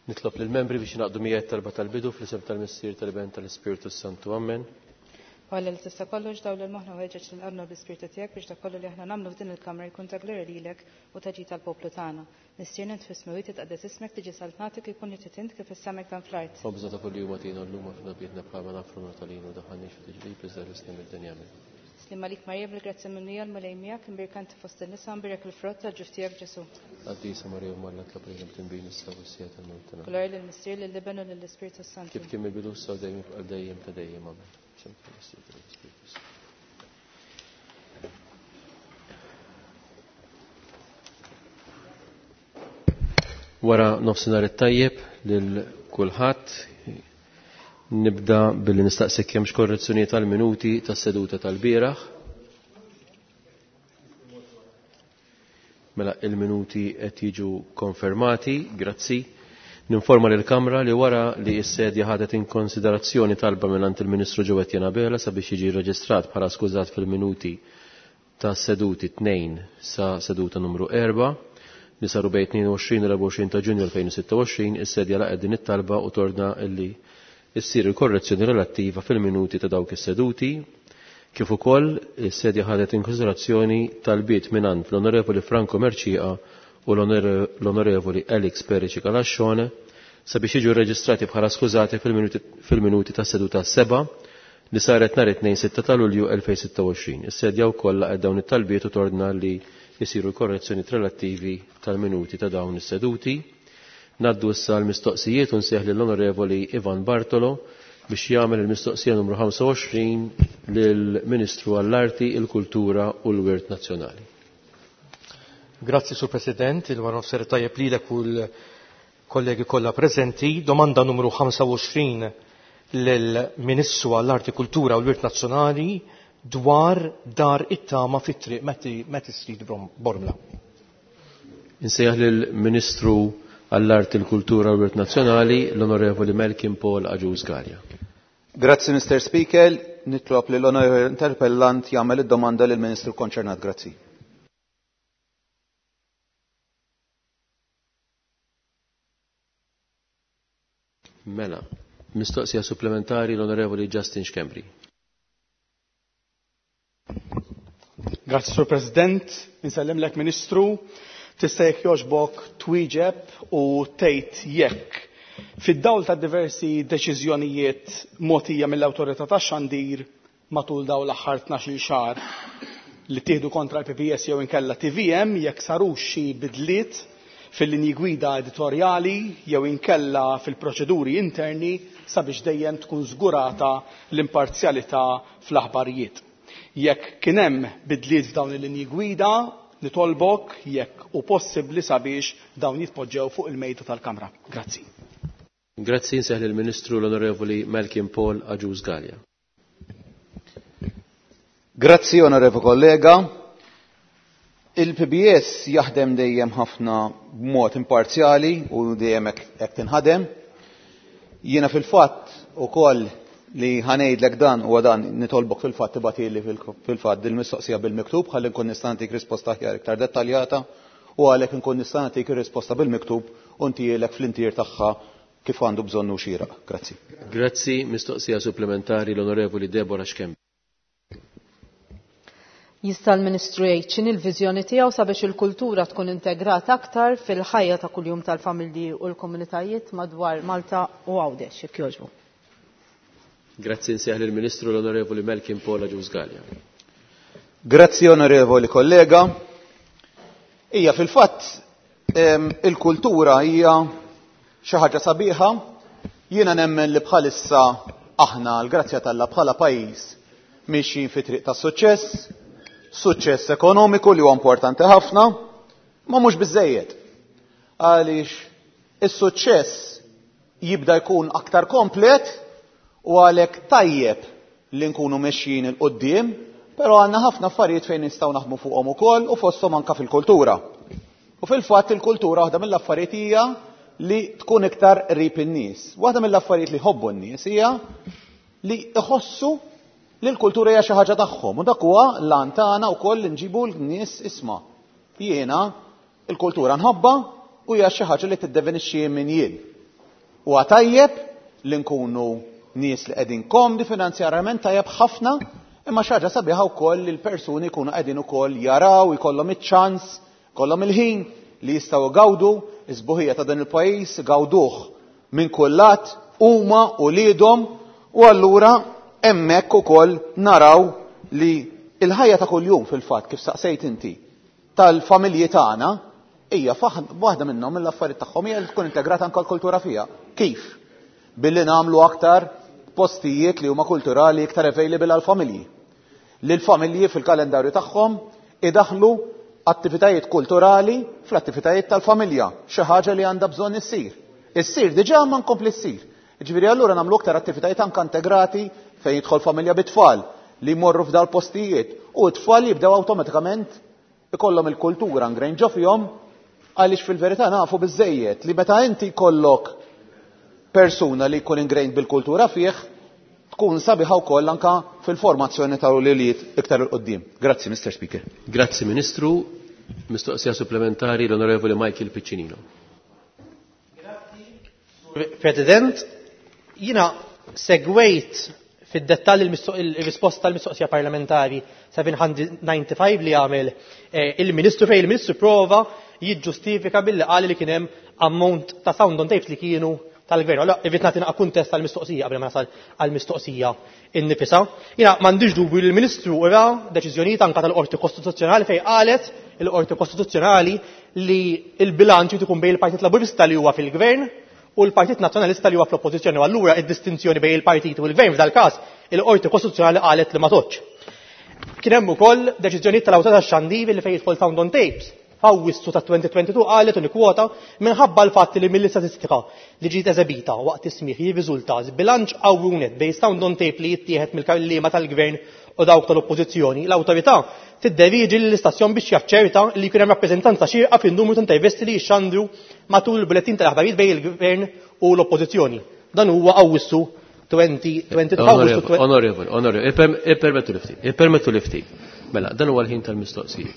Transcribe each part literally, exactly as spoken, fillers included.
Nitlob lill-membri biex jingħaqdu miegħi talba tal-bidu fl-isem tal-Missier, tal-Iben, tal-Ispirtu Santu. Amen. Alla li tista' kollox dawwal moħħna u ħeġġeġ lil qalbna bl-Ispirtu tiegħek biex dak kollu li aħna nagħmlu f'din il-kamra jkun ta' glorja lilek u ta' ġid tal-poplu tagħna. Missierna int fis-smewwiet, titqaddes ismek, tiġi saltnatek, ikun li trid int kif fis-sema dan fl-art. Ħobżna ta' kuljum agħtina llum, aħfrilna dnubietna bħalma naħfru aħna lil ma daħħalniex fi tiġrib, iżda eħlisna mid-dinja. Amen. Sliem għalik Marija, bil-grazzja mimlija, l-Mulej miegħek, imbierka inti fost in-nisa, imbierek il-frott tal-ġuf tiegħek Ġesu. Qaddisa Marija, Omm Alla, itlob għalina midinbin, issa u fis-siegħa tal-mewt tagħna. Glorja lill-Missier, lill-Iben u lill-Ispirtu Santu. Kif kien mill-bidu, issa u dejjem, għal dejjem ta' dejjem. Amen. Fl-isem tal-Missier, tal-Ispirtu Santu. Wara nofsinhar it-tajjeb lil kulħadd. Nibda billi nistaqsik kemm korrezzjonijiet tal-minuti tas-seduta tal-bieraħ. Mela il-minuti qed jiġu konfermati, grazzi. Ninforma lill Kamra li wara li s-sedja ħadet in konsiderazzjoni talba mingħand il-Ministru Jo Etienne Abela sabiex jiġi reġistrat bħala skużat fil-minuti ta' seduti tnejn sa seduta numru erba' li saru bejn tnejn u għoxrin u erbgħa u għoxrin ta' Ġunju elfejn u sitta u għoxrin, is-sedja laqgħet din it-talba u tordna illi issir il-korrezzjoni relattiva fil-minuti ta' dawk is-seduti, kif ukoll is-sedja ħadet in konsiderazzjoni talbiet mingħand l-Onorevoli Franco Mercieca u l-Onorevoli Alex Perici Calascione sabiex jiġu reġistrati bħala skużati fil-minuti ta' seduta seba' li saret nhar it-Tnejn sitta ta' Lulju elfejn u sitta u għoxrin. Is-sedja wkoll laqgħet dawn it-talbiet u tordna li jisiru l-korrezzjoni relattivi tal-minuti ta' dawn is-seduti. Ngħaddu issa l-mistoqsijiet u nsejjaħ lill-Onorevoli Ivan Bartolo biex jagħmel il-mistoqsija numru ħamsa u għoxrin lill-Ministru għall-Arti, il-Kultura u l-Wirt Nazzjonali. Grazzi, Sur President, il-wara nofsinhar tajjeb lilek u l-kollegi kollha preżenti. Domanda numru ħamsa u għoxrin lill-Ministru għall-Arti, Kultura u l-Wirt Nazzjonali dwar Dar it-Tama fit-triq Matti Street, Bormla. Insejjaħ lill-Ministru għall-Arti, il-Kultura u l-Wirt Nazzjonali, l-Onorevoli Malcolm Paul Agius Galea. Grazzi, Mister Speaker. Nitlob li l-onorevoli interpellant jagħmel id-domanda lill-Ministru konċernat. Grazzi. Mela, mistoqsija supplementari, l-Onorevoli Justin Schembri. Grazzi, Sur President. Insellimlek, Ministru. Tista' jekk jogħġbok twieġeb u tgħid jekk fid-dawl ta' diversi deċiżjonijiet mogħtija mill-Awtorità tax-Xandir matul dawn l-aħħar tnax-il xahar li tieħdu kontra l-P B S jew inkella T V M, jekk sarux xi bidliet fil-linji gwida editorjali jew inkella fil-proċeduri interni sabiex dejjem tkun żgurata l-imparzjalità fl-aħbarijiet. Jekk kien hemm bidliet f'dawn il-linji gwida, nitolbok jekk hu possibbli sabiex dawn jitpoġġew fuq il-mejda tal-Kamra. Grazzi. Grazzi. Insejjaħ lill-Ministru, l-Onorevoli Malcolm Paul Agius Galea. Grazzi, onorevoli kollega. Il-P B S jaħdem dejjem ħafna b'mod imparzjali u dejjem hekk tinħadem. Jiena fil-fatt ukoll li ħa ngħidlek dan u dan nitolbok fil-fatt tibgħatili fil-fatt dil-mistoqsija bil-miktub ħalli nkun nista' nagħtik risposta aħjar iktar dettaljata u għalhekk nkun nista' nagħtik ir-risposta bil-miktub u ntihielek fl-intier tagħha kif għandu bżonnu xieraq. Grazzi. Grazzi. Mistoqsija supplementari, l-Onorevoli Deborah Schembri. Jista' l-Ministru jgħid x'inhi l-viżjoni tiegħu sabiex il-kultura tkun integrata aktar fil-ħajja ta' kuljum tal-familji u l-komunitajiet madwar Malta u Għawdex, jekk jogħġbu? Grazzi. Insejjaħ lill-Ministru, l-Onorevoli Malcolm Paul Agius Galea. Grazzi, onorevoli kollega. Ija, fil-fatt il-kultura hija xi ħaġa sabiħa. Jiena nemmen li bħalissa aħna, l-grazzja t'Alla, bħala pajjiż mixjin fi triq ta' suċċess, suċċess ekonomiku li huwa importanti ħafna, ma mhux biżejjed. Għaliex is-suċċess jibda jkun aktar komplet u għalhekk tajjeb li nkunu mexjin 'il quddiem, però għandna ħafna affarijiet fejn nistgħu naħdmu fuqhom ukoll u fosthom anka fil-kultura. U fil-fatt il-kultura waħda mill-affarijiet hija li tkun iktar qrib in-nies. Waħda mill-affarijiet li jħobbu n-nies hija li iħossu li l-kultura hija xi ħaġa tagħhom u dak huwa l-għan tagħna wkoll li nġibu l-nies isma'. Jiena il-kultura nħobba u hija xi ħaġa li tiddefinixxi min jien. Huwa tajjeb li nkunu nies li qegħdin komdi finanzjarjament, tajjeb ħafna, imma xi ħaġa sabiħa wkoll li l-persuni jkunu qegħdin ukoll jaraw, ikollhom iċ-ċans, ikollhom il-ħin li jistgħu jgawdu is-sbuħija ta' dan il-pajjiż, igawduh minn kull lat huma u liedhom, u allura hemmhekk ukoll naraw li il-ħajja ta' kuljum fil-fatt, kif saqsejt inti, tal-familji tagħna hija waħda minnhom mill-affarijiet tagħhom hija li tkun integrata anke l-kultura fiha. Kif? Billi nagħmlu aktar postijiet li huma kulturali iktar available għall-familji. Li l-familji fil-kalendarju tagħhom idaħlu attivitajiet kulturali fl-attivitajiet tal-familja, xi ħaġa li għandha bżonn issir. Issir diġà ma nkompli ssir. Ġifieri allura nagħmlu aktar attivitajiet anke integrati fejn jidħol familja bit-tfal li jmorru f'dal postijiet u t-tfal jibdew awtomatikament ikollhom il-kultura ingrained ġo fihom, għaliex fil-verità nafu biżejjed li meta inti jkollok persuna li jkun ingrained bil-kultura fih, tkun sabiħa wkoll anka fil-formazzjoni ta' ulied iktar 'il quddiem. Grazzi, Mister Speaker. Grazzi, Ministru. Mistoqsija supplementari l-Onorevoli Michael Piccinino. Grazzi, President. Jina segwejt fid-dettall il-risposta tal-mistoqsija parlamentari seba' mija u disgħa u disgħin li għamel eh, il-Ministru, fejn il-Ministru prova jiġġustifika billi qal li kien hemm ammont ta' sound on tapes li kienu tal-gvern. Allora, irrid nagħti naqa' kuntest tal-mistoqsija qabel ma nasal għall-mistoqsija innifisha. Jiena m'għandix dubju li l-Ministru ra deċiżjonijiet anke tal-Qorti Kostituzzjonali fejn qalet il-Qorti Kostituzzjonali li l-bilanċ ikun bejn il-Partit Laburista li huwa fil-gvern u l-Partit Nazzjonalista li huwa fl-Oppożizzjoni. U allura id-distinzjoni bejn il-partit u l-gvern f'dal-każ il-Qorti Kostituzzjonali qalet li ma tgħoddx. Kien hemm ukoll deċiżjonijiet tal-Awtorità tax-Xandir li fejn jidħol sound on tapes. F'Awwissu ta' elfejn u tnejn u għoxrin qalet u kwota minħabba l-fatt li mill-istatistika li ġiet eżebita waqt is-smigħ jirriżulta bilanċ qawwi net bejn sound on tape li jittieħed mill-kelliema tal-gvern u dawk tal-oppożizzjoni. L-awtorità tidderieġi lill-istazzjon biex jaċċerta li jkun hemm rappreżentanza xierqa fin-numru ta' intervisti li jixxandru matul il-bulettin tal-aħbarijiet bejn il-gvern u l-oppożizzjoni. Dan huwa Awwissu elfejn u tnejn u għoxrin. Onorevoli, onorevoli, ippermettu li ftit, ippermettu li ftit. Mela, dan huwa l-ħin tal-mistoqsijiet.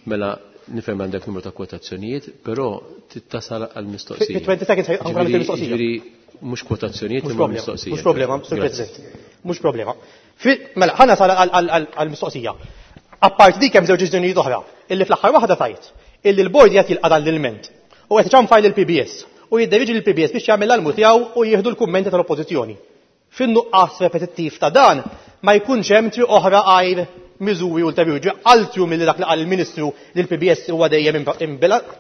Mela, nifhem għandek numru ta' kwotazzjonijiet, però tittasal għal-mistoqsija. Fi twenty seconds ħa nagħmel il-mistoqsija. Ġifieri mhux kwotazzjonijiet Mhux imma problema, mistoqsija. mhux problema, Sur Grazzi. President. Mhux problema. Mela, ħa nasal għal-mistoqsija. Apparti dik hemm żewġ deċiżjonijiet oħra, illi fl-aħħar waħda tajt, illi l-bord qed jilqa' dan l-ilment u qed iċanfar lill-P B S u jidderieġi lill-P B S biex jagħmel l-almu tiegħu u jieħdu l-kummenti tal-Oppożizzjoni. Fin-nuqqas repetittiv ta' dan ma jkunx hemm triq oħra għajr miżuri ulterjuri. Altru milli dak li qal il-Ministru li l-P B S huwa dejjem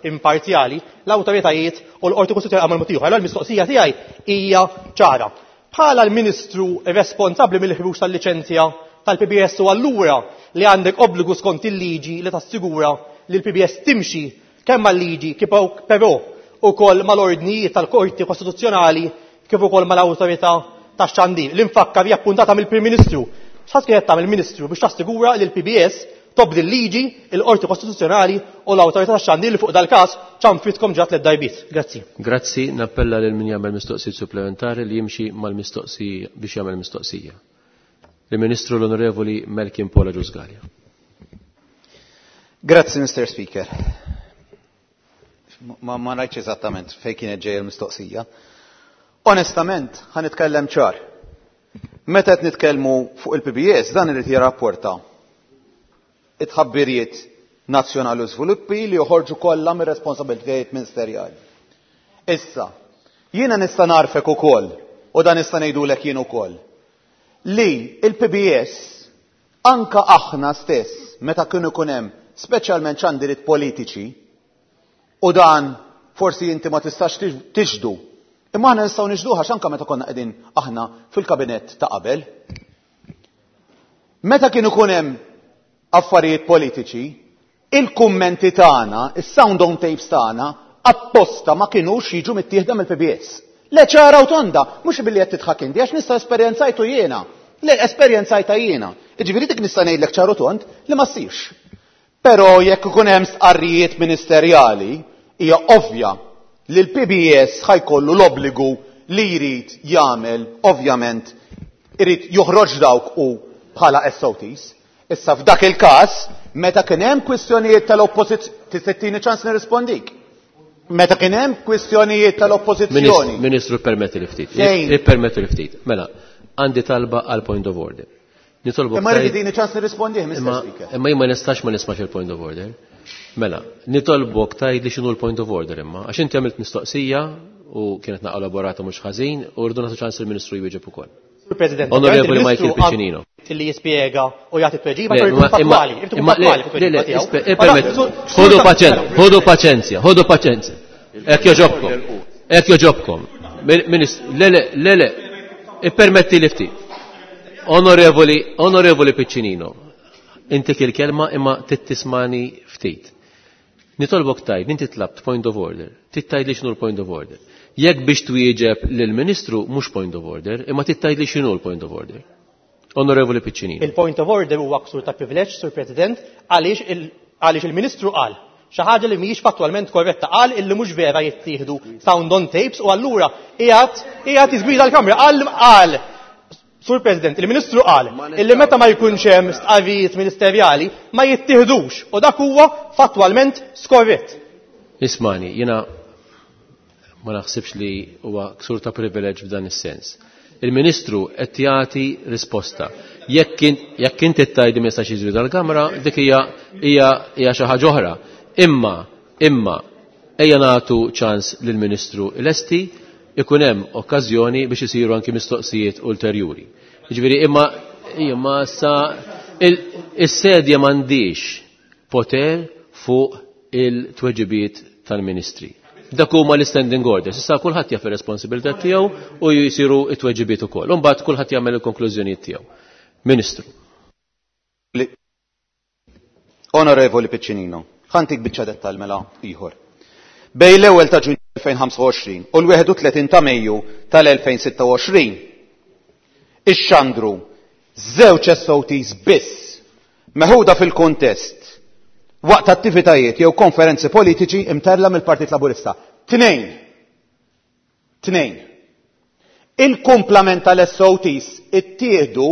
imparzjali, l-awtoritajiet u l-Qorti Kostituzzjonali għamlu mod ieħor. Allura l-mistoqsija tiegħi hija ċara. Bħala l-Ministru responsabbli mill-ħruġ tal-liċenzja tal-P B S u allura li għandek obbligu skont il-liġi li tassigura li l-P B S timxi kemm mal-liġi kif però ukoll mal-ordnijiet tal-Qorti Kostituzzjonali kif ukoll mal-Awtorità tax-Xandir. L-infakkar hija appuntata mill-Prim Ministru. X'ħadd kienet tagħmel il-Ministru biex tassigura li l-P B S tobdi l-liġi, il-Qorti Kostituzzjonali u l-Awtorità tax-Xandir li fuq dal-każ ċanfritkom ġat tliet darbiet? Grazzi. Grazzi, nappella lil min jagħmel mistoqsijiet supplementari li jimxi mal-mistoqsija biex jagħmel mistoqsija. Il-Ministru l-Onorevoli Melkin Paul Agius Galea. Grazzi, Mister Speaker. Ma, ma rajtx eżattament fejn kienet ġejja l-mistoqsija. Onestament, ħa nitkellem ċar. Meta qed nitkellmu fuq il-P B S, dan irid jirrapporta it-tħabbiriet nazzjonali u żviluppi li joħorġu kollha mir-responsabilitajiet ministerjali. Issa, jiena nista' narfek ukoll, u dan nista' ngħidulek jien ukoll, li il-P B S anka aħna stess meta kienu ikun hemm speċjalment xandiriet politiċi, u dan forsi inti ma tistax tixhdu, imma aħna nistgħu nixhduha anke meta konna qegħdin aħna fil-kabinett ta' qabel. Meta kienu ikun hemm affarijiet politiċi, il-kummenti tagħna, is-sound on tapes tagħna, apposta ma kinux jiġu mittieħda mill-P B S. Le, ċara u tonda, mhux billi qed tidħak inti, għax nista' esperjenzajtu jiena. Le, esperjenzajta jiena. Jiġifieri dik nista' ngħidlek ċaru tond li ma ssirx. Però jekk ikun hemm stqarrijiet ministerjali, hija ovvja li l-P B S ħa jkollu l-obbligu li jrid jagħmel, ovvjament, irid joħroġ dawk u bħala S O Ts. Issa f'dak il-każ, meta kien hemm kwistjonijiet tal-oppożizzjoni, tista' ttini ċans nirrispondik. Meta kien hemm kwistjonijiet tal-oppożizzjoni. Ministru, permetti li ftit. Ippermetti li ftit. Mela, għandi talba għal point of order. Nitolbok. Imma rrid tini ċans nirrispondih, Mister Speaker. Imma jien ma nistax ma nismax il-point of order. Mela, nitolbok tgħid li x'inhu l-point of order imma, għax inti għamilt mistoqsija u kienet naqra elaborata mhux ħażin u rridu nagħtu ċans il-Ministru jwieġeb ukoll. Sur President, Onorevoli Michael Piccinino. Li jispjega u jagħti tweġiba jkun fattwali, irid ikun fattwali fit-tweġiba tiegħu. Ħodu paċenzja, ħodu paċenzja, ħodu paċenzja. Hekk joġobkom. Hekk joġobkom. Le le le le, ippermetti li ftit. Onorevoli, Onorevoli Piccinino, inti il-kelma imma tittismani ftit. Nitolbok tgħid, inti tlabt point of order, tgħid li x'inhu l-point of order. Jekk biex twieġeb lill-Ministru mhux point of order, imma tgħid li x'inhu l-point of order. Onorevoli Piccinino. Il-point of order huwa ksur ta' privileġġ, Sur President, għaliex il-Ministru qal xi ħaġa li mhijiex fattwalment korretta, qal illi mhux vera jittieħdu sound on tapes u allura qiegħed qiegħed jiżgwida l-Kamra, qal qal Sur President, il-Ministru qal illi meta ma jkunx hemm stqarrijiet ministerjali ma jittieħdux u dak huwa fattwalment skorrett. Ismani, jiena ma naħsibx li huwa ksur ta' privileġġ f'dan is-sens. Il-Ministru qed jagħti risposta. Jekk inti tgħid ma jistax jiżwida l-Kamra, dik hija hija xi ħaġa oħra. Imma, imma, ejja nagħtu ċans lill-Ministru lesti ikun hemm okkażjoni biex isiru anki mistoqsijiet ulterjuri. Jiġifieri imma imma sa is-sedja m'għandix poter fuq il-tweġibiet tal-Ministri. Dak huma l-standing orders. Issa kulħadd jaf ir-responsabilità tiegħu u jsiru t-tweġibiet ukoll. U mbagħad kulħadd jagħmel il-konklużjonijiet tiegħu. Ministru. Onorevoli Piccinino, ħa ntik biċċa dettal mela ieħor. Bejn l-ewwel ta' Ġunju elfejn u ħamsa u għoxrin u l-wieħed u tletin ta' Mejju tal-elfejn u sitta u għoxrin ixxandru żewġ S O Ts biss meħuda fil-kontest waqt attivitajiet jew konferenzi politiċi imtella mill-Partit Laburista. Tnejn. Tnejn. Il-kumplament tal-S O Ts ittieħdu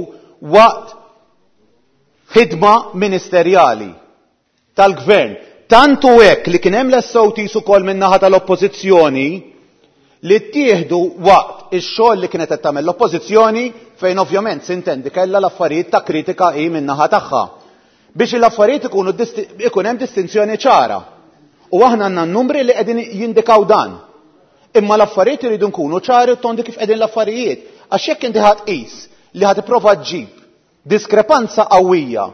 waqt ħidma ministerjali tal-gvern. Tantu hekk li kien hemm l-S O Ts ukoll min-naħa tal-Oppożizzjoni li ttieħdu waqt ix-xogħol li kienet qed tagħmel l-Oppożizzjoni fejn ovvjament sintendi kellha l-affarijiet ta' kritika hi min-naħa tagħha. Biex l-affarijiet ikunu disti-, ikun hemm distinzjoni ċara. U aħna għandna n-numri li qegħdin jindikaw dan. Imma l-affarijiet iridu nkunu ċari u tondi kif qegħdin l-affarijiet. Għax jekk inti ħadd qis li ħadd tipprova ġġib diskrepanza qawwija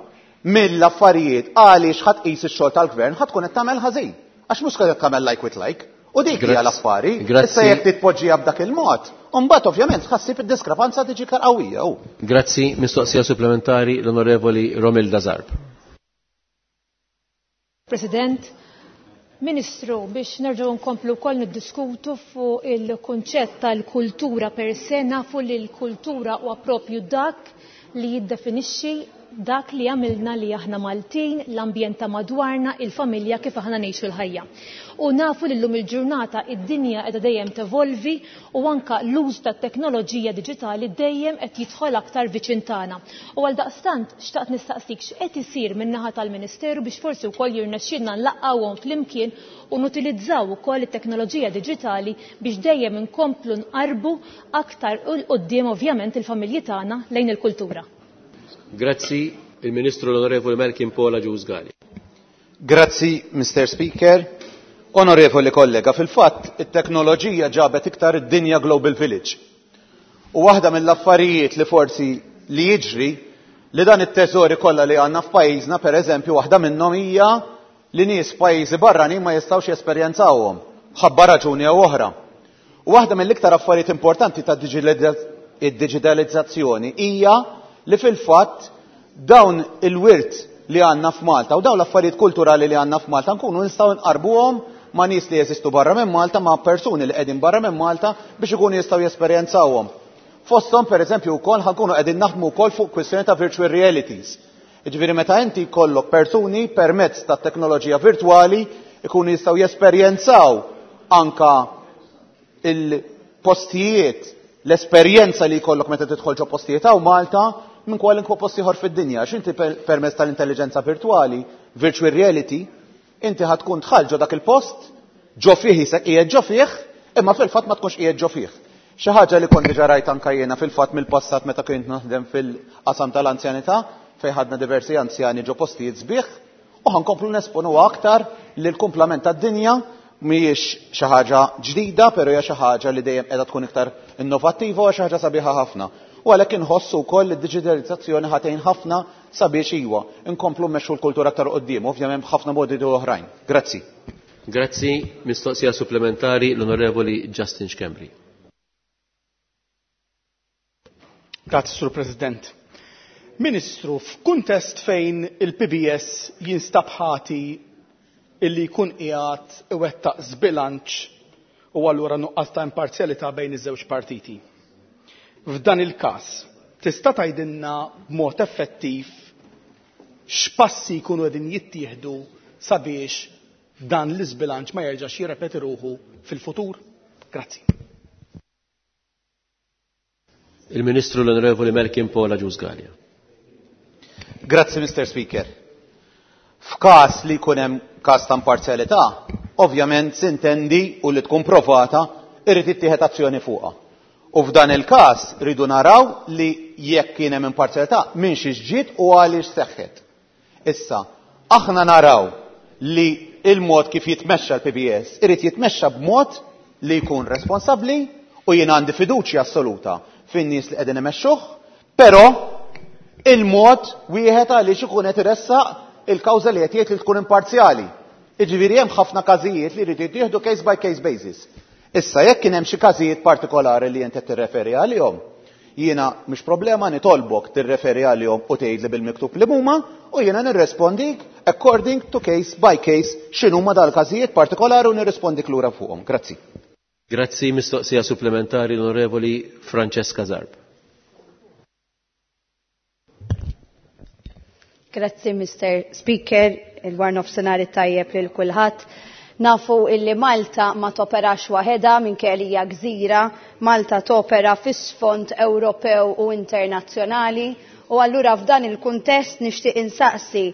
mill-affarijiet għaliex ħadd qis ix-xogħol tal-gvern, ħadd tkun qed tagħmel ħażin. Għax mhux qed tagħmel like with like. U dik hija Grazzi. l-affari. Grazzi. Issa jekk titpoġġiha b'dak il-mod, u mbagħad ovvjament tħassib id-diskrepanza tiġi iktar qawwija. Grazzi, mistoqsija supplementari l-Onorevoli Romilda Zarb. President, Ministru, biex nerġgħu nkomplu wkoll niddiskutu fuq il-kunċett tal-kultura per se, nafu li l-kultura huwa propju dak li jiddefinixxi dak li għamilna li aħna Maltin, l-ambjent ta' madwarna, il-familja kif aħna ngħixu l-ħajja. U nafu li llum il-ġurnata id-dinja qiegħda dejjem tevolvi u anka l-użu tat-teknoloġija diġitali dejjem qed jidħol aktar viċin tagħna. U għal daqstant xtaqt nistaqsik x'qed isir min-naħa tal-Ministeru biex forsi wkoll jirnexxielna nlaqqgħuhom flimkien u nutilizzaw ukoll it-teknoloġija diġitali biex dejjem inkomplu nqarbu aktar 'il quddiem ovvjament il-familji tagħna lejn il-kultura. Grazzi, il-Ministru l-Onorevoli Melkin Paul Agius Galea. Grazzi, Mister Speaker. Onorevoli kollega, fil-fatt, it-teknoloġija ġabet iktar id-dinja Global Village. U waħda mill-affarijiet li forsi li jiġri li dan it-teżori kollha li għandna f'pajjiżna, per eżempju, waħda minnhom hija li nies f'pajjiżi barranin ma jistgħux jesperjenzawhom, ħabba raġuni jew oħra. U waħda mill-iktar affarijiet importanti ta' digitalizzazzjoni hija li fil-fatt dawn il-wirt li għandna f'Malta u dawn l-affarijiet kulturali li għandna f'Malta nkunu nistgħu nqarbuhom ma' nies li jeżistu barra minn Malta, ma' persuni li qegħdin barra minn Malta biex ikunu jistgħu jesperjenzawhom. Fosthom pereżempju wkoll ħankunu qegħdin naħdmu wkoll fuq kwistjoni ta' virtual realities. Jiġifieri meta inti jkollok persuni permezz ta' teknoloġija virtwali ikunu jistgħu jesperjenzaw anka il-postijiet, l-esperjenza li jkollok meta tidħol ġo postijiet hawn Malta minn kwalunkwe post ieħor fid-dinja. Għax inti per-, permezz tal-intelligenza virtwali, virtual reality, inti ħa tkun dħalt ġo dak il-post ġo fih isek qiegħed ġo fih, imma fil-fatt ma tkunx qiegħed ġo fih. Xi ħaġa li kont diġà rajt anke jiena fil-fatt mill-passat meta kont naħdem fil-qasam tal-anzjanità fejn ħadna diversi anzjani ġo postijiet sbieħ u ħa nkomplu nesponuha aktar li l-kumplament tad-dinja mhijiex xi ħaġa ġdida, però hija xi ħaġa li dejjem qiegħda tkun iktar innovattiva u xi ħaġa sabiħa ħafna. U għalhekk inħossu wkoll li d-diġitalizzazzjoni ħa tgħin ħafna sabiex iwa nkomplu mmexxu l-kultura aktar quddiem, ovvjament b'ħafna modi oħrajn. Grazzi. Grazzi, mistoqsija supplementari l-Onorevoli Justin Schembri. Grazzi, Sur President. Ministru, f'kuntest fejn il-P B S jinstab ħati illi jkun qiegħed iwettaq żbilanċ u allura nuqqas ta' imparzjalità bejn iż-żewġ partiti. F'dan il-każ, tista' tgħidilna b'mod effettiv x'passi jkunu qegħdin jittieħdu sabiex dan l-iżbilanċ ma jerġax jirrepeti ruħu fil-futur? Grazzi. Il-Ministru l-Onorevoli Melkin Paul Agius Galea. Grazzi, Mister Speaker. F'każ li jkun hemm każ ta' imparzjalità, ovvjament sintendi u li tkun provata irrid ittieħed azzjoni fuqha. U f'dan il-każ rridu naraw li jekk kien hemm imparzjalità minn xi ġiet u għaliex seħħet. Issa, aħna naraw li il-mod kif jitmexxa l-P B S irid jitmexxa b'mod li jkun responsabbli u jien għandi fiduċja assoluta fin-nies li qegħdin imexxuh, però il-mod wieħed għaliex ikun qed iressaq il-kawża li qed jgħid li tkun imparzjali. Jiġifieri hemm ħafna każijiet li jridu jittieħdu case by case basis. Issa jekk kien hemm xi każijiet partikolari li inti qed tirreferi għalihom, jiena mhux problema nitolbok tirreferi għalihom u tgħidli bil-miktub li huma u jiena nirrespondik according to case by case x'inhuma dal-każijiet partikolari u nirrespondik lura fuqhom. Grazzi. Grazzi, mistoqsija supplementari l-Onorevoli Francesca Zarb. Grazzi, Mister Speaker, il-war nofsinhar tajjeb lil kulħadd. Nafu illi Malta ma toperax waħedha minkejja li hija gżira, Malta topera fis-sfond Ewropew u internazzjonali u allura f'dan il-kuntest nixtieq insaqsi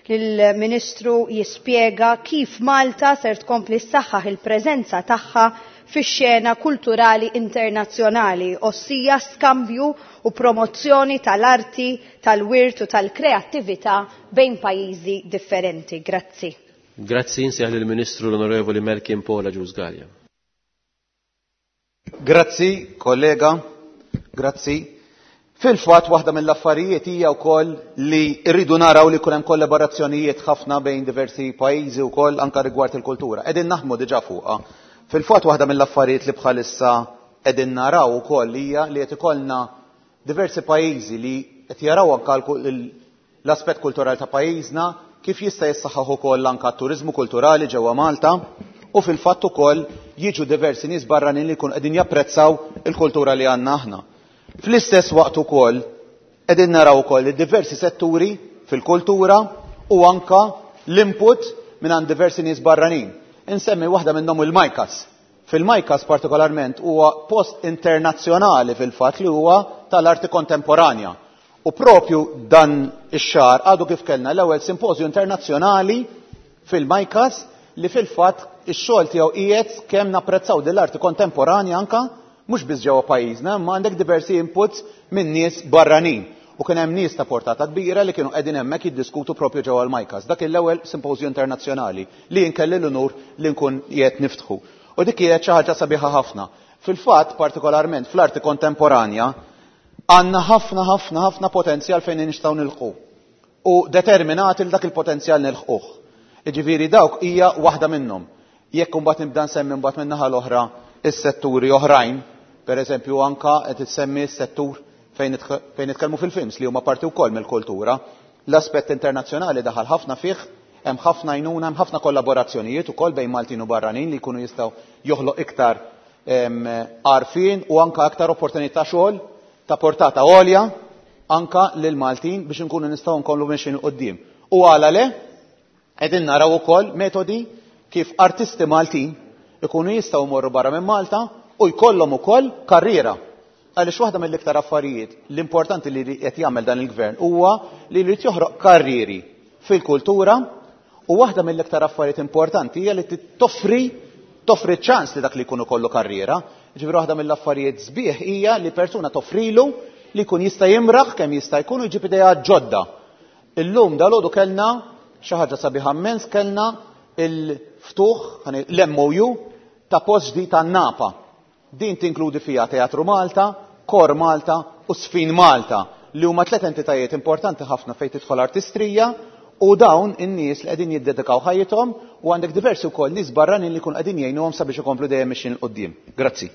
lill-Ministru jispjega kif Malta ser tkompli ssaħħaħ il-preżenza tagħha fix-xena kulturali internazzjonali, ossija skambju u promozzjoni tal-arti, tal-wirt u tal-kreattività bejn pajjiżi differenti. Grazzi. Grazzi, insejjaħ lill-Ministru l-Onorevoli Melkin Paul Agius Galea. Grazzi, kollega, grazzi. Fil-fatt waħda mill-affarijiet hija wkoll li rridu naraw li jkun hemm kollaborazzjonijiet ħafna bejn diversi pajjiżi wkoll anke rigward il-kultura. Qegħdin naħdmu diġà fuqha. Fil-fatt waħda mill-affarijiet li bħalissa qegħdin naraw ukoll hija li qed ikollna diversi pajjiżi li qed jaraw anke l-aspett kulturali ta' pajjiżna kif jista' jissaħħaħ ukoll anke t-turiżmu kulturali ġewwa Malta u fil-fatt ukoll jiġu diversi nies barranin li jkunu qegħdin japprezzaw il-kultura li għandna aħna. Fl-istess waqt ukoll qegħdin naraw ukoll li diversi setturi fil-kultura u anke l-input minn għand diversi nies barranin. Insemmi waħda minnhom il-MICAS. Fil-MICAS partikolarment huwa post internazzjonali fil-fatt li huwa tal-arti kontemporanja. U propju dan ix-xahar għadu kif kellna l-ewwel simpożju internazzjonali fil-MICAS li fil-fatt ix-xogħol tiegħu qiegħed kemm napprezzaw din l-arti kontemporanja anke mhux biss ġewwa pajjiżna, imma għandek diversi inputs minn nies barranin. U kien hemm nies ta' portata kbira li kienu qegħdin hemmhekk jiddiskutu propju ġewwa l-MICAS. Dak l-ewwel simpożju internazzjonali li jinkelli l-unur li nkun qiegħed niftħu. U dik kienet xi ħaġa sabiħa ħafna. Fil-fatt, partikolarment fl-arti kontemporanja, għandna ħafna, ħafna, ħafna potenzjal fejn nistgħu nilħqu. U determinati li dak il-potenzjal nilħquh. Jiġifieri dawk hija waħda minnhom. Jekk imbagħad nibda nsemmi mbagħad min-naħa l-oħra is-setturi oħrajn, pereżempju anka qed issemmi s-settur fejn nitk-, fejn nitkellmu fil-films li huma parti wkoll mill-kultura. L-aspett internazzjonali daħal ħafna fih, hemm ħafna għajnuna, hemm ħafna kollaborazzjonijiet ukoll bejn Maltin u barranin li jkunu jistgħu joħloq iktar, em, għarfien u anka aktar opportunità xogħol ta' portata għolja anka lil Maltin biex inkunu nistgħu nkomplu mexjin 'il quddiem. U għala le, qegħdin naraw ukoll metodi kif artisti Maltin ikunu jistgħu jmorru barra minn Malta u jkollhom ukoll karriera. Għaliex waħda mill-iktar affarijiet l-importanti li qed jagħmel dan il-gvern huwa li jrid joħroq karrieri fil-kultura u waħda mill-iktar affarijiet importanti hija li toffri Toffri ċans li dak li jkun ikollu karriera. Ġifieri waħda mill-affarijiet sbieħ hija li persuna toffrilu li jkun jista' jimraħ kemm jista' jkun u jġib idea ġodda. Illum dalgħodu kellna xi ħaġa sabiħa immens, kellna il-ftuħ, l-M O U ta' post ġdid tan-Napa. Din tinkludi fiha Teatru Malta, Kor Malta u Sfin Malta, li huma tliet entitajiet importanti ħafna fejn tidħol artistrija u dawn in-nies li qegħdin jiddedikaw ħajjithom u għandek diversi wkoll nies barranin li jkunu qegħdin jgħinuhom sabiex ikomplu dejjem mixjin 'il quddiem. Grazzi.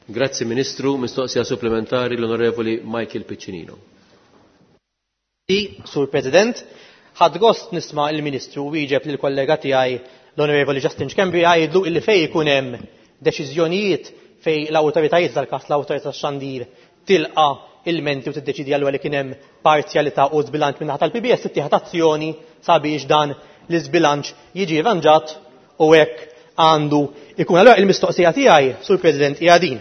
Grazzi Ministru, mistoqsija supplementari l-Onorevoli Michael Piccinino. Sur President, ħadd gost nisma' il-Ministru wieġeb lill-kollega tiegħi l-Onorevoli Justin Schembri jgħidlu illi fejn ikun hemm deċiżjonijiet fejn l-awtoritajiet tal-każ l-awtorità tax-xandir tilqa' ilmenti u tiddeċidi allura li kien hemm parzjalità u żbilanċ min-naħa tal-P B S tittieħed azzjoni sabiex dan l-iżbilanċ jiġi rranġat u hekk għandu ikun. Allura il-mistoqsija tiegħi, Sur President, hija din.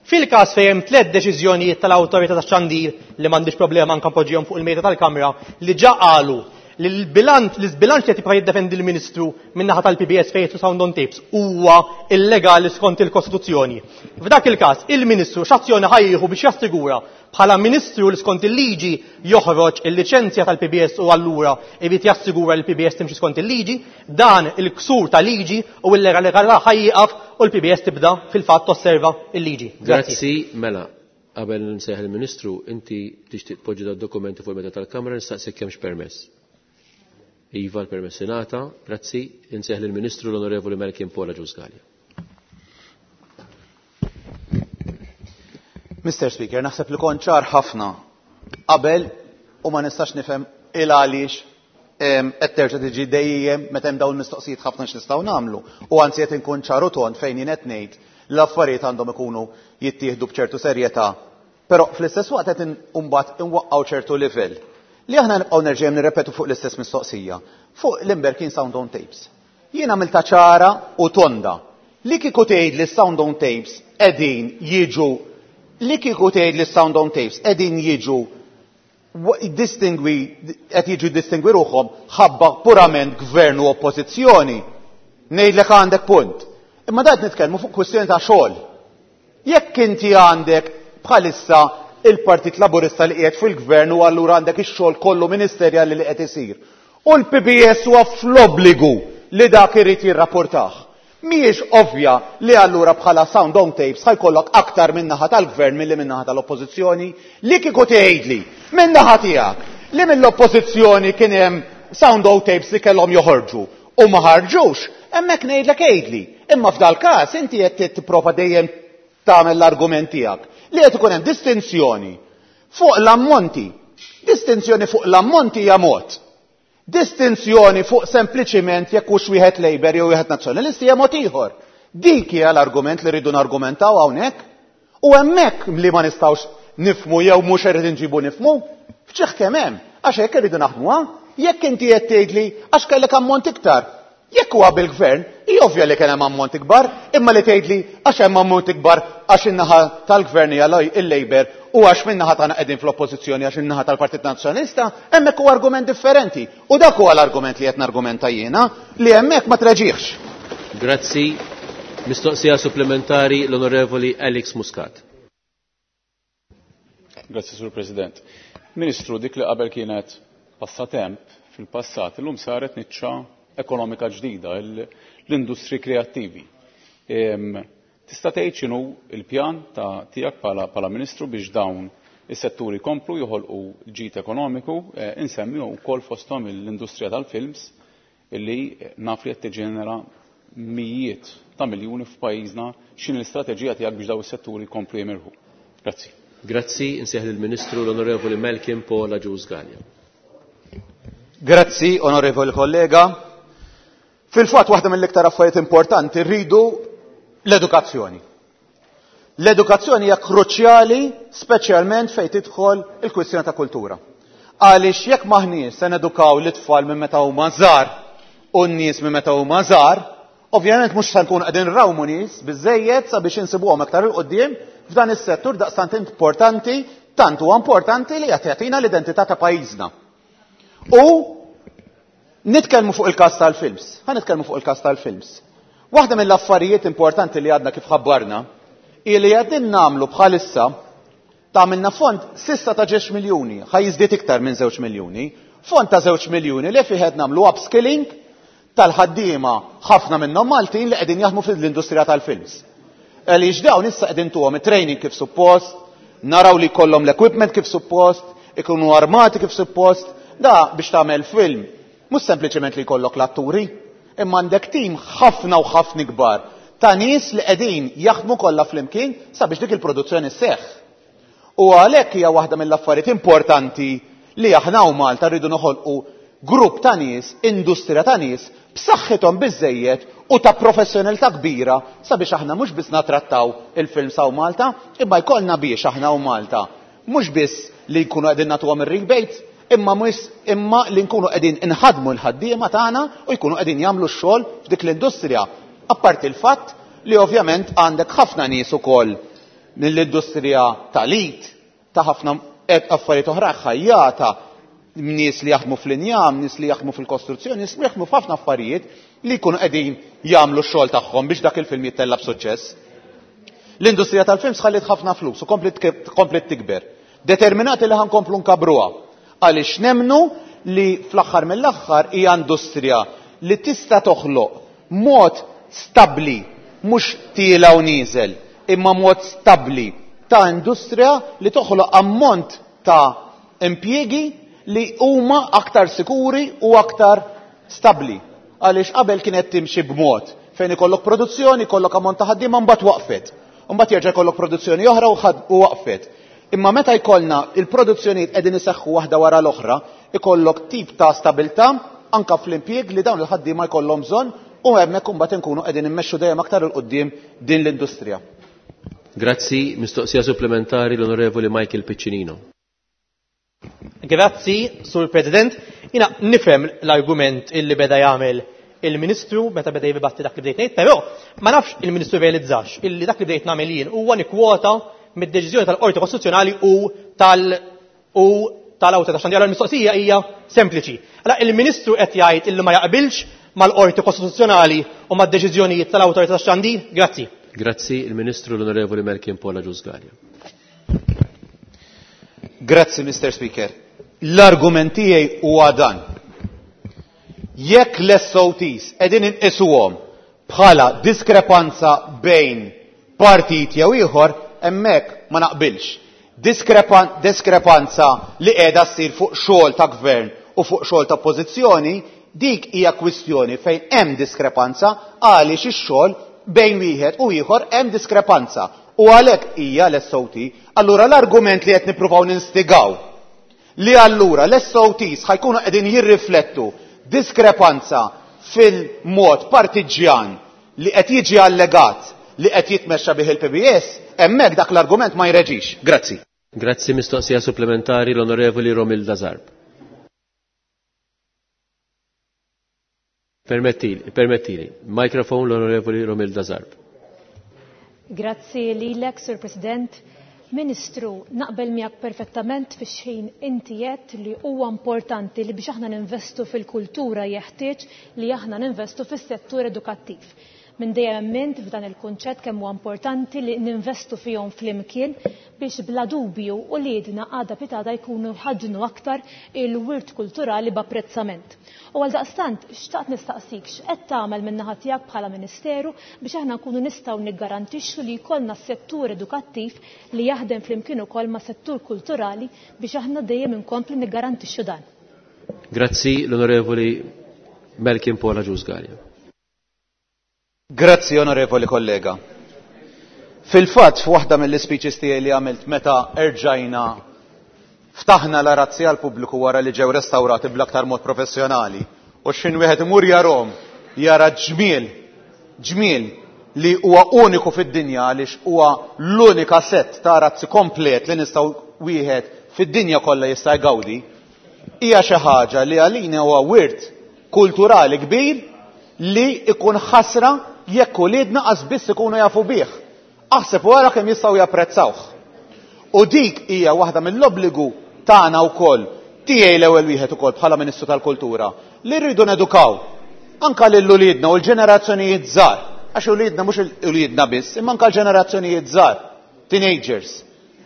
Fil-każ fejn hemm tliet deċiżjonijiet tal-awtorità tax-xandir li m'għandix problema anke npoġġihom fuq il-mejda tal-Kamra li ġa qalu li l-bilanċ, l-iżbilanċ li qed jibqa' jiddefendi l-Ministru min-naħa tal-P B S fejn jitlu sound on tapes huwa illegali skont il-Kostituzzjoni. F'dak il-każ il-Ministru x'azzjoni ħajjieħu biex jassigura bħala Ministru li skont il-liġi joħroġ il-liċenzja tal-P B S u allura irid jassigura li l-P B S timxi skont il-liġi, dan il-ksur ta' liġi u l-legalità ħajjieqaf u l-P B S tibda fil-fatt tosserva il-liġi. Grazzi. Grazzi, mela. Qabel nsejħ il-Ministru, inti tixtieq tpoġġi dad-dokumenti fuq il-meta tal-Kamra, nistaqsik kemmx permess. Iva, l-permess ingħata, grazzi, insejħ lill-Ministru l-Onorevoli Malcolm Paul Agius Galea. Mister Speaker, naħseb li kont ċar ħafna qabel u ma nistax nifhem il għaliex, em, qed terġa' tiġi dejjem meta hemm dawn il-mistoqsijiet ħafna x'nistgħu nagħmlu. U anzi qed inkun ċar u tond fejn jien qed ngħid l-affarijiet għandhom ikunu jittieħdu b'ċertu serjetà. Però fl-istess waqt qed imbagħad inwaqqgħu ċertu livell li aħna nibqgħu nerġgħu nirrepetu fuq l-istess mistoqsija, fuq l-Imberkin Sound on Tapes. Jien għamilta ċara u tonda li kieku tgħid li sound on tapes qegħdin jiġu li kieku tgħid li sound on tapes qegħdin jiġu wa-, distingwi, qed jiġu distingwi ruħhom ħabba purament gvern u oppożizzjoni, ngħidlek għandek punt. Imma dat nitkellmu fuq kwistjoni ta' xogħol. Jekk inti għandek bħalissa il-Partit Laburista li qiegħed fil-gvern u allura għandek ix-xogħol kollu ministerjali li qed isir. U l-P B S huwa fl-obbligu li dak irid jirrapportah. Mhijiex ovvja li allura bħala sound on tapes ħajkollok aktar min-naħa tal-gvern milli min-naħa tal-oppożizzjoni li kieku tgħidli min-naħa tiegħek li mill-oppożizzjoni kien hemm sound on tapes li kellhom joħorġu u ma ħarġux, hemmhekk ngħidlek għidli. Imma f'dal każ inti qed tipprova dejjem tagħmel l-argument tiegħek li qed ikun hemm distinzjoni fuq l-ammonti. Distinzjoni fuq l-ammonti hija mod. Distinzjoni fuq sempliċiment jekk hux wieħed Labour jew wieħed Nazzjonalist hija mod ieħor. Dik hija l-argument li rridu nargumentaw hawnhekk. U hemmhekk li ma nistgħux nifhmu jew mhux irrid inġibu nifhmu, f'ċieħ kemm hemm, għax hekk irridu naħdmuha. Jekk inti qed tgħidli għax kellek ammont iktar, jekk huwa bil-gvern, hija ovvja li kien hemm ammont ikbar, imma li tgħidli għax hemm ammont ikbar għax in-naħa tal-gvern hija il-Labour u għax min-naħa tagħna qegħdin fl-oppożizzjoni għax in-naħa tal-Partit Nazzjonalista, hemmhekk huwa argument differenti. U dak huwa l-argument li qed nargumenta jiena li hemmhekk ma treġiex. Grazzi. Mistoqsija supplementari l-Onorevoli Alex Muscat. Grazzi, Sur President. Ministru, dik li qabel kienet passatemp fil-passat, illum saret niċċa ekonomika ġdida, l-, l-industri kreattivi. Em, tista' tgħid x'inhu l-pjan ta' tiegħek bħala, bħala Ministru biex dawn is-setturi jkomplu joħolqu ġid ekonomiku, eh, insemmi wkoll fosthom l-industrija tal-films illi naf li qed tiġġenera mijiet ta' miljuni f'pajjiżna, x'inhi l-istrateġija tiegħek biex dawn is-setturi jkomplu jimirħu. Grazzi. Grazzi, insejħ lill-Ministru l-Onorevoli Malcolm Paul Agius Galea. Grazzi, onorevoli kollega. Fil-fatt waħda mill-iktar affarijiet importanti rridu l-edukazzjoni. L-edukazzjoni hija kruċjali speċjalment fejn tidħol il-kwistjoni ta' kultura. Għaliex jekk maħniex se nedukaw l-itfal minn meta huma żgħar u n-nies minn meta huma żgħar, ovvjament mhux se nkunu qegħdin nrawmu nies biżejjed sabiex insibuhom aktar il quddiem f'dan is-settur daqstant importanti, tant huwa importanti li qed jagħtina l-identità ta' pajjiżna. U nitkellmu fuq il-każ tal-films. Ħa nitkellmu fuq il-każ tal-films. Waħda mill-affarijiet importanti li għadna kif ħabbarna hi li qegħdin nagħmlu bħalissa tagħmilna fond s'issa ta' żewġ miljuni, ħa jiżdied iktar minn żewġ miljuni, fond ta' żewġ miljuni li fih qed nagħmlu upskilling tal-ħaddiema ħafna minnhom Maltin li qegħdin jaħdmu fl-industrija tal-films. Għaliex dawn issa qegħdin tuhom it-training kif suppost, naraw li jkollhom l-equipment kif suppost, ikunu armati kif suppost, da biex tagħmel film mhux sempliċement li jkollok l-atturi, imma għandek tim ħafna u ħafna kbar ta' nies li qegħdin jaħdmu kollha flimkien sabiex dik il-produzzjoni sseħħ. U għalhekk hija waħda mill-affarijiet importanti li aħna u Malta rridu noħolqu grupp ta' nies, industrija ta' nies b'saħħithom biżejjed u ta' professjonalità kbira sabiex aħna mhux biss natrattaw il-films hawn Malta, imma jkollna biex aħna u Malta mhux biss li nkunu qegħdin nagħtuhom ir-rebates, imma mhux imma li nkunu qegħdin inħadmu l-ħaddiema tagħna u jkunu qegħdin jagħmlu x-xogħol f'dik l-industrija. Apparti il-fatt li ovvjament għandek ħafna nies ukoll mill-industrija tal-it, ta' ħafna affarijiet oħra ħajjata, nies li jaħdmu fl-injam, nies li jaħdmu fil-kostruzzjoni, nies li jaħdmu f'ħafna affarijiet li jkunu qegħdin jagħmlu x-xogħol tagħhom biex dak il-film jittella' b'suċċess. L-industrija tal-films ħalliet ħafna flus u komplet tikber. Determinati li ħankomplu nkabruha għaliex nemnu li fl-aħħar mill-aħħar hija industrija li tista' toħloq mod stabbli, mhux tiela u nieżel, imma mod stabbli ta' industrija li toħloq ammont ta' impjiegi li huma aktar sikuri u aktar stabbli. Għaliex qabel kienet timxi b'mod fejn ikollok produzzjoni, ikollok ammont ta' ħaddiema mbagħad waqfet. Mbagħad jerġa' jkollok produzzjoni oħra u waqfet. Imma meta jkollna il-produzzjonijiet qegħdin iseħħu waħda wara l-oħra, ikollok tip ta' stabilità anka fl-impjieg li dawn il-ħaddiema jkollhom bżonn u hemmhekk imbagħad inkunu qegħdin immexxu dejjem aktar il quddiem din l-industrija. Grazzi, mistoqsija supplementari l-Onorevoli Michael Piccinino. Grazzi, Sur President. Jina nifhem l-argument illi beda jagħmel il-Ministru meta beda jibatti dak li bdejt ngħid, però ma nafx il-Ministru realizzax illi dak li bdejt nagħmel jien huwa nikkwota mid-deċiżjoni tal-Qorti Kostituzzjonali u tal u tal-Awtorità Xandir. L-mistoqsija hija sempliċi. Allora il-Ministru qed jgħid illi ma jaqbilx mal-Qorti Kostituzzjonali u mad-deċiżjonijiet tal-Awtorità Xandir? Grazzi. Grazzi, il-Ministru l-Onorevoli Melchior Paul Agius Galea. Grazzi, Mister Speaker. L-argument tiegħi huwa dan. Jekk l-S O Ts qegħdin inqisuhom bħala diskrepanza bejn partit jew ieħor, hemmhekk ma naqbilx. Diskrepan-, diskrepanza li qiegħda ssir fuq xogħol ta' gvern u fuq xogħol ta' oppożizzjoni, dik hija kwistjoni fejn hemm diskrepanza għaliex ix-xogħol bejn wieħed u ieħor hemm diskrepanza. U għalhekk hija l-S O T. Allura l-argument li qed nippruvaw ninstigaw li allura l-S O Ts ħajkunu qegħdin jirriflettu diskrepanza fil-mod partiġjan li qed jiġi allegat li qed jitmexxa bih il-P B S, hemmhekk dak l-argument ma jreġix. Grazzi. Grazzi, mistoqsija supplementari l-Onorevoli Romilda Zarb. Permettili, permettili. Mikrofon l-Onorevoli Romilda Zarb. Grazzi lilek, Sur President. Ministru, naqbel miegħek perfettament fix xejn inti għedt li huwa importanti li biex aħna ninvestu fil-kultura jeħtieġ li aħna ninvestu fis-settur edukattiv. Minn dejjem emmint f'dan il-kunċett kemm huwa importanti li ninvestu fihom flimkien biex bla dubju u liedna għada pitada jkunu ħadnu aktar il-wirt kulturali b'apprezzament. U għal daqstant, xtaqt nistaqsik x'qed tagħmel min-naħa tiegħek bħala Ministeru biex aħna nkunu nistgħu niggarantixxu li jkollna settur edukattiv li jaħdem flimkien ukoll ma' settur kulturali biex aħna dejjem inkomplu niggarantixxu dan. Grazzi l-Onorevoli Melchior Paul Agius Galea. Grazzi, onorevoli kollega. Fil-fatt, f'waħda mill-ispeeches tiegħi li għamilt meta erġajna ftaħna l-arazzi għal pubbliku wara li ġew restawrati bl-aktar mod professjonali, u x'in wieħed imur jarhom jara ġmiel, ġmiel li huwa uniku fid-dinja għaliex huwa l-unika set ta' arazzi komplet li nistgħu wieħed fid-dinja kollha jista' jgawdi, hija xi ħaġa li għalina huwa wirt kulturali kbir li ikun ħasra jekk uliedna qas biss ikunu jafu bih. Aħseb wara kemm jistgħu japprezzawh. U dik hija waħda mill-obbligu tagħna wkoll, tiegħi l-ewwel wieħed ukoll bħala Ministru tal-Kultura, li rridu nedukaw anka lil uliedna u l-ġenerazzjonijiet żgħar Għax uliedna mhux uliedna biss, imma anke l-ġenerazzjonijiet żgħar, teenagers.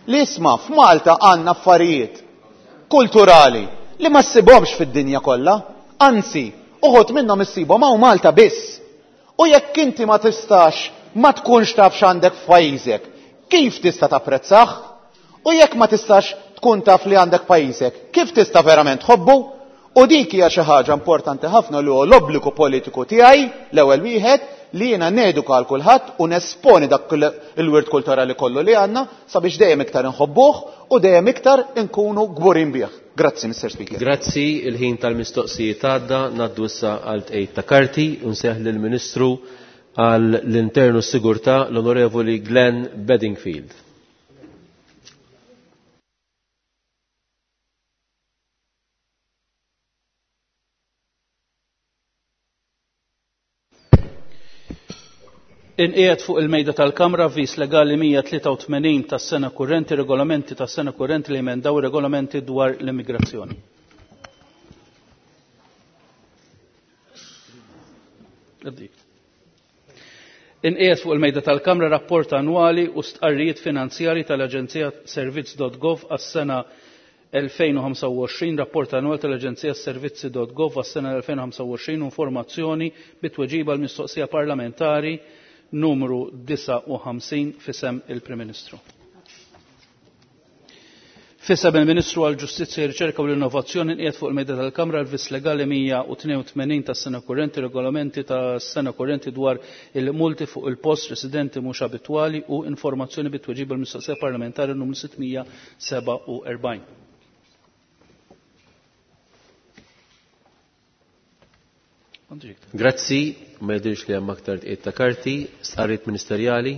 Li isma' f'Malta għandna affarijiet kulturali li ma ssibhomx fid-dinja kollha, anzi, uħud minnhom issibhom hawn Malta biss. U jekk inti ma tistax ma tkunx taf x'għandek f'pajjiżek, kif tista' tapprezzah? U jekk ma tistax tkun taf li għandek pajjiżek, kif tista' verament tħobbu? U dik hija xi ħaġa importanti ħafna li huwa l-obbligu politiku tiegħi l-ewwel wieħed li jiena neduka għal kulħadd u nesponi dak il-wirt kulturali kollu li għandna sabiex dejjem iktar inħobbuh u dejjem iktar inkunu kburin bih. Grazzi, Mister Speaker. Grazzi, il-ħin tal-mistoqsijiet għadda, ngħaddu issa għal tqejt ta' karti u nseħ lill-Ministru għall-Internu Sigurtà l-Onorevoli Glenn Bedingfield. Inqiegħed fuq il-mejda tal-Kamra avviż legali mija tlieta u tmenin tas-sena kurrenti, regolamenti tas-sena kurrenti li jemendaw regolamenti dwar l-immigrazzjoni. Inqiegħed fuq il-mejda tal-Kamra rapport annwali u stqarrijiet finanzjari tal-Aġenzija Servizz dot gov għas-sena elfejn u ħamsa u għoxrin, rapport annwali tal-Aġenzija Servizzi dot gov għas-sena elfejn u ħamsa u għoxrin u informazzjoni bit-tweġiba l-mistoqsija parlamentari numru disgħa u ħamsin fisem il-Prim Ministru. Fisem il-Ministru għall-Ġustizzja, Riċerka u l-Innovazzjoni nqiegħed fuq il-mejda tal-Kamra l-vis legali mija u tnejn u tmenin tas-sena kurrenti, regolamenti tas-sena kurrenti dwar il-multi fuq il-post residenti mhux abitwali u informazzjoni bit-tweġiba l-mistoqsija parlamentari numru sittmija sebgħa u erbgħin. Grazzi, ma jidhirx li hemm aktar tqiegħed ta' karti, stqarrijiet ministerjali,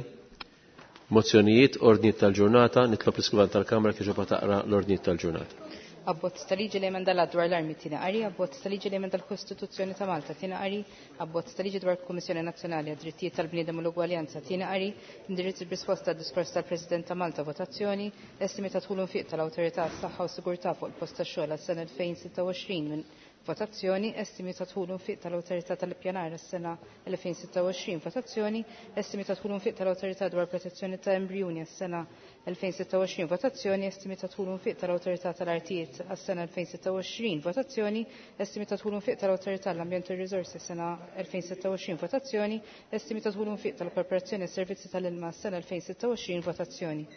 mozzjonijiet, ordnijiet tal-ġurnata, nitlob l-iskrivan tal-Kamra kif ġoba taqra l-ordnijiet tal-ġurnata. Abbozz ta' liġi li emenda l-att dwar l-armi tieni qari, abbozz ta' liġi li emenda l-Kostituzzjoni ta' Malta tieni qari, abbozz ta' liġi dwar il-Kummissjoni Nazzjonali għad-Drittijiet tal-Bniedem u l-Ugwaljanza tieni qari, indirizz b'risposta għad-diskors tal-President ta' Malta votazzjoni, estimi ta' dħul u nfiq tal-Awtorità għas-Saħħa u Sigurtà fuq il-post tax-xogħol għas-sena elfejn sitta u għoxrin minn votazzjoni, estimi ta' dħul u nfiq tal-Awtorità tal-Ippjanar għas-sena elfejn sitta u għoxrin votazzjoni, estimi ta' dħul u nfiq tal-Awtorità dwar protezzjoni ta' embrjuni għas-sena elfejn sitta u għoxrin votazzjoni, estimi ta' dħul u nfiq tal-Awtorità tal-Artijiet għas-sena elfejn sitta u għoxrin votazzjoni, estimi ta' dħul u nfiq tal-Awtorità l-Ambjent u r-Riżorsi għas-sena elfejn sitta u għoxrin votazzjoni, estimi ta' dħul u nfiq tal-Korporazzjoni għas-Servizzi tal-Ilma għas-sena elfejn sitta u għoxrin votazzjoni.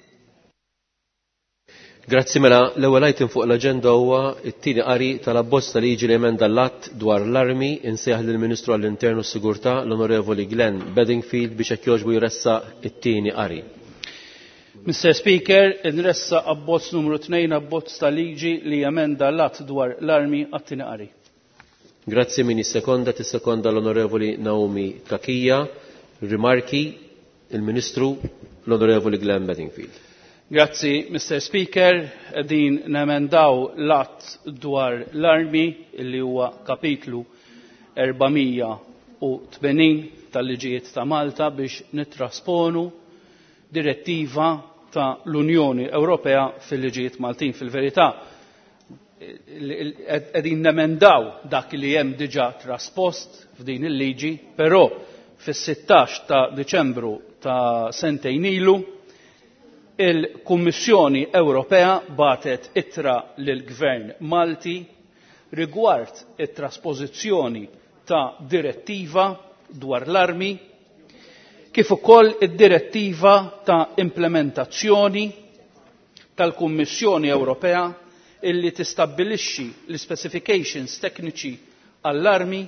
Grazzi, mela l-ewwel item fuq l-aġenda huwa t-tieni qari tal-abbozz ta' liġi li emenda l-att dwar l-armi. Insejjaħ lill-Ministru għall-Internu u Sigurtà l-Onorevoli Glenn Bedingfield biex hekk jogħġbu jressaq it-tieni qari. Mister Speaker, nressa abbozz numru tnejn, abbozz ta' liġi li jemenda l-att dwar l-armi għat-tieni qari. Grazzi, min jissekonda tissekonda l-Onorevoli Naomi Cachia. Rimarki il-Ministru l-Onorevoli Glenn Bedingfield. Grazzi, Mister Speaker. Din nemendaw l-att dwar l-armi li huwa kapitlu erba' u tmenin tal-liġijiet ta' Malta biex nittrasponu direttiva ta' l-Unjoni Ewropea fil-liġijiet Maltin. Fil-verità, qegħdin nemendaw dak li hemm diġà traspost f'din il-liġi, però fis-sittax ta' Diċembru ta' sentejn ilu il-Kummissjoni Ewropea batet ittra lill-Gvern Malti rigward it-trasposizzjoni ta' direttiva dwar l-armi kif ukoll id-direttiva ta' implementazzjoni tal-Kummissjoni Ewropea illi tistabbilixxi l-specifications tekniċi għall-armi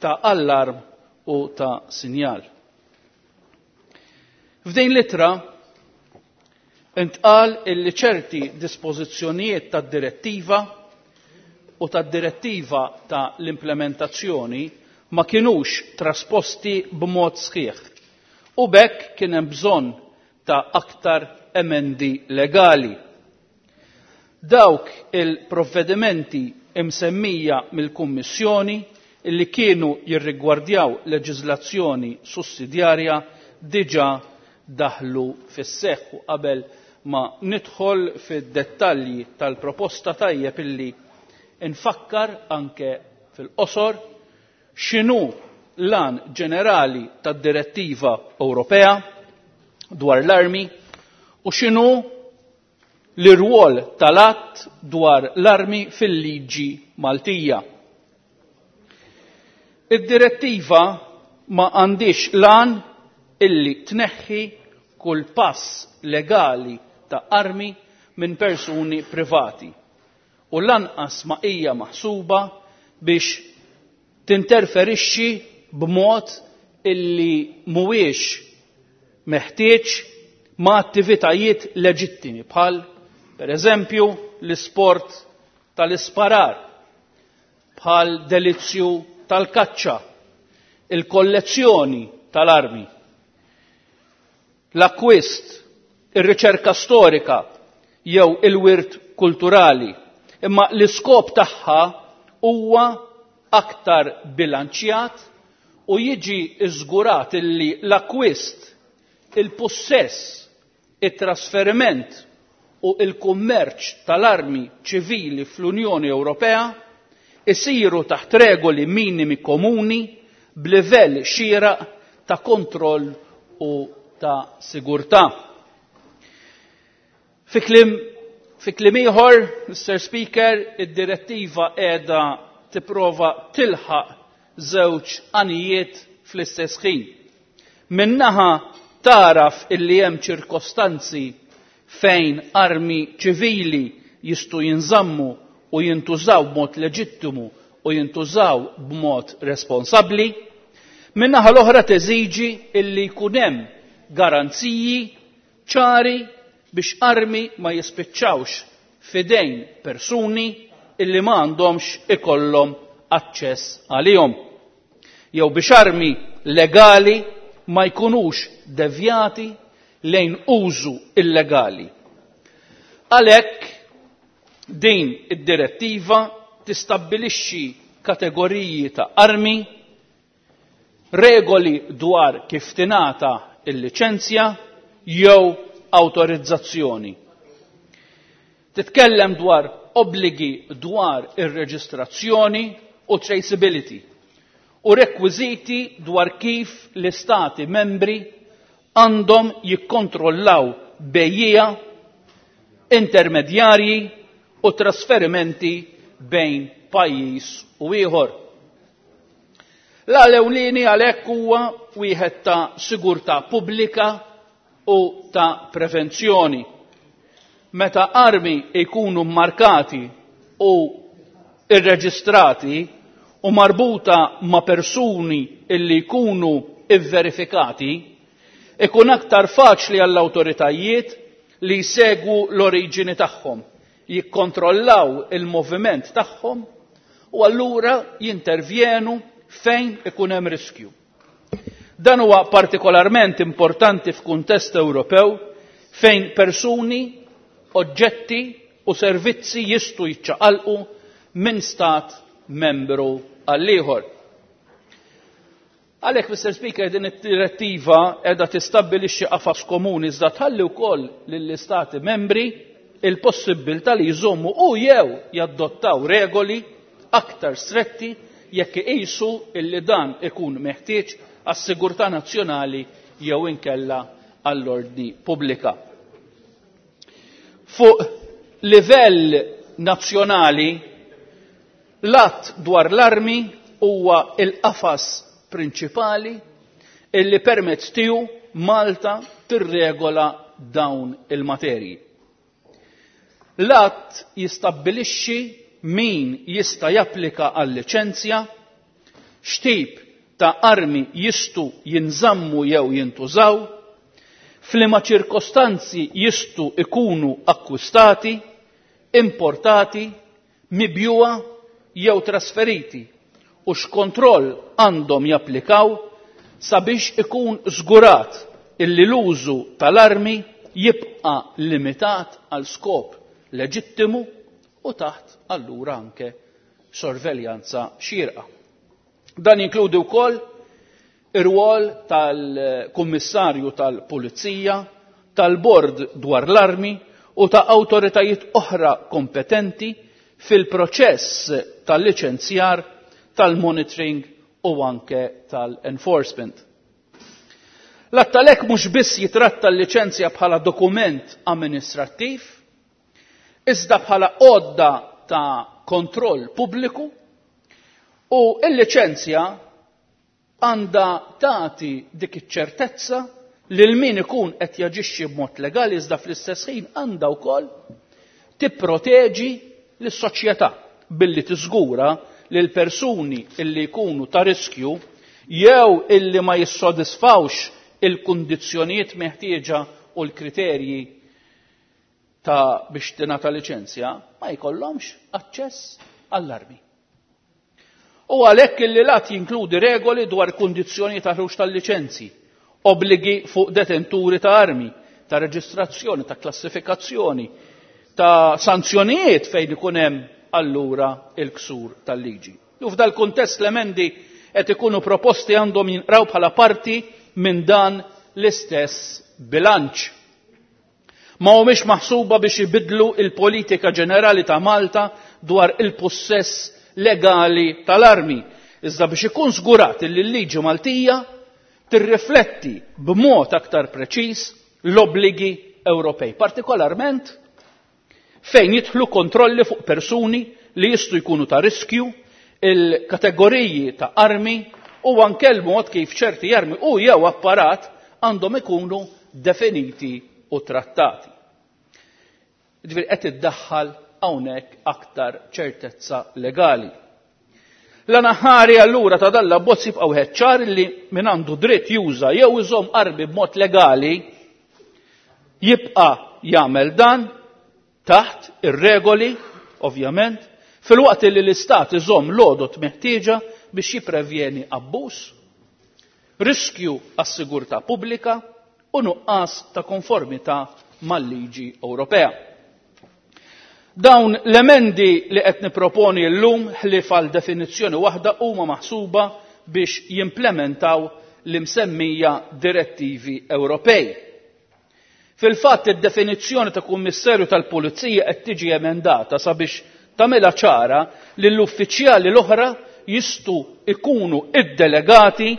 ta' allarm u ta' sinjal. F'din l-ittra intqal illi ċerti dispożizzjonijiet tad-direttiva u tad-direttiva ta' l-implementazzjoni ma kinux trasposti b'mod sħiħ u b'hekk kien hemm bżonn ta' aktar emendi legali. Dawk il-provvedimenti imsemmija mill-Kummissjoni illi kienu jirrigwardjaw leġiżlazzjoni sussidjarja diġà daħlu fis-seħħ. U qabel ma nidħol fid-dettalji tal-proposta tajjeb illi nfakkar anke fil-qosor x'inhu l-għan ġenerali tad-Direttiva Ewropea dwar l-armi u x'inhu l-irwol tal-att dwar l-armi fil-liġi Maltija. Id-direttiva ma għandix lan illi tneħħi kull pass legali ta' armi minn persuni privati u lanqas ma hija maħsuba biex tinterferixxi b'mod illi mhuwiex meħtieġ ma' attivitajiet leġittimi bħal per eżempju l-isport tal-isparar, bħal delizzju tal-kaċċa, il-kollezzjoni tal-armi, l-akkwist, ir-riċerka storika jew il-wirt kulturali. Imma l-iskop tagħha huwa aktar bilanċjat u jiġi żgurat illi l-akkwist, il-pussess, it-trasferiment u il-kummerċ tal-armi ċivili fl-Unjoni Ewropea isiru taħt regoli minimi komuni b'livell xieraq ta' kontroll u ta' sigurtà. Fi kliem fi kliem ieħor, Mister Speaker, id-direttiva qiegħda tipprova tilħaq żewġ għanijiet fl-istess ħin. Minnaħa taraf illi hemm ċirkostanzi fejn armi ċivili jistgħu jinżammu u jintużaw b'mod leġittimu u jintużaw b'mod responsabbli, minnaħa l-oħra teżiġi illi jkun hemm garanziji ċari biex armi ma jispiċċawx fidejn persuni illi ma għandhomx ikollhom aċċess għalihom, jew biex armi legali ma jkunux devjati lejn użu illegali. Għalhekk din id-direttiva tistabbilixxi kategoriji ta' armi, regoli dwar kif tingħata il-liċenzja jew awtorizzazzjoni. Titkellem dwar obbligi dwar ir-reġistrazzjoni u traceability u rekwiżiti dwar kif l-istati membri għandhom jikkontrollaw bejjiegħa, intermedjarji u trasferimenti bejn pajjiż u ieħor. L-ewlieni għalhekk huwa wieħed ta' sigurtà pubblika u ta' prevenzjoni. Meta armi jkunu mmarkati u irreġistrati u marbuta ma' persuni illi jkunu ivverifikati, ikun aktar faċli għall-awtoritajiet li jsegwu l-oriġini tagħhom, jikkontrollaw il-moviment tagħhom u allura jintervjenu fejn ikun hemm riskju. Dan huwa partikolarment importanti f'kuntest Ewropew fejn persuni, oġġetti u servizzi jistgħu jiċċaqalqu minn stat membru għal ieħor. Għalhekk, Mister Speaker, din id-direttiva qiegħda tistabbilixxi qafas komuni iżda tħalli wkoll lill-istati membri il-possibbiltà li jżommu u jew jadottaw regoli aktar stretti jekk iqisu illi dan ikun meħtieġ għas-sigurtà nazzjonali jew inkella għall-ordni pubblika. Fuq livell nazzjonali, l-att dwar l-armi huwa il-qafas prinċipali illi permezz tiegħu Malta tirregola dawn il-materji. L-att jistabbilixxi min jista' japplika għal liċenzja, x'tip ta' armi jistgħu jinżammu jew jintużaw, f'liema ċirkostanzi jistgħu ikunu akkwistati, importati, mibjuwa jew trasferiti u x'kontroll għandhom japplikaw sabiex ikun żgurat illi l-użu tal-armi jibqa' limitat għal skop leġittimu u taħt allura anke sorveljanza xierqa. Dan jinkludi wkoll ir-rwol tal-Kummissarju tal-Pulizija, tal-Bord dwar l-Armi u ta' awtoritajiet oħra kompetenti fil-proċess tal-liċenzjar, tal-monitoring u anke tal-enforcement. L-att għalhekk mhux biss jitratta l-liċenzja bħala dokument amministrattiv, iżda bħala għodda ta' kontroll pubbliku, u l-liċenzja għandha tagħti dik iċ-ċertezza lil min ikun qed jaġixxi b'mod legali, iżda fl-istess ħin għandha wkoll tipproteġi lis-soċjetà billi tiżgura li l-persuni illi jkunu ta' riskju jew illi ma jissodisfawx il-kundizzjonijiet meħtieġa u l-kriterji ta' biex tingħata liċenzja ma jkollhomx aċċess għall-armi. U għalhekk illi l-att jinkludi regoli dwar kundizzjoni ta' ħruġ tal-liċenzji, obbligi fuq detenturi ta' armi, ta' reġistrazzjoni, ta' klassifikazzjoni, ta' sanzjonijiet fejn ikun hemm allura il-ksur tal-liġi. U f'dal kuntest l-emendi qed ikunu proposti għandhom jinqraw bħala parti minn dan l-istess bilanċ. Ma humiex maħsuba biex ibidlu il-politika ġenerali ta' Malta dwar il-pussess legali tal-armi, iżda biex ikun żgurat li l-liġi Maltija tirrifletti b'mod aktar preċiż l-obbligi Ewropej, partikolarment fejn jidħlu kontrolli fuq persuni li jistgħu jkunu ta' riskju, il-kategoriji ta' armi u anke l-mod kif ċerti armi u jew apparat għandhom ikunu definiti u trattati. Ġifieri qed iddaħħal hawnhekk aktar ċertezza legali. L-anaħari allura ta' dan l-abbozz jibqa' wieħed ċar li min għandu dritt juża jew iżomm armi b'mod legali jibqa' jagħmel dan taħt ir-regoli, ovvjament, filwaqt li l-istat iżomm l-għodot meħtieġa biex jipprevjeni abbuż, riskju għas-sigurtà pubblika u nuqqas ta' konformità mal-liġi Ewropea. Dawn l-emendi li qed niproponi llum ħlief għal definizzjoni waħda huma maħsuba biex jimplementaw l-imsemmija direttivi Ewropej. Fil-fatt id-definizzjoni ta' kummissarju tal-Pulizija qed tiġi emendata sabiex tagħmilha ċara li l-uffiċjali l-oħra jistgħu ikunu iddelegati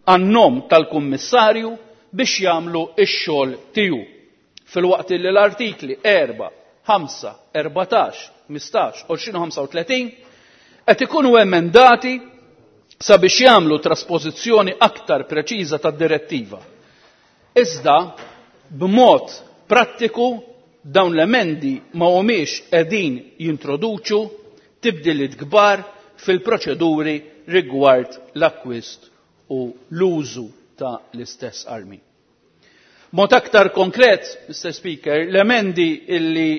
għan-nom tal-kummissarju biex jagħmlu x-xogħol tiegħu. Filwaqt li l-artikli erba', ħamsa, erbatax, ħmistax, għoxrin u ħamsa u tletin qed ikunu emendati sabiex jagħmlu traspożizzjoni aktar preċiża tad-direttiva. Iżda b'mod prattiku dawn l-emendi ma humiex qegħdin jintroduċu tibdiliet kbar fil-proċeduri rigward l-akkwist u l-użu ta' l-istess armi. Mod aktar konkret, Mister Speaker, l-emendi illi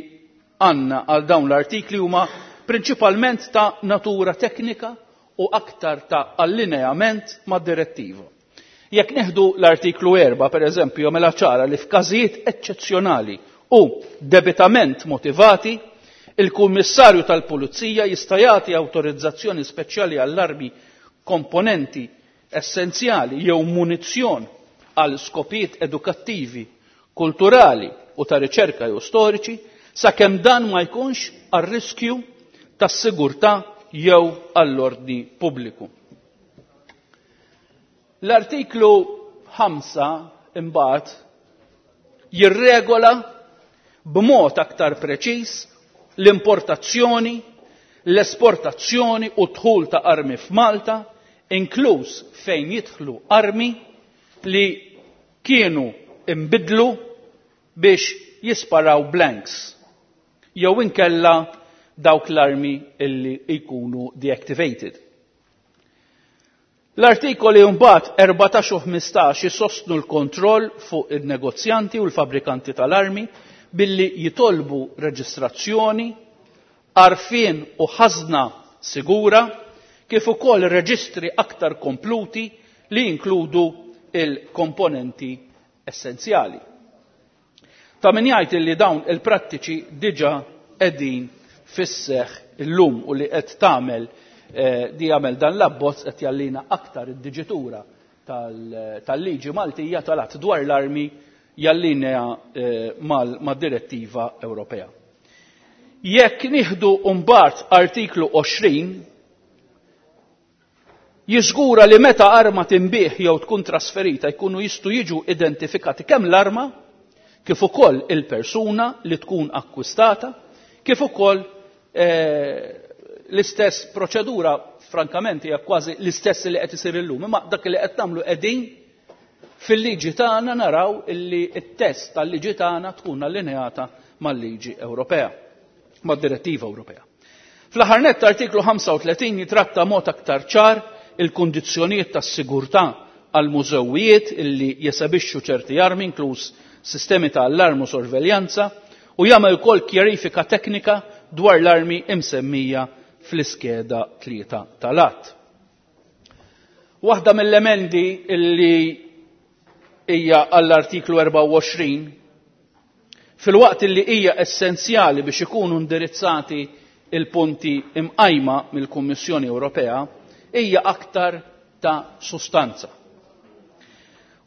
għandna għal dawn l-artikli huma prinċipalment ta' natura teknika u aktar ta' allineament ma' direttiva. Jekk neħdu l-artiklu erba', per eżempju, mela ċara li f'każijiet eċċezzjonali u debitament motivati, il-Kummissarju tal-Pulizija jista' jagħti awtorizzazzjoni speċjali għall-armi, komponenti essenzjali jew munizzjon għal skopijiet edukattivi, kulturali u ta' riċerka jew storiċi, sakemm dan ma jkunx għal riskju tas-sigurtà jew għall-ordni pubbliku. L-artiklu ħamsa imbagħad jirregola b'mod aktar preċiż l-importazzjoni, l-esportazzjoni u dħul ta' armi f'Malta, inkluż fejn jidħlu armi li kienu imbidlu biex jisparaw blanks jew inkella dawk l-armi illi jkunu deactivated. L-artikoli mbagħad erbatax u ħmistax jisostnu l-kontroll fuq il-negozjanti u l-fabrikanti tal-armi billi jitolbu reġistrazzjoni, għarfien u ħażna sigura, kif ukoll reġistri aktar kompluti li jinkludu il-komponenti essenzjali. Ta' min jgħid li dawn il-prattiċi diġà qegħdin fis-seħħ illum u li qed tagħmel, eh, di jagħmel dan l-abbozz qed jallina aktar id-diġitura tal-, tal-liġi Maltija tal-att dwar l-armi jallinea, eh, mal-, mad-direttiva Ewropea. Jekk nieħdu mbagħad artiklu għoxrin, Jiżgura li meta arma tinbih jew tkun trasferita jkunu jistgħu jiġu identifikati kemm l-arma kif ukoll il-persuna li tkun akkwistata, kif ukoll eh, l-istess proċedura, frankament hija kważi l-istess li qed isir illum, imma dak li qed nagħmlu qegħdin fil-liġi tagħna naraw illi t-test tal-liġi tagħna tkun allineata mal-liġi Ewropea, mad-direttiva Ewropea. Fl-aħħar nett artiklu ħamsa u tletin jitratta mod aktar ċar il-kundizzjonijiet tas-sigurtà għal mużewijiet illi jesebixxu ċerti armi, inkluż sistemi ta' allarm u sorveljanza, u jagħmel ukoll kjarifika teknika dwar l-armi imsemmija fl-iskeda tlieta tal-att. Waħda mill-emendi illi hija għall-artiklu erbgħa u għoxrin, fil-waqt illi hija essenzjali biex ikunu indirizzati il-punti imqajma mill-Kummissjoni Ewropea, hija aktar ta' sustanza.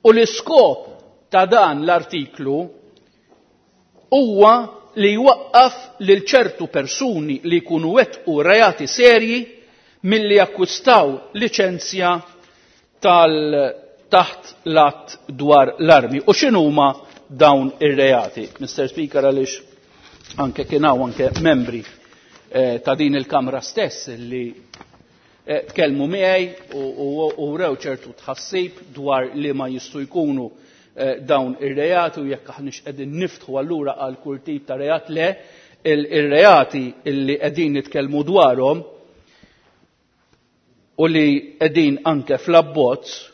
U l-iskop ta' dan l-artiklu huwa li jwaqqaf lil ċertu persuni li jkunu wettqu reati serji milli jakkwistaw liċenzja tal taħt l-att dwar l-armi. U x'inhuma dawn ir-reati? Mister Speaker, għaliex anke kien hawn anke membri, eh, ta' din il-Kamra stess li, eh, tkellmu miegħi u, u, u rew ċertu tħassib dwar li ma jistgħu jkunu, eh, dawn ir-reati u jekk aħniex qegħdin niftħu allura għal kull tip ta' reat. Le, il-, ir-reati illi qegħdin nitkellmu dwarhom u li qegħdin anke fl-abbozz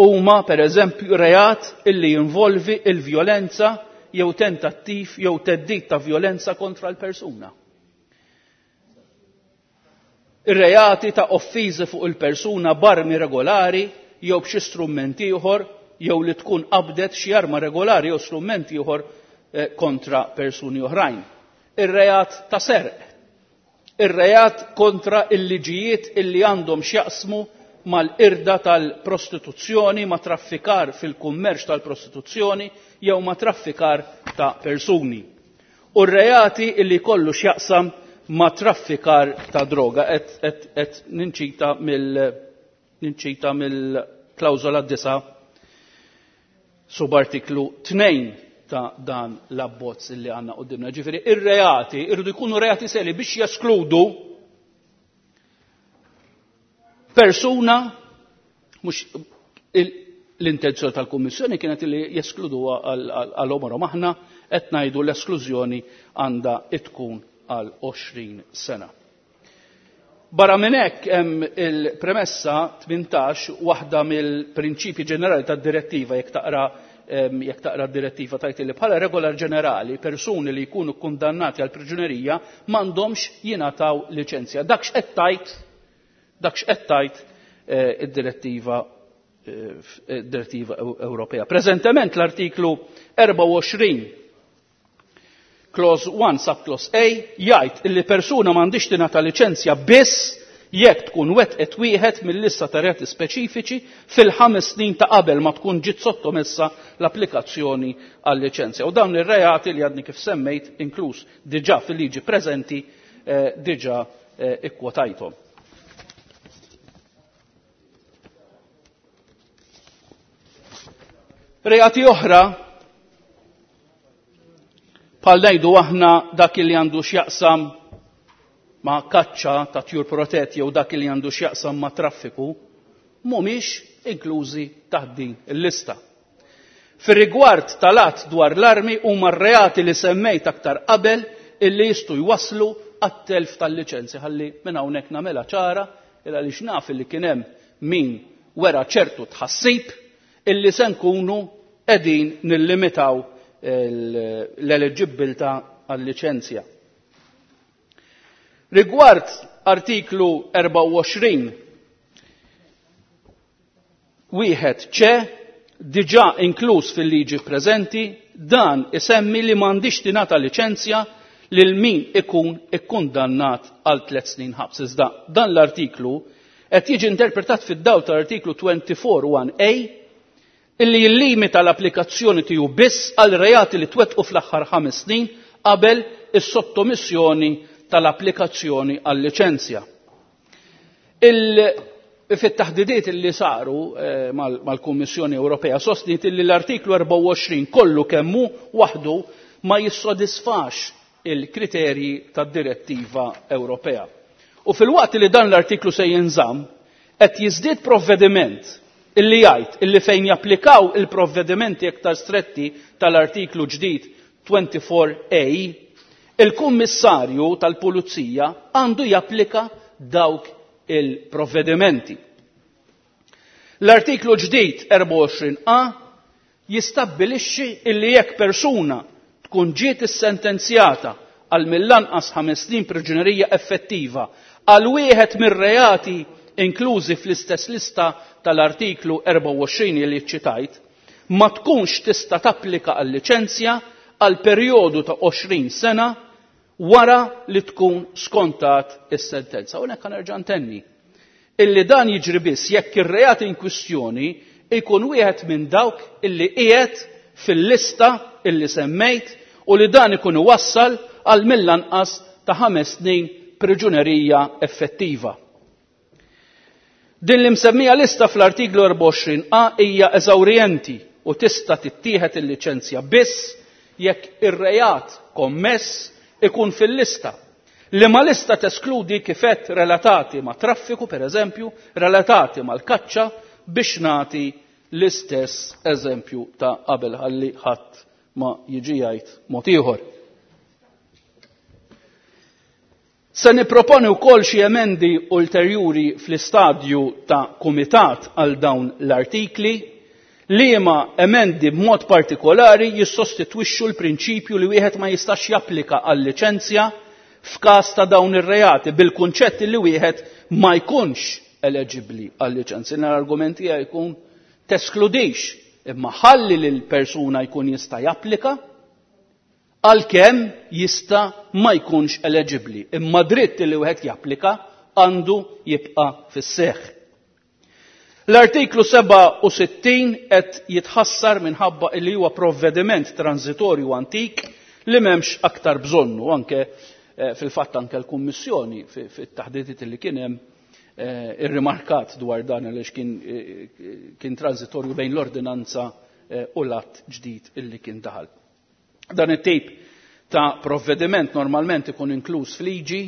huma pereżempju reat illi jinvolvi il-vjolenza jew tentattiv jew theddid ta' vjolenza kontra l-persuna. Ir-reati ta' offiżi fuq il-persuna b'armi regolari jew b'xi strument ieħor jew li tkun qabdet xi arma regolari jew strument ieħor, eh, kontra persuni oħrajn. Ir-reat ta' serq. Ir-reat kontra il-liġijiet illi għandhom x'jaqsmu mal-irda tal-prostituzzjoni, ma' traffikar fil-kummerċ tal-prostituzzjoni jew ma' traffikar ta' persuni. U r-reati illi kollu x'jaqsam ma' traffikar ta' droga. Et, et, et ninċita mill, ninċita mill-klawżola disa subartiklu tnejn ta' dan l-abbozz illi għandna qudiemna. Ġifieri, ir-reati irridu jkunu reati seri biex jeskludu persuna, mhux il-, l-intenzjoni tal-Kummissjoni kienet li jeskluduha għal għomorhom. Aħna qed ngħidu l-esklużjoni għandha tkun għal għoxrin sena. Barra minn hekk hemm il-premessa tmintax, waħda mill-prinċipji ġenerali tad-direttiva, jekk taqra, em, jekk taqra d-direttiva tajt li bħala regola ġenerali persuni li jkunu kundannati għal priġunerija m'għandhomx jingħataw liċenzja. Dak x'qed tajt, dak x'qed tajt, eh, id-direttiva, eh, id-direttiva Ewropea. Preżentement l-artiklu erbgħa u għoxrin clause one subclause A jgħid illi persuna m'għandix tingħata liċenzja biss jekk tkun wettqet wieħed mill-lista ta' reati speċifiċi fil-ħames snin ta' qabel ma tkun ġiet sottomessa l-applikazzjoni għal-liċenzja. U dawn ir-reati li għadni kif semmejt, inkluż diġà fil-liġi preżenti, eh, diġà, eh, ikkwotajthom. Reati oħra bħal ngħidu aħna dak li għandu x'jaqsam ma' kaċċa ta' tjur protetti jew dak li għandu x'jaqsam ma' traffiku, mhumiex inklużi taħt din il-lista. Fir-rigward tal-att dwar l-armi huma r-reati li semmejt aktar qabel illi jistgħu jwasslu għat-telf tal-liċenzji. Ħalli minn hawnhekk nagħmilha ċara il għaliex naf li kien hemm min wera ċertu tħassib illi se nkunu qegħdin nillimitaw l-eliġibilità għal-liċenzja. Rigward artiklu erbgħa u għoxrin wieħed ċe diġà inkluż fil-liġi preżenti, dan isemmi li m'għandix tingħata liċenzja lil min ikun ikkundannat għal tliet snin ħabs. Iżda dan l-artiklu qed jiġi interpretat fid-dawl tal-artiklu twenty-four one A illi jillimita l-applikazzjoni tiegħu biss għal reati li twettqu fl-aħħar ħames snin qabel is-sottomissjoni tal-applikazzjoni għal liċenzja. Fit-taħdidiet li saru eh, mal-Kummissjoni Ewropea sostniet li l-artiklu erbgħa u għoxrin kollu kemmu waħdu ma jissodisfax il-kriterji tad-direttiva Ewropea. U fil-waqt li dan l-artiklu se jinżamm, qed jiżdied provvediment illi jgħid illi fejn japplikaw il-provvedimenti iktar stretti tal-artiklu ġdid twenty-four A, il-Kummissarju tal-Pulizija għandu japplika dawk il-provvedimenti. L-artiklu ġdid erbgħa u għoxrin A jistabbilixxi illi jekk persuna tkun ġiet issentenzjata għal mill-anqas ħames snin priġunerija effettiva għal wieħed mir-reati inklużi fl-istess lista tal-artiklu erbgħa u għoxrin li ċitajt, ma tkunx tista' tapplika għal liċenzja għal perjodu ta' għoxrin sena wara li tkun skontat is-sentenza. U hekk nerġa' ntenni illi dan jiġri biss jekk ir-reat in kwistjoni ikun wieħed minn dawk illi qiegħed fil-lista illi semmejt u li dan ikun iwassal għal mill-anqas ta' ħames snin priġunerija effettiva. Din l-imsemmija lista fl-artiklu erbgħa u għoxrin A hija eżawrjenti u tista' tittieħed il-liċenzja biss jekk ir-reat kommess ikun fil-lista. Liema lista teskludi kifet relatati ma' traffiku, per eżempju, relatati mal-kaċċa, biex nagħti l-istess eżempju ta' qabel ħalli ħadd ma jiġi jgħid mod ieħor. Se nipproponi wkoll xi emendi ulterjuri fl-istadju ta' kumitat għal dawn l-artikli, liema emendi b'mod partikolari jissostitwixxu l-prinċipju li wieħed ma jistax japplika għal liċenzja f'każ ta' dawn ir-reati bil-kunċett li wieħed ma jkunx eleġibbli għal liċenzja. L-argument tiegħi jkun teskludix imma ħalli lil persuna jkun jista' japplika għalkemm jista' ma jkunx eleġibbli, imma dritt li wieħed japplika għandu jibqa' fis-seħħ. L-artiklu sebgħa u sittin qed jitħassar minħabba li huwa provvediment transitorju antik li m'hemmx aktar bżonnu, anke, eh, fil-fatt anke l-Kummissjoni fi-, fit-taħdidiet li kien hemm, eh, irrimarkat dwar dan għaliex kien, eh, kien transitorju bejn l-ordinanza, eh, u l-att ġdid illi kien daħal. Dan it-tip ta' provvediment normalment ikun inkluż f'liġi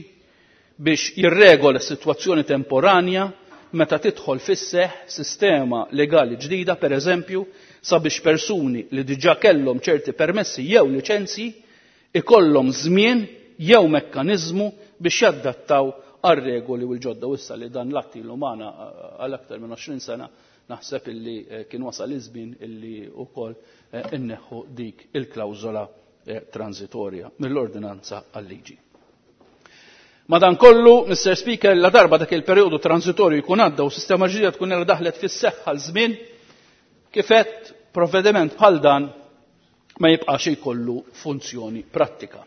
biex jirregola s-sitwazzjoni temporanja meta tidħol fis-seħħ sistema legali ġdida, per eżempju, sabiex persuni li diġà kellhom ċerti permessi jew liċenzji ikollhom żmien jew mekkaniżmu biex jadattaw għar-regoli u l-ġodda. U issa li dan l-att ilu magħna għal aktar minn għoxrin sena, naħseb illi, eh, kien wasal iż-żmien illi wkoll, eh, inneħħu dik il-klawżola, eh, transitorja mill-ordinanza għal-liġi. Madankollu, Mister Speaker, la darba dak il-perjodu transitorju jkun għadda u sistema ġdida tkun ilha daħlet fis-seħħ għal żmien, kif għedt, provvediment bħal dan ma jibqax jkollu funzjoni prattika.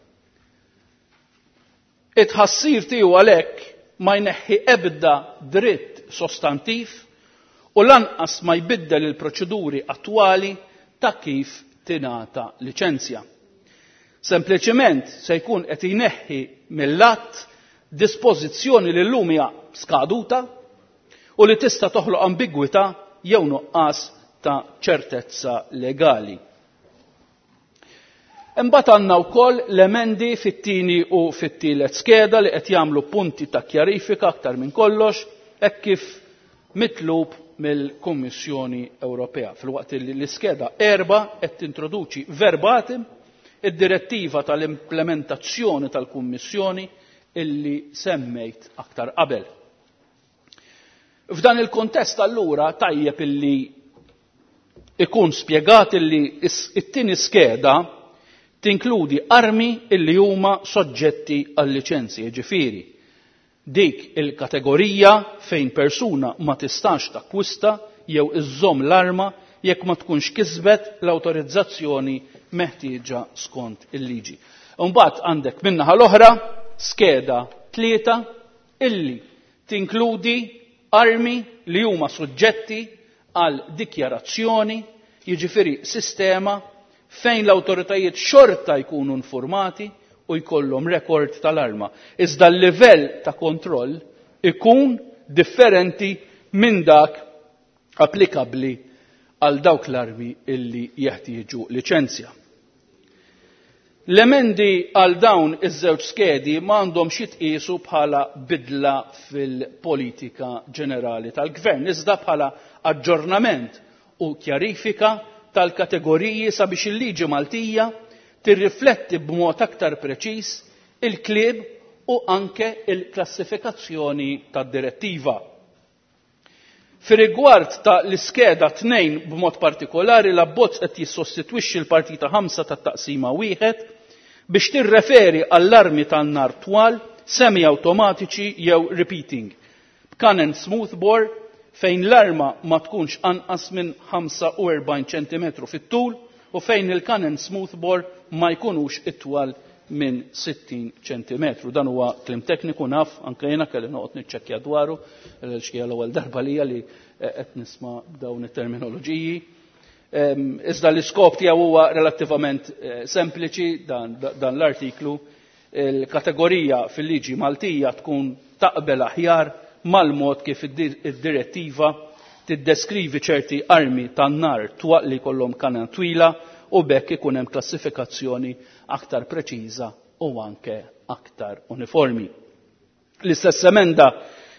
It-ħassir tiegħu għalhekk ma jneħħi ebda dritt sostantiv u lanqas ma jbiddel il-proċeduri attwali ta' kif tingħata liċenzja. Sempliċement se jkun qed jneħħi mill-att dispożizzjoni li llum hija skaduta u li tista' toħloq ambigwità jew nuqqas ta' ċertezza legali. Imbagħad għandna wkoll l-emendi fit-tieni u fit-tielet skeda li qed jagħmlu punti ta' kjarifika aktar minn kollox hekk kif mitlub mill-Kummissjoni Ewropea. Filwaqt li l-iskeda erba' qed tintroduċi verbatim id-direttiva tal-implementazzjoni tal-Kummissjoni illi semmejt aktar qabel. F'dan il-kontest allura tajjeb illi ikun spjegat illi is-, it-tieni skeda tinkludi armi illi huma soġġetti għal liċenzji, jiġifieri dik il-kategorija fejn persuna ma tistax takkwista jew iżżomm l-arma jekk ma tkunx kisbet l-awtorizzazzjoni meħtieġa skont il-liġi. Imbagħad għandek min-naħa l-oħra skeda tlieta illi tinkludi armi li huma suġġetti għal dikjarazzjoni, jiġifieri sistema fejn l-awtoritajiet xorta jkunu informati u jkollhom rekord tal-arma. Iżda l-livell ta' kontroll ikun differenti minn dak applikabbli għal dawk l-armi illi jeħtieġu liċenzja. L-emendi għal dawn iż-żewġ skedi ma għandhomx jitqiesu bħala bidla fil-politika ġenerali tal-gvern, iżda bħala aġġornament u kjarifika tal-kategoriji sabiex il-liġi Maltija tirrifletti b'mod aktar preċiż il-klieb u anke il-klassifikazzjoni tad-direttiva. Fir-rigward ta' l-iskeda tnejn b'mod partikolari, l-abbozz qed jissostitwixxi l-partita ħamsa tat-taqsima wieħed biex tirreferi għall-armi tan-nar twal, semi-automatiċi jew repeating, b'cannon smoothbore fejn l-arma ma tkunx anqas minn ħamsa u erbgħin ċentimetru fit-tul u fejn il-cannon smoothbore ma jkunux itwal minn sittin ċentimetru. Dan huwa kliem tekniku, naf, anke jiena kelli noqgħod niċċekkja dwaru, għaliex hija l-ewwel darba lija li qed nisma' dawn it-terminoloġiji. Iżda l-iskop tiegħu huwa relattivament sempliċi dan, dan l-artiklu. Il-kategorija fil-liġi Maltija tkun taqbel aħjar mal-mod kif id-direttiva tiddeskrivi ċerti armi tan-nar twaq li jkollhom kanan twila u bekk ikun hemm klassifikazzjoni aktar preċiża u anke aktar uniformi. L-istess emenda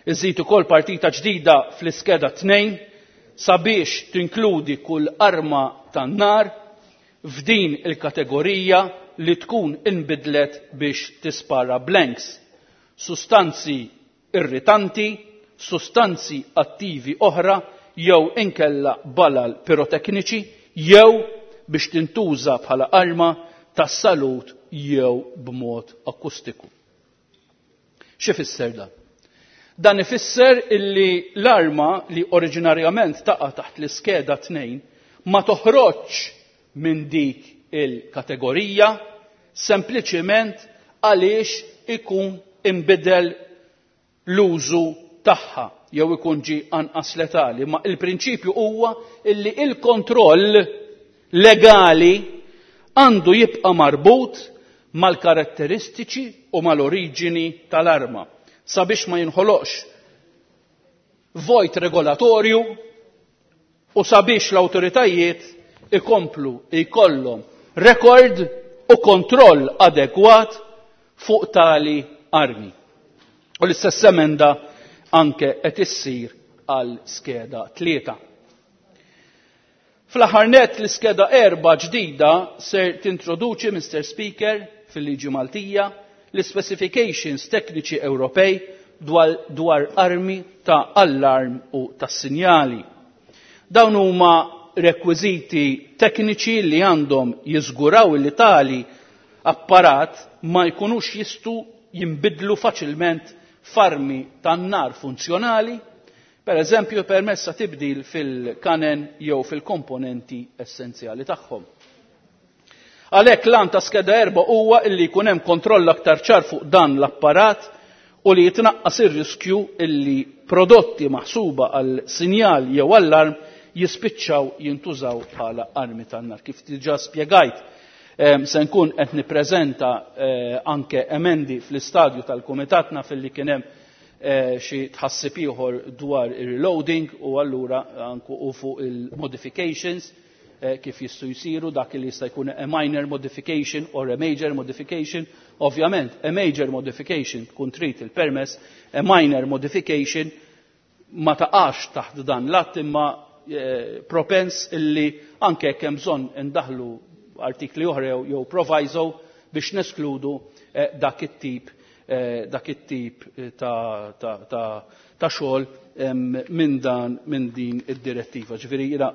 iżid ukoll partita ġdida fl-iskeda tnejn sabiex tinkludi kull arma tan-nar f'din il-kategorija li tkun inbidlet biex tispara blanks, sustanzi irritanti, sustanzi attivi oħra jew inkella balal pirotekniċi jew biex tintuża bħala arma tas-salut jew b'mod akustiku. Xi fisser dan? Dan ifisser illi l-arma li oriġinarjament taqa' taħt l-iskeda tnejn ma toħroġx minn dik il-kategorija sempliċiment għaliex ikun imbidel l-użu tagħha jew ikun ġi anqas letali, ma il-prinċipju huwa illi il-kontroll legali għandu jibqa' marbut mal-karatteristiċi u mal-oriġini tal-arma sabiex ma jinħoloqx vojt regolatorju u sabiex l-awtoritajiet ikomplu jkollhom rekord u kontroll adegwat fuq tali armi. U l-istess emenda anke qed issir għal skeda tlieta. Fl-aħħar nett l-iskeda erba' ġdida ser tintroduċi, Mister Speaker, fil-liġi Maltija l-specifications tekniċi Ewropej dwar, dwar armi ta' allarm u ta' sinjali. Dawn huma rekwiżiti tekniċi li għandhom jiżguraw li tali apparat ma jkunux jistu jinbidlu faċilment f'armi tan-nar funzjonali, per eżempju permessa tibdil fil-kanen jew fil-komponenti essenzjali tagħhom. Għalhekk l-għan ta' skeda erba' huwa illi jkun hemm kontroll aktar ċar fuq dan l-apparat u li jitnaqqas ir-riskju illi prodotti maħsuba għal sinjal jew allarm jispiċċaw jintużaw bħala armi tan-nar. Kif diġà spjegajt, se nkun qed nippreżenta anke emendi fl-istadju tal-kumitat naf illi kien hemm xi tħassib ieħor dwar ir-reloading u allura anke u fuq il-modifications kif jistgħu jsiru dak li jista' jkun a minor modification or a major modification. Ovvjament, a major modification tkun trid il-permess, a minor modification ma taqax taħt dan l-att imma propens illi anke jekk hemm bżonn indaħlu artikli oħra jew proviso biex neskludu dak it-tip dak it-tip ta', ta, ta, ta' xogħol minn dan minn din id-direttiva. Ġifieri jiena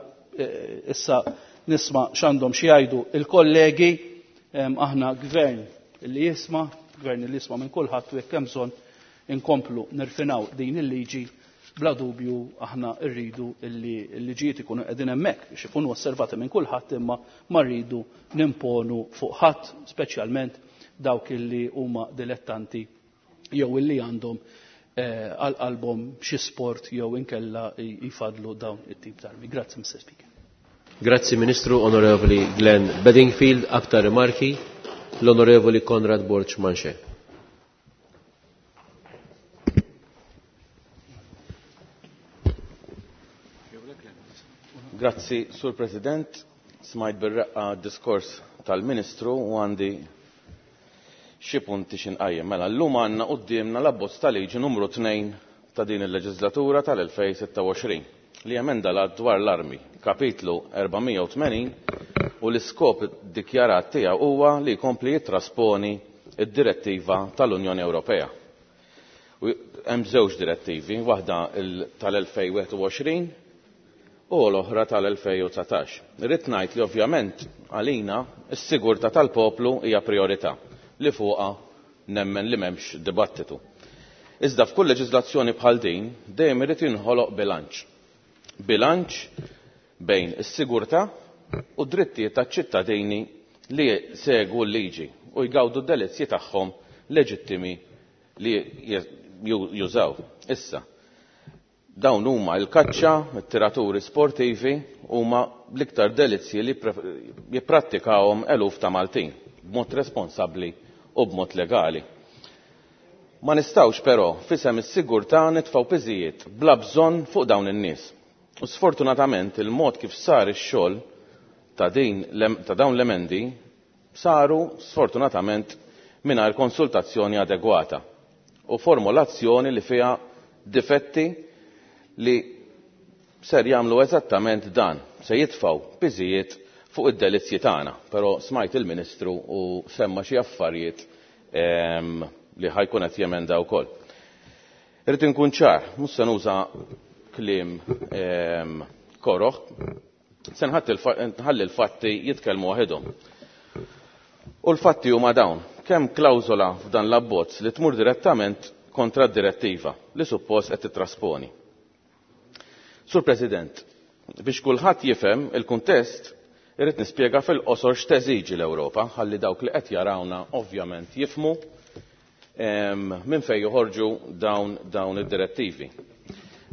issa nisma' x'għandhom xi jgħidu il-kollegi, aħna gvern li jisma', gvern li jisma' minn kulħadd u jekk hemm bżonn inkomplu nirfinaw din il-liġi bla dubju aħna rridu illi l-liġijiet ikunu qegħdin hemmhekk biex ikunu osservati minn kulħadd imma ma rridu nimponu fuq ħadd, speċjalment dawk illi huma dilettanti jew illi għandhom għal qalbhom xi sport jew inkella jfadlu dawn it-tip t'armi. Grazzi, Mister Speaker. Grazzi Ministru Onorevoli Glenn Bedingfield. Aktar rimarki l-Onorevoli Conrad Borg Manche. Grazzi, Sur President. Smajt bir-reqqa diskors tal-Ministru u għandi xi punti xi nqajjem. Mela llum għandna quddiemna l-abbozz ta' liġi numru tnejn ta' din il-leġislatura tal-elfejn sitta u għoxrin li emenda l-att dwar l-armi, kapitlu erba' mija u tmenin, u l-iskop dikjarat tiegħu huwa li jkompli jittrasponi id-direttiva tal-Unjoni Ewropea. U hemm żewġ direttivi, waħda tal-elfejn wieħed u għoxrin u l-oħra tal-elfejn u dsatax. Irrid ngħid li ovvjament għalina s-sigurtà tal-poplu hija priorità li fuqha nemmen li m'hemmx dibattitu. Iżda f'kull leġiżlazzjoni bħal din dejjem irid jinħoloq bilanċ. Bilanċ bejn is-sigurtà u d-drittijiet taċ-ċittadini li segwu l-liġi u jgawdu d-delizzji tagħhom leġittimi li jużaw. Issa, dawn huma l-kaċċa, it-tiraturi sportivi huma l-iktar delizzji li jipprattikawhom eluf ta' Maltin b'mod responsabbli u b'mod legali. Ma nistgħux però f'isem is-sigurtà nitfgħu piżijiet bla bżonn fuq dawn in-nies. U sfortunatament il-mod kif sar ix-xogħol ta' din ta' dawn l-emendi saru sfortunatament mingħajr konsultazzjoni adegwata u formulazzjoni li fiha difetti li ser jagħmlu eżattament dan, se jitfgħu piżijiet fuq id-delizzji tagħna. Però smajt il-Ministru u semma xi affarijiet ehm, li ħajkun qed jemenda wkoll. Irrid inkun ċar, mhux se nuża kliem ehm, koroħ, se nħalli l-fatti jitkellmu waħedhom. U l-fatti huma dawn, kemm klawżola f'dan l-abbozz li tmur direttament kontra d-direttiva li suppost qed titrasponi. Sur President, biex kulħadd jifhem il-kuntest, irrid nispjega fil-qosor x'teżiġi l-Ewropa, ħalli dawk li qed jarawna ovvjament jifhmu minn fejn joħorġu dawn dawn id-direttivi.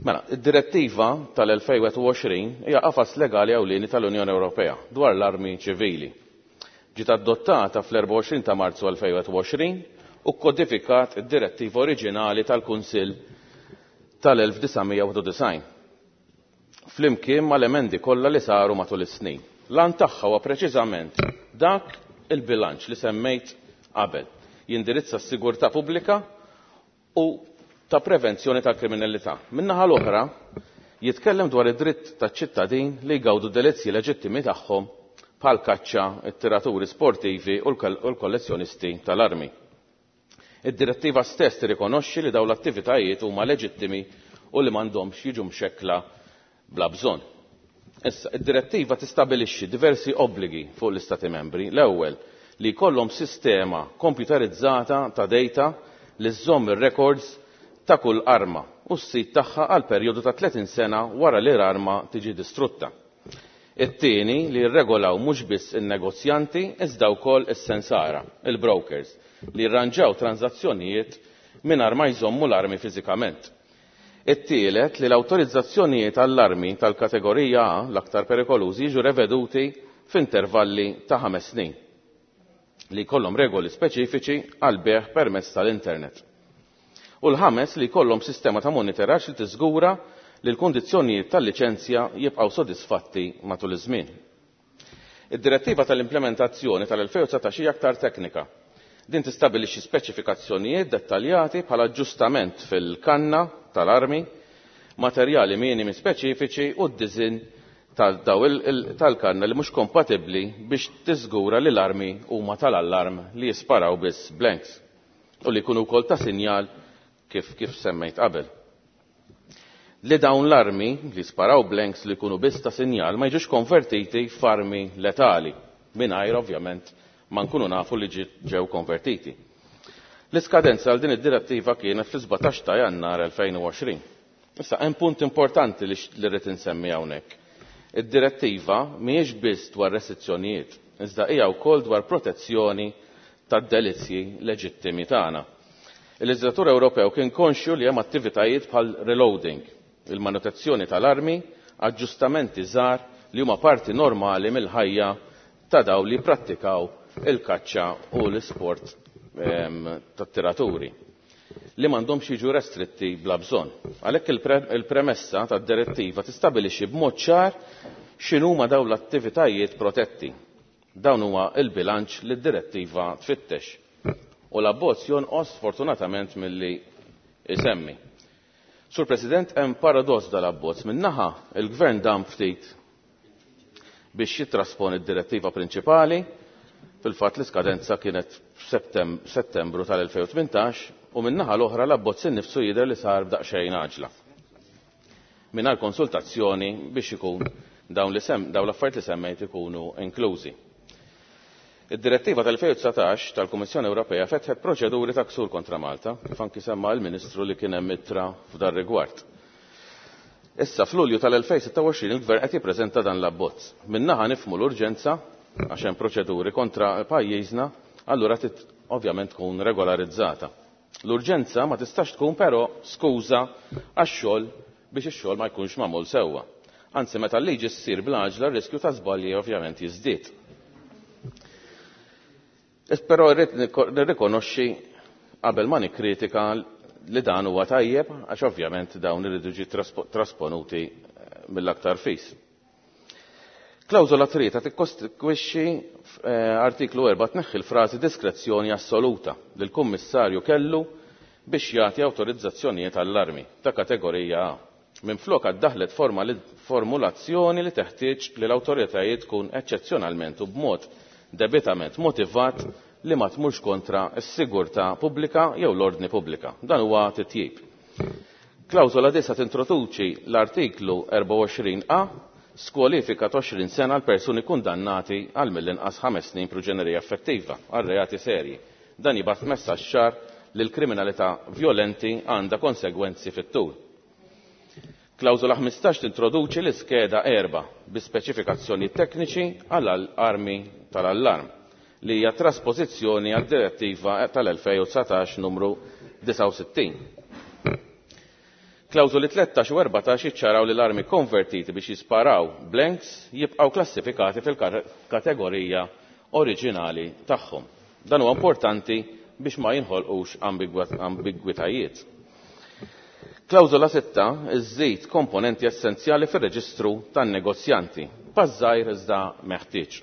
Mela, id-direttiva tal-elfejn wieħed u għoxrin hija qafas legali ewlieni tal-Unjoni Ewropea dwar l-armi ċivili. Ġiet adottata fl-erbgħa u għoxrin ta' Marzu elfejn wieħed u għoxrin u kodifikat id-direttiva oriġinali tal-Kunsill tal-elf disa' mija u disgħin. Flimkien mal-emendi kollha li saru matul is-snin. L-għan tagħha huwa preċiżament dak il-bilanċ li semmejt qabel. Jindirizza s-sigurtà pubblika u ta' prevenzjoni tal-kriminalità. Min-naħa l-oħra, jitkellem dwar id-dritt taċ-ċittadin li jgawdu delizzji leġittimi tagħhom bħal kaċċa, it-tiraturi sportivi u l-kollezzjonisti tal-armi. Id-direttiva stess tirrikonoxxi li dawn l-attivitajiet huma leġittimi u li m'għandhomx jiġu mxekkla bla bżonn. Issa, id-direttiva tistabilixxi diversi obbligi fuq l-Istati membri. L-ewwel, li jkollhom sistema komputerizzata ta' data li żżomm ir-records ta' kull arma u s-sit tagħha għal perjodu ta' tletin sena wara li l-arma tiġi distrutta. It-tieni, li jirregolaw mhux biss in-negozjanti iżda wkoll is-sensara, il-brokers, li jirranġaw tranzazzjonijiet mingħajr ma jżommu l-armi fiżikament. It-tielet, li l-awtorizzazzjonijiet għall-armi tal-kategorija A l-aktar perikolużi jiġu reveduti f'intervalli ta' ħames snin, li jkollhom regoli speċifiċi għal bejgħ permezz tal-internet. U l-ħames, li jkollhom sistema ta' monitoraġġ li tiżgura li l-kundizzjonijiet tal-liċenzja jibqgħu sodisfatti matul iż-żmien. Id-direttiva tal-implementazzjoni tal-elfejn u dsatax hija aktar teknika. Din tistabilixxi speċifikazzjonijiet dettaljati bħala aġġustament fil-kanna tal-armi, materjali minimi speċifiċi u d-diżinn tal-kanna li mhux kompatibbli biex tiżgura li l-armi huma tal-allarm li jisparaw biss blanks u li jkunu wkoll ta' sinjal kif, kif semmejt qabel. Li dawn l-armi li sparaw blanks li jkunu biss ta' sinjal ma jiġux konvertiti f'armi letali, mingħajr ovvjament ma nkunu nafu li ġew konvertiti. L-iskadenza għal din id-direttiva kienet fl-sbatax ta' Jannar elfejn u għoxrin. Issa hemm punt importanti li rrid insemmi hawnhekk. Id-direttiva mhijiex biss dwar restrizzjonijiet, iżda hija wkoll dwar protezzjoni tad-delizzji leġittimi tagħna. Il-leġislatur Ewropew kien konxju li hemm attivitajiet bħal reloading, il-manutenzjoni tal-armi, aġġustamenti żgħar li huma parti normali mill-ħajja ta' dawn li jipprattikaw il-kaċċa u l-isport, ehm, tat-tiraturi. li m'għandhomx jiġu restritti bla bżonn. Għalhekk il-premessa tad-direttiva tistabilixxi b'mod ċar x'inhuma dawn l-attivitajiet protetti. Dawn huwa l-bilanċ li d-direttiva tfittex. U l-abbozz jonqos fortunatament milli isemmi. Sur President, hemm paradoss dal-abbozz. Min-naħa il-Gvern dam ftit biex jittrasponi d-direttiva prinċipali, fil-fatt l-iskadenza kienet f'Settembru tal-elfejn u tmintax, u min-naħa l-oħra l-abbozz innifsu jidher li sar b'daqsxejn għaġla. Mingħajr konsultazzjoni biex ikun dawn li sem, dawn l-affarijiet li semmejt ikunu inklużi. Id-direttiva tal-elfejn u dsatax tal-Kummissjoni Ewropea fetħet proċeduri ta' ksur kontra Malta, kif anki semma l-Ministru li kien hemm ittra f'dar rigward. Issa f'Lulju tal-elfejn sitta u għoxrin il-Gvern qed jippreżenta dan l-abbozz. Min-naħa nifhmu l-urġenza għax hemm proċeduri kontra pajjiżna, allura trid ovvjament tkun regolarizzata. L-urġenza ma tistax tkun però skuża għax-xogħol biex ix-xogħol ma jkunx magħmul sewwa. Anzi, meta l-liġi ssir bl-għaġla, r-riskju ta' żbalji ovvjament jiżdied. Però rrid nirrikonoxxi qabel ma nikkritika li dan huwa tajjeb għax ovvjament dawn iridu jiġu trasponuti mill-aktar fis. Klawżola tlieta tikkostitwixxi artiklu erba' tneħħi l-frażi diskrezzjoni assoluta li l-Kummissarju kellu biex jagħti awtorizzazzjonijiet għall-armi ta' kategorija A. Minflok għaddaħlet formulazzjoni li teħtieġ li l-awtoritajiet tkun eċċezzjonalment u b'mod debitament motivat li ma tmurx kontra s-sigurtà pubblika jew l-ordni pubblika. Dan huwa titjib. Klawżola disa tintroduċi l-artiklu erbgħa u għoxrin A skwalifika ta' għoxrin sena għal persuni kundannati għal mill-inqas ħames snin proġenerija effettiva għal reati serji. Dan jibgħat messaġġ ċar li l-kriminalità violenti għandha konsegwenzi fit-tul. Klawżola ħmistax tintroduċi l-iskeda erba' bi speċifikazzjoni tekniċi għal armi tal-allarm li hija trasposizzjoni għad direttiva tal-elfejn u dsatax numru disgħa u sittin. Klawżoli tlettax u erbatax jiċċaraw li l-armi konvertiti biex jisparaw blanks jibqgħu klassifikati fil-kategorija oriġinali tagħhom. Dan huwa importanti biex ma jinħolqux ambigwitajiet. Klawżola sitta iżżid komponenti essenzjali fir-reġistru tan-negozjanti, pass żgħir iżda meħtieġ.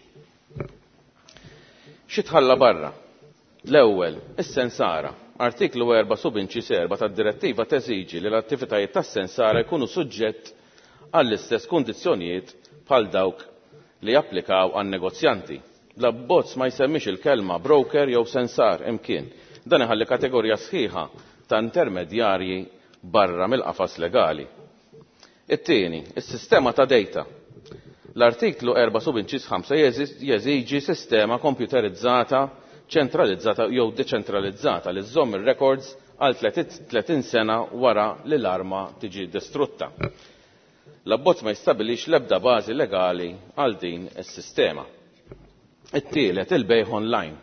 Xi tħalla barra? L-ewwel, is-sensara. Artiklu erba' subinċis erba' tad-direttiva teżiġi li l-attivitajiet tas-sensara jkunu suġġett għall-istess kundizzjonijiet bħal dawk li japplikaw għan-negozjanti. L-abbozz ma jsemmix il-kelma broker jew sensar imkien. Dan iħalli kategorija sħiħa ta' intermedjarji barra mill-qafas legali. It-tieni, is-sistema ta' data. L-artiklu erba' subinċis ħamsa jeżiġi sistema komputerizzata, ċentralizzata jew deċentralizzata li żżomm ir-records għal tletin sena wara li l-arma tiġi distrutta. L-abbozz ma jistabilix l-ebda bażi legali għal din is-sistema. It-tielet, il-bejħ online.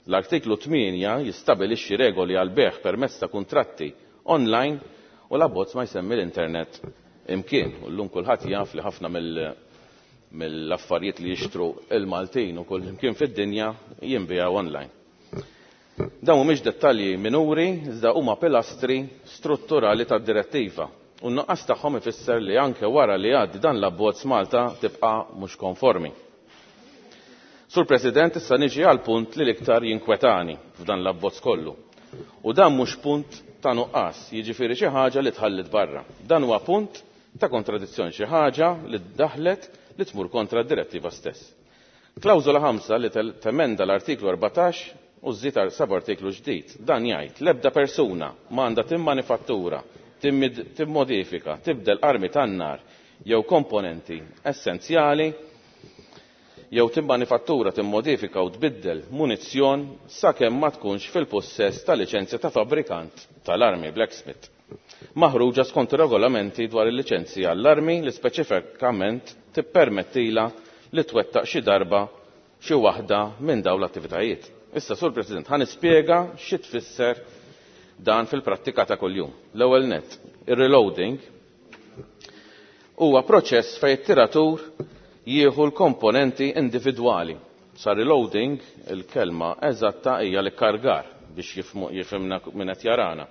L-artiklu tmienja jistabilixxi regoli għal bejħ permezz ta' kuntratti online u l-abbozz ma jsemmi l-internet imkien. U llum kulħadd jaf li ħafna mill-, mill-affarijiet li jixtru il-Maltin u kull imkien fid-dinja jinbiegħu online. Dawn mhumiex dettalji minuri, iżda huma pilastri strutturali tad-direttiva. U n-nuqqas tagħhom ifisser li anke wara li jgħaddi dan l-abbozz Malta tibqa' mhux konformi. Sur President, issa niġi għal punt li l-iktar jinkwetani f'dan l-abbozz kollu. U dan mhux punt ta' nuqqas, jiġifieri xi ħaġa li tħallit barra. Dan huwa punt ta' kontradizzjoni, xi ħaġa li ddaħlet li tmur kontra d-direttiva stess. Klawżola ħamsa li temenda l-artiklu erbatax u żżid sab-artiklu ġdid. Dan jgħid l-ebda persuna ma għandha timmanifattura, timmodifika, tibdel armi tan-nar jew komponenti essenzjali jew timmanifattura, timmodifika u tbiddel munizzjon sakemm ma tkunx fil-possess ta' liċenzja ta' fabbrikant tal-armi blacksmith. Maħruġa skont regolamenti dwar il-liċenzji għall-armi li speċifikament tippermettila li twettaq xi darba xi waħda minn dawn l-attivitajiet. Issa, Sur President, ħa nispjega xi tfisser dan fil-prattika ta' kuljum. L-ewwel nett, ir-reloading huwa proċess fejn it-tiratur jieħu l-komponenti individwali. Sa reloading, il-kelma eżatta hija l-kargar biex jifhimna min qed jarana.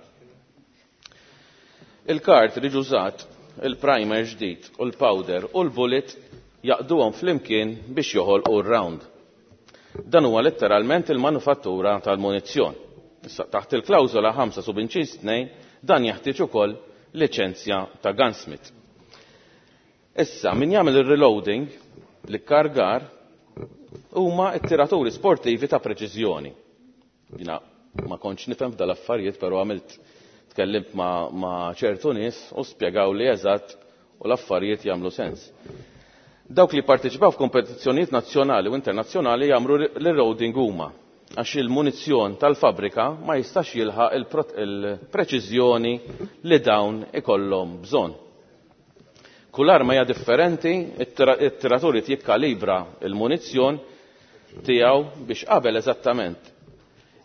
Il-cartridge użat, il-primer ġdid u l-powder u l-bullet jaqduhom flimkien biex joħolqu r-round. Dan huwa letteralment il-manufattura tal-munizzjon. Issa taħt il-klawżola ħamsa subinċiż tnejn dan jeħtieġ ukoll liċenzja ta' gunsmith. Issa min jagħmel ir-reloading l-ikkargar huma t-tiraturi sportivi ta' preċiżjoni. Jiena ma kontx nifhem f'dal affarijiet, però għamilt tkellimt ma', ma ċertu nies u spjegaw li eżatt u l-affarijiet jagħmlu sens. Dawk li parteċipaw f'kompetizzjonijiet nazzjonali u internazzjonali jagħmlu l-reloading huma għax il-munizzjon tal-fabrika ma jistax jilħaq il-preċiżjoni li dawn ikollhom bżonn. Kull arma hija differenti, it-tiratur jikkalibra il-munizzjon tiegħu biex qabel eżattament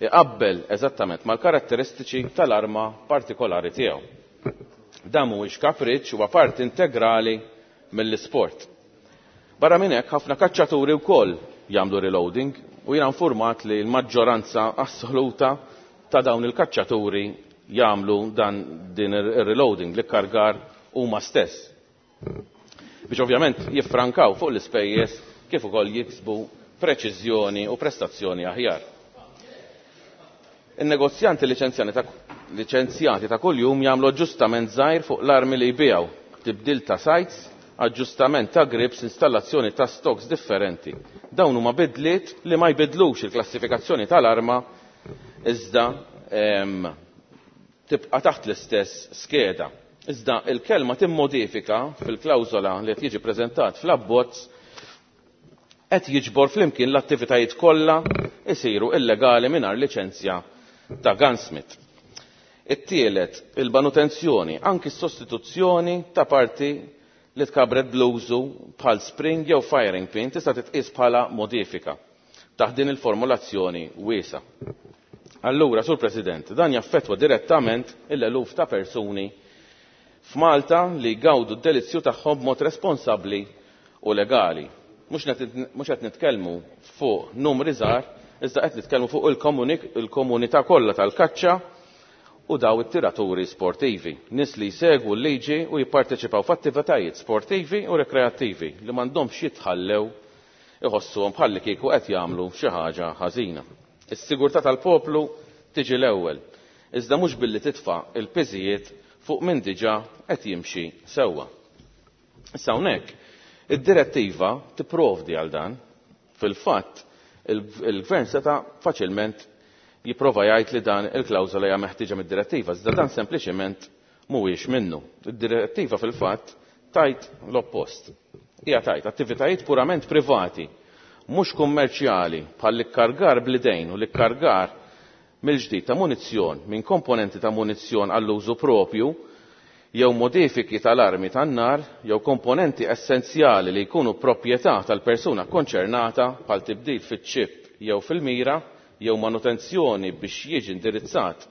iqabbel eżattament mal-karatteristiċi tal-arma partikolari tiegħu. Dan mhuwiex kapriċċ, huwa parti integrali mill-isport. Barra minn hekk ħafna kaċċaturi wkoll jagħmlu reloading u jiena informat li l-maġġoranza assoluta ta' dawn il-kaċċaturi jagħmlu dan din ir-reloading li kargar huma stess. Biex ovvjament jiffrankaw fuq l-ispejjeż kif ukoll jiksbu preċiżjoni u prestazzjoni aħjar. In-negozjanti liċenzjati ta' kuljum jagħmlu aġġustament żgħir fuq l-armi li jbiegħu, tibdil ta' sights, aġġustament ta' grips, installazzjoni ta' stocks differenti. Dawn huma bidliet li ma jbidlux il-klassifikazzjoni tal-arma iżda tibqa' taħt l-istess skeda. Iżda il-kelma timmodifika fil-klawżola li qed jiġi preżentat fl-abbozz qed jiġbor flimkien l-attivitajiet kollha isiru illegali mingħajr liċenzja ta' gunsmith. It-tielet, il-manutenzjoni, anki s-sostituzzjoni ta' parti li tkabret bl-użu bħal spring jew firing pin tista' titqies bħala modifika taħt din il-formulazzjoni wiesa. Allura, Sur President, dan jaffettwa direttament il-eluf ta' persuni f'Malta li jgawdu d-delizzju tagħhom b'mod responsabbli u legali. Mhux qed nitkellmu fuq numri żgħar, iżda qed nitkellmu fuq il-komunità kollha tal-kaċċa u daw it-tiraturi sportivi, nies li jsegwu l-liġi u jipparteċipaw f'attivitajiet sportivi u rekreattivi li m'għandhomx jitħallew iħossuhom bħalli kieku qed jagħmlu xi ħaġa ħażina. Is-sigurtà tal-poplu tiġi l-ewwel, iżda mhux billi titfa' il-piżijiet fuq min diġà qed jimxi sewwa. Issa hawnhekk id-direttiva tipprovdi għal dan. Fil-fatt il-gvern seta' faċilment jipprova jgħid li dan il-klawżola hija meħtieġa mid-direttiva, iżda dan sempliċiment mhuwiex minnu. Id-direttiva fil-fatt tajt l-oppost. Hija tajt attivitajiet purament privati, mhux kummerċjali bħal l-ikkargar bl-idejn u l-ikkargar mill-ġdid ta' munizzjon minn komponenti ta' munizzjon għall-użu propju jew modifiki tal-armi tan-nar jew komponenti essenzjali li jkunu proprjetà tal-persuna konċernata bħal tibdil fiċ-ċip jew fil-mira jew manutenzjoni biex jiġi indirizzat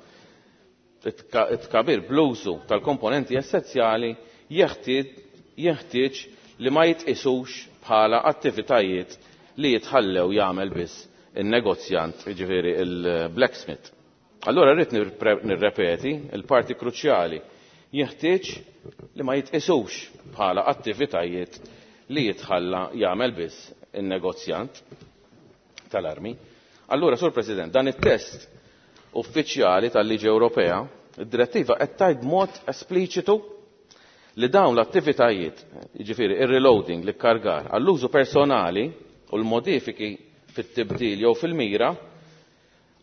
it-tkabir bl-użu tal-komponenti essenzjali jeħtieġ li ma jitqisux bħala attivitajiet li jitħallew jagħmel biss in-negozjant, jiġifieri il-blacksmith. Allura rrid nirrepeti il-parti kruċjali jeħtieġ li ma jitqisux bħala attivitajiet li jitħalla jagħmel biss in-negozjant tal-armi. Allura, Sur President, dan it-test uffiċjali tal-Liġi Ewropea, id-direttiva qed tgħid b'mod espliċitu li dawn l-attivitajiet, jiġifieri ir-reloading, l-ikkargar, għall-użu personali u l-modifiki fit-tibdil jew fil-mira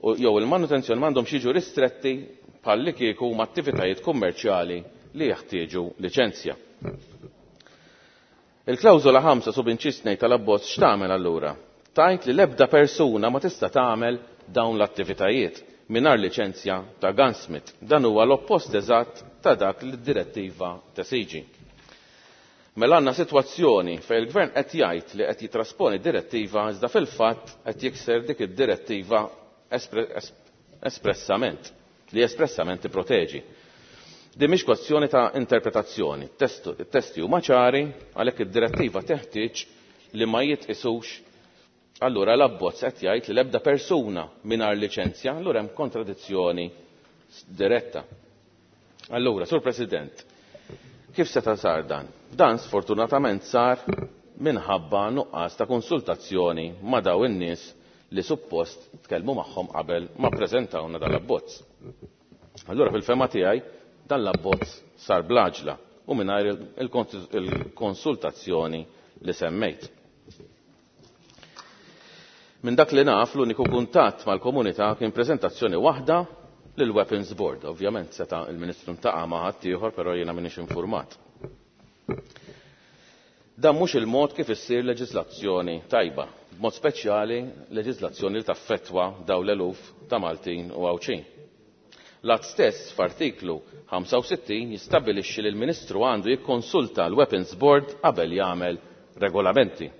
jew il-manutenzjoni m'għandhomx jiġu ristretti bħalli kieku huma attivitajiet kummerċjali li jeħtieġu liċenzja. Il-klawżola ħamsa subinċis tnejn tal-abbozz x'tagħmel allura? Tajt li l-ebda persuna ma tista' tagħmel dawn l-attivitajiet mingħajr liċenzja ta' gunsmith. Dan huwa l-oppost eżatt ta' dak li d-direttiva tesiġi. Mela għandna sitwazzjoni fejn il-gvern qed jgħid li qed jitrasponi direttiva iżda fil-fatt qed jikser dik id-direttiva espressament, li espressament tipproteġi. Din mhix kwestjoni ta' interpretazzjoni, it-testi huma ċari għalhekk id-direttiva teħtieġ li ma jitqisux. Allura l-abbozz qed jgħid li l-ebda persuna mingħajr liċenzja, allura hemm kontradizzjoni diretta. Allura, Sur President, kif seta' sar dan? Dan sfortunatament sar minħabba nuqqas ta' konsultazzjoni ma' daw in-nies li suppost tkellmu magħhom qabel ma ppreżentawna dal-abbozz. Allura fil-fema tiegħi dan l-abbozz sar bl-għaġla u mingħajr il-konsultazzjoni li semmejt. Minn dak li naf l-uniku kuntatt mal-komunità kien preżentazzjoni waħda lil Weapons Board. Ovvjament seta' il-Ministru ntaqa' ma' ħaddieħor, però jiena m'iniex infurmat. Dan mhux il-mod kif issir leġiżlazzjoni tajba, b'mod speċjali leġiżlazzjoni li taffettwa dawn l-eluf ta' Maltin u Għawdxin. L-att stess f'artiklu ħamsa u sittin jistabbilixxi li l-Ministru għandu jikkonsulta l-Weapons Board qabel jagħmel regolamenti.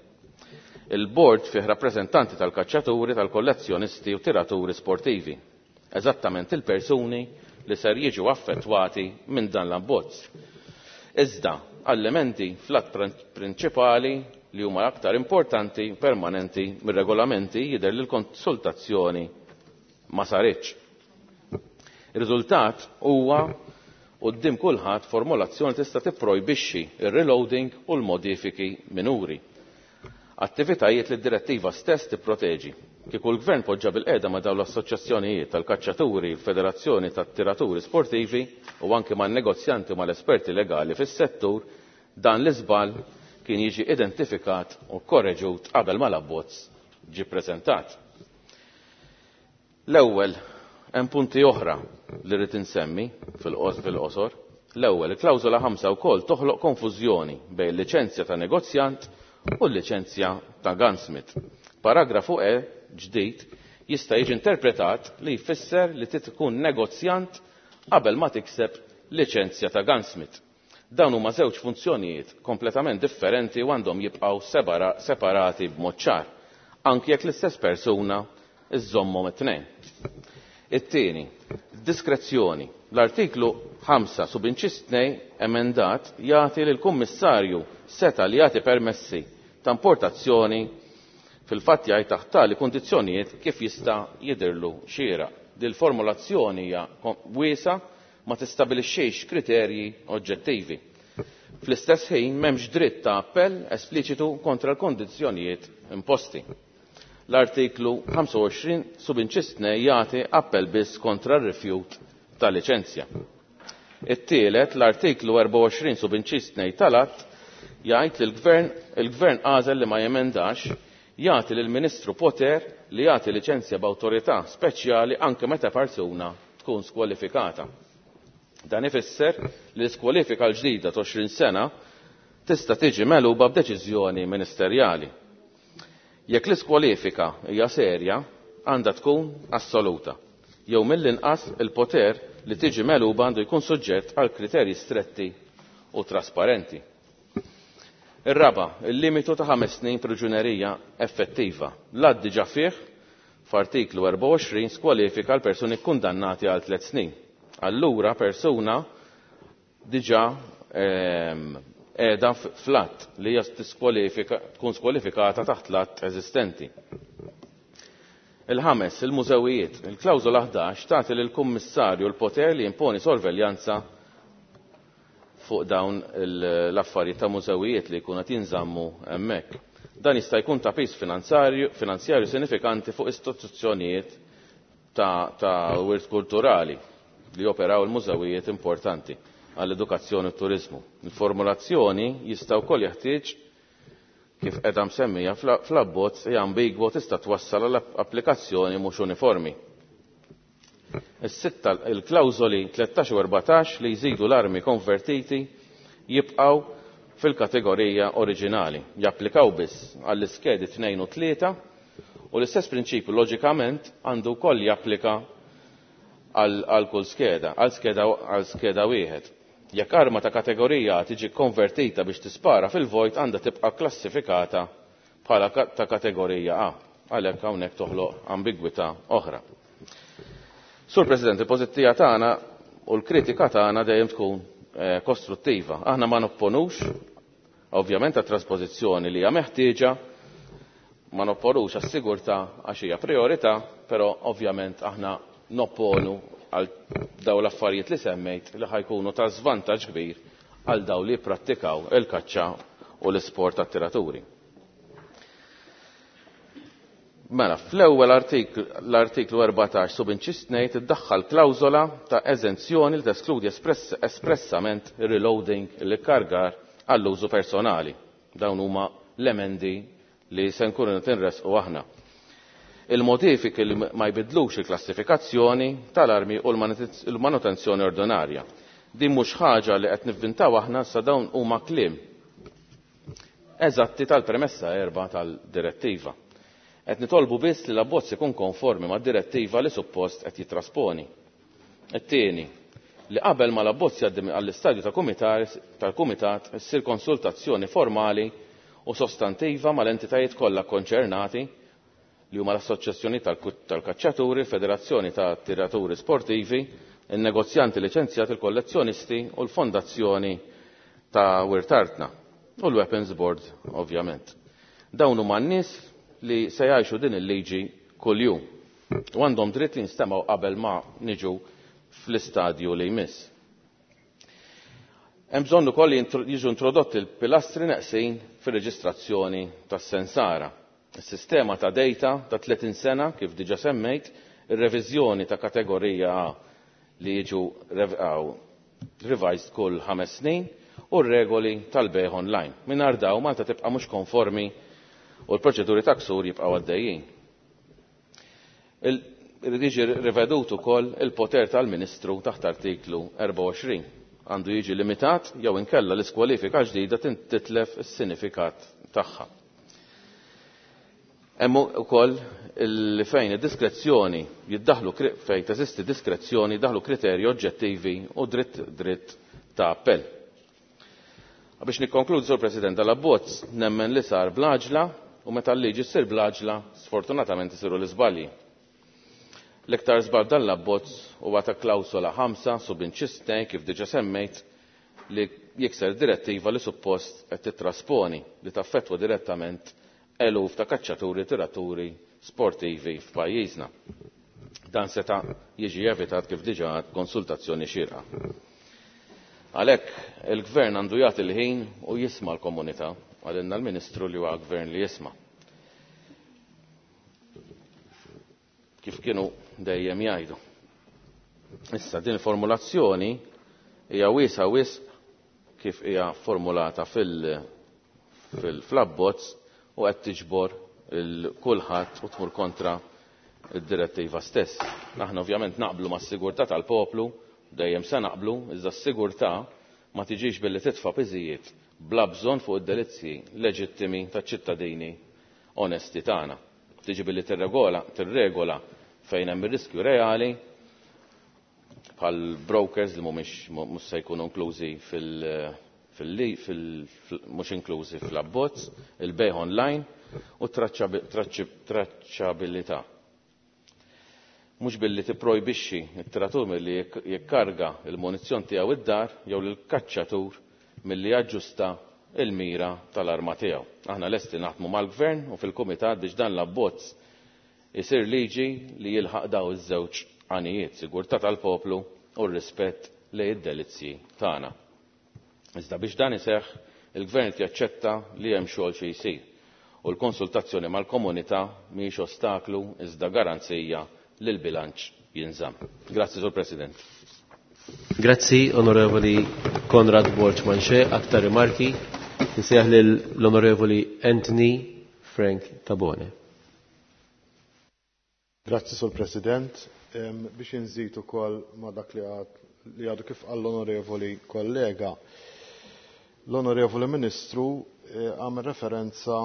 Il-board fih rappreżentanti tal-kaċċaturi, tal-kollezzjonisti u tiraturi sportivi. Eżattament il-persuni li ser jiġu affettwati minn dan l-abbozz. Iżda, għall-elementi fl-att prinċipali li huma l-aktar importanti permanenti mir-regolamenti jidher li l-konsultazzjoni ma saritx. Ir-riżultat huwa quddiem kulħadd formulazzjoni tista' tipprojbixxi ir-reloading u l-modifiki minuri. Attivitajiet li d-direttiva stess tipproteġi. Kieku l-Gvern poġġa bil-qiegħda ma' dawn l-assoċjazzjonijiet tal-kaċċaturi, il-Federazzjoni tat-Tiraturi Sportivi u anke man-negozjanti u mal-esperti legali fis-settur, dan l-iżball kien jiġi identifikat u korreġut qabel ma l-abbozz ġie ppreżentat. L-ewwel hemm punti oħra li rrid insemmi fil-qosor. L-ewwel, il-klawżola ħamsa wkoll toħloq konfużjoni bejn liċenzja ta' negozjant u l-liċenzja ta' gunsmith. Paragrafu E ġdid jista' jiġi interpretat li jfisser li trid tkun negozjant qabel ma tikseb liċenzja ta' gunsmith. Dawn huma żewġ funzjonijiet kompletament differenti u għandhom jibqgħu separati b'mod ċar, anki jekk l-istess persuna iżżommhom it-tnejn. It-tieni, diskrezzjoni. L-artiklu ħamsa subinċis tnejn emendat jagħti lill-Kummissarju seta' li jagħti permessi ta' importazzjoni fil-fatt jgħid taħt tali kundizzjonijiet kif jista' jidhirlu xieraq. Din il-formulazzjoni hija wiesa ma tistabilixxix kriterji oġġettivi. Fl-istess ħin m'hemmx dritt ta' appell espliċitu kontra l-kondizzjonijiet imposti. L-artiklu ħamsa u għoxrin subinċis tnejn jagħti appell biss kontra r-rifjut ta' liċenzja. It-tielet, l-artiklu erbgħa u għoxrin subinċis tnejn tal-att jgħid li l-gvern, il-gvern għażel li ma jemendax jagħti lill-Ministru poter li jagħti liċenzja b'awtorità speċjali anke meta persuna tkun skwalifikata. Dan ifisser li l-iskwalifika l-ġdida ta' għoxrin sena tista' tiġi megħluba b'deċiżjoni ministerjali. Jekk l-iskwalifika hija serja, għandha tkun assoluta. Jew mill-inqas il-poter li tiġi megħluba għandu jkun suġġett għal kriterji stretti u trasparenti. Ir-raba, il-limitu ta' ħames snin priġunerija effettiva. L-att diġà fih f'artiklu erbgħa u għoxrin skwalifika l-persuni kkundannati għal tliet snin. Allura persuna diġà ehm, qiegħda fl-att li hija tkun skwalifikata taħt l-att eżistenti. Il-ħames, il-mużewijiet. Il-klawżola ħdax tagħti lill-Kummissarju l-poter li jimponi sorveljanza fuq dawn l-affarijiet ta' mużewijiet li jkunu qed jinżammu hemmhekk. Dan jista' jkun ta' piż finanzjarju, finanzjarju sinifikanti fuq istituzzjonijiet ta', ta' wirt kulturali li joperaw il-mużewijiet importanti għall-edukazzjoni u t-turizmu. Il-formulazzjoni jista' wkoll jeħtieġ kif qiegħda msemmija fl-abbozz hija ambigwa tista' twassal għal applikazzjoni mhux uniformi. Is-sitta, il-klawżoli tlettax u erbatax li jżidu l-armi konvertiti jibqgħu fil-kategorija oriġinali, japplikaw biss għall-iskedi tnejn u tlieta u l-istess prinċipju loġikament għandu wkoll japplika għal kull skeda, għal skeda, għal skeda wieħed. Jekk arma ta' kategorija tiġi konvertita biex tispara fil-vojt għandha tibqa' klassifikata bħala ta' kategorija A, għalhekk hawnhekk toħloq ambigwità oħra. Sur President, il-pożittiva tagħna u l-kritika tagħna dejjem tkun, eh, kostruttiva. Aħna ma nopponux, ovvjament, għat-trasposizzjoni li hija meħtieġa, ma nopponux għas-sigurtà għax hija priorità, però ovvjament aħna nopponu għal daw l-affarijiet li semmejt li ħajkunu ta' żvantaġġ kbir għal daw li jipprattikaw il-kaċċa u l-isport tat-tiraturi. Mela, fl-ewwel l-artiklu erbatax subinċis tnejn tiddaħħal klawżola ta' eżenzjoni li teskludi espressament reloading l-ikkargar għall-użu personali. Dawn huma l-emendi li se nkunu tinresqu aħna. Il-modifiki li ma jbidlux il-klassifikazzjoni tal-armi u l-manutenzjoni ordinarja. Din mhux ħaġa li qed nivvintaw aħna, sa dawn huma kliem eżatti tal-premessa erba' tal-direttiva. Qed nitolbu biss li l-abbozz ikun konformi mad-direttiva li suppost qed jitrasponi. It-tieni, li qabel ma l-abbozz jgħaddi għall-istadju tal-kumitat issir konsultazzjoni formali u sostantiva mal-entitajiet kollha konċernati li huma l-Assoċjazzjoni tal-Kaċċaturi, il-Federazzjoni ta' Tiraturi Sportivi, il-negozjanti liċenzjati, il-kollezzjonisti u l-Fondazzjoni ta' Wirt Artna u l-Weapons Board, ovvjament. Dawn huma n-nies li se jgħixu din il-liġi kuljum u għandhom dritt li jinstemaw qabel ma niġu fl-istadju li jmiss. Hemm bżonn ukoll li jiġu introdotti l-pilastri neqsin fir-reġistrazzjoni tas-sensara. Is-sistema ta' data ta' tletin sena kif diġà semmejt, ir-reviżjoni ta' kategorija A li jiġu revised kull ħames snin u r-regoli tal-bejgħ online. Mingħajr dawn Malta tibqa' mhux konformi u l-proċeduri ta' ksur jibqgħu għaddejjin. Irid jiġi rivedut ukoll il-poter tal-Ministru taħt artiklu erbgħa u għoxrin. Għandu jiġi limitat jew inkella l-iskwalifika ġdida titlef is-sinifikat tagħha. Hemm ukoll li fejn id-diskrezzjoni jiddaħlu fejn teżisti diskrezzjoni jiddaħlu kriterji oġġettivi u dritt dritt ta' appell. Biex nikkonkludi, Sur President, dal-abbozz nemmen li sar bl-għaġla u meta l-liġi ssir bl-għaġla sfortunatament isiru l-iżbalji. L-iktar żball dan l-abbozz huwa ta' klawsola ħamsa subinċis tnejn kif diġà semmejt li jikser direttiva li suppost qed titrasponi li taffettwa direttament eluf ta' kaċċaturi tiraturi sportivi f'pajjiżna. Dan seta' jiġi evitat kif diġà konsultazzjoni xierqa. Għalhekk il-Gvern għandu jagħti l-ħin u jisma' l-komunità, għalinna l-Ministru li huwa gvern li jisma'. Kif kienu dejjem jgħidu. Issa din il-formulazzjoni hija wiesa wisq kif hija formulata fil-fl-abbozz u qed tiġbor il-kulħadd u tmur kontra id-direttiva stess. Aħna ovvjament naqblu mas-sigurtà tal-poplu, dejjem se naqblu, iżda s-sigurtà ma tiġix billi titfa' piżijiet bla bżonn fuq id-delizzji leġittimi taċ-ċittadini onesti tagħna. Tiġi billi tirregola, tirregola fejn hemm ir-riskju reali bħal brokers li mhumiex mhux se jkunu inklużi fil fil mhux inklużi fl-abbozz, il-bejgħ online u traċċabilità. Mhux billi tipprojbixxi t-tiratur milli jikkarga l-munizzjon tiegħu id-dar jew lill-kaċċatur milli jaġġusta il-mira tal-arma tiegħu. Aħna lesti naħdmu mal-Gvern u fil-Kumitat biex dan l-abbozz isir liġi li jilħaq daw iż-żewġ għanijiet, sigurtà tal-poplu u r-rispett lejn id-delizzji tagħna. Iżda biex dan iseħħ, il-Gvern jaċċetta li hemm xogħol xi jsir u l-konsultazzjoni mal-komunità mhijiex ostaklu iżda garanzija li l-bilanċ jinżamm. Grazzi, Sur President. Grazzi, Onorevoli Konrad Borg Manché. Aktar rimarki, nsejjaħ lill-Onorevoli Anthony Frank Tabone. Grazzi, Sur President. Biex inżid ukoll ma' dak li għadu kif għall-onorevoli kollega. L-Onorevoli Ministru għamel referenza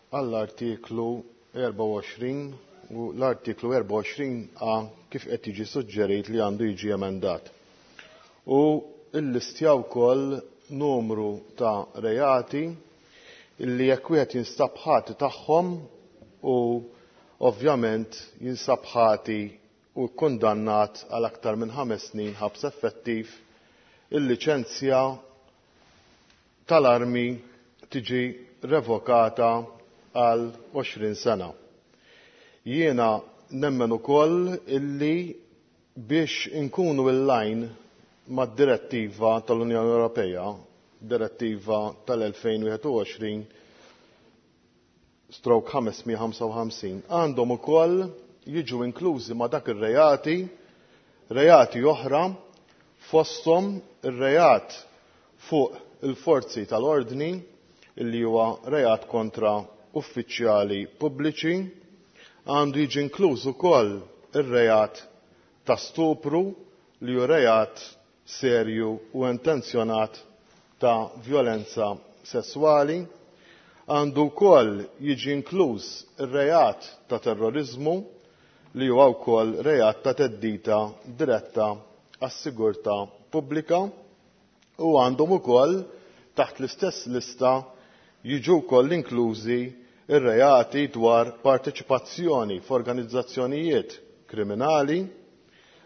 għall-artiklu erbgħa u għoxrin u l-artiklu erbgħa u għoxrin A kif qed jiġi suġġerit li għandu jiġi emendat. U illistja wkoll numru ta' reati illi jekk wieħed jinstab ħati tagħhom u ovvjament jinsab ħati u kkundannat għal aktar minn ħames snin ħabs effettiv, il-liċenzja tal-armi tiġi revokata għal għoxrin sena. Jiena nemmen ukoll illi Biex inkunu in-line mad-direttiva tal-Unjoni Ewropea, direttiva tal-elfejn u wieħed u għoxrin stroke ħamesmija ħamsa u ħamsin, għandhom ukoll jiġu inklużi ma' dak ir-reati, reati oħra, fosthom ir-reat fuq il-forzi tal-ordni, illi huwa reat kontra uffiċjali pubbliċi, għandu jiġi inkluż ukoll ir-reat ta' stupru li hu reat serju u intenzjonat ta' violenza sessuali, għandu wkoll jiġi inkluż ir-reat ta' terrorizmu li huwa wkoll reat ta' theddida diretta għas-sigurtà pubblika, u għandhom ukoll taħt l-istess lista jiġu wkoll inklużi ir-reati dwar parteċipazzjoni f'organizzazzjonijiet kriminali,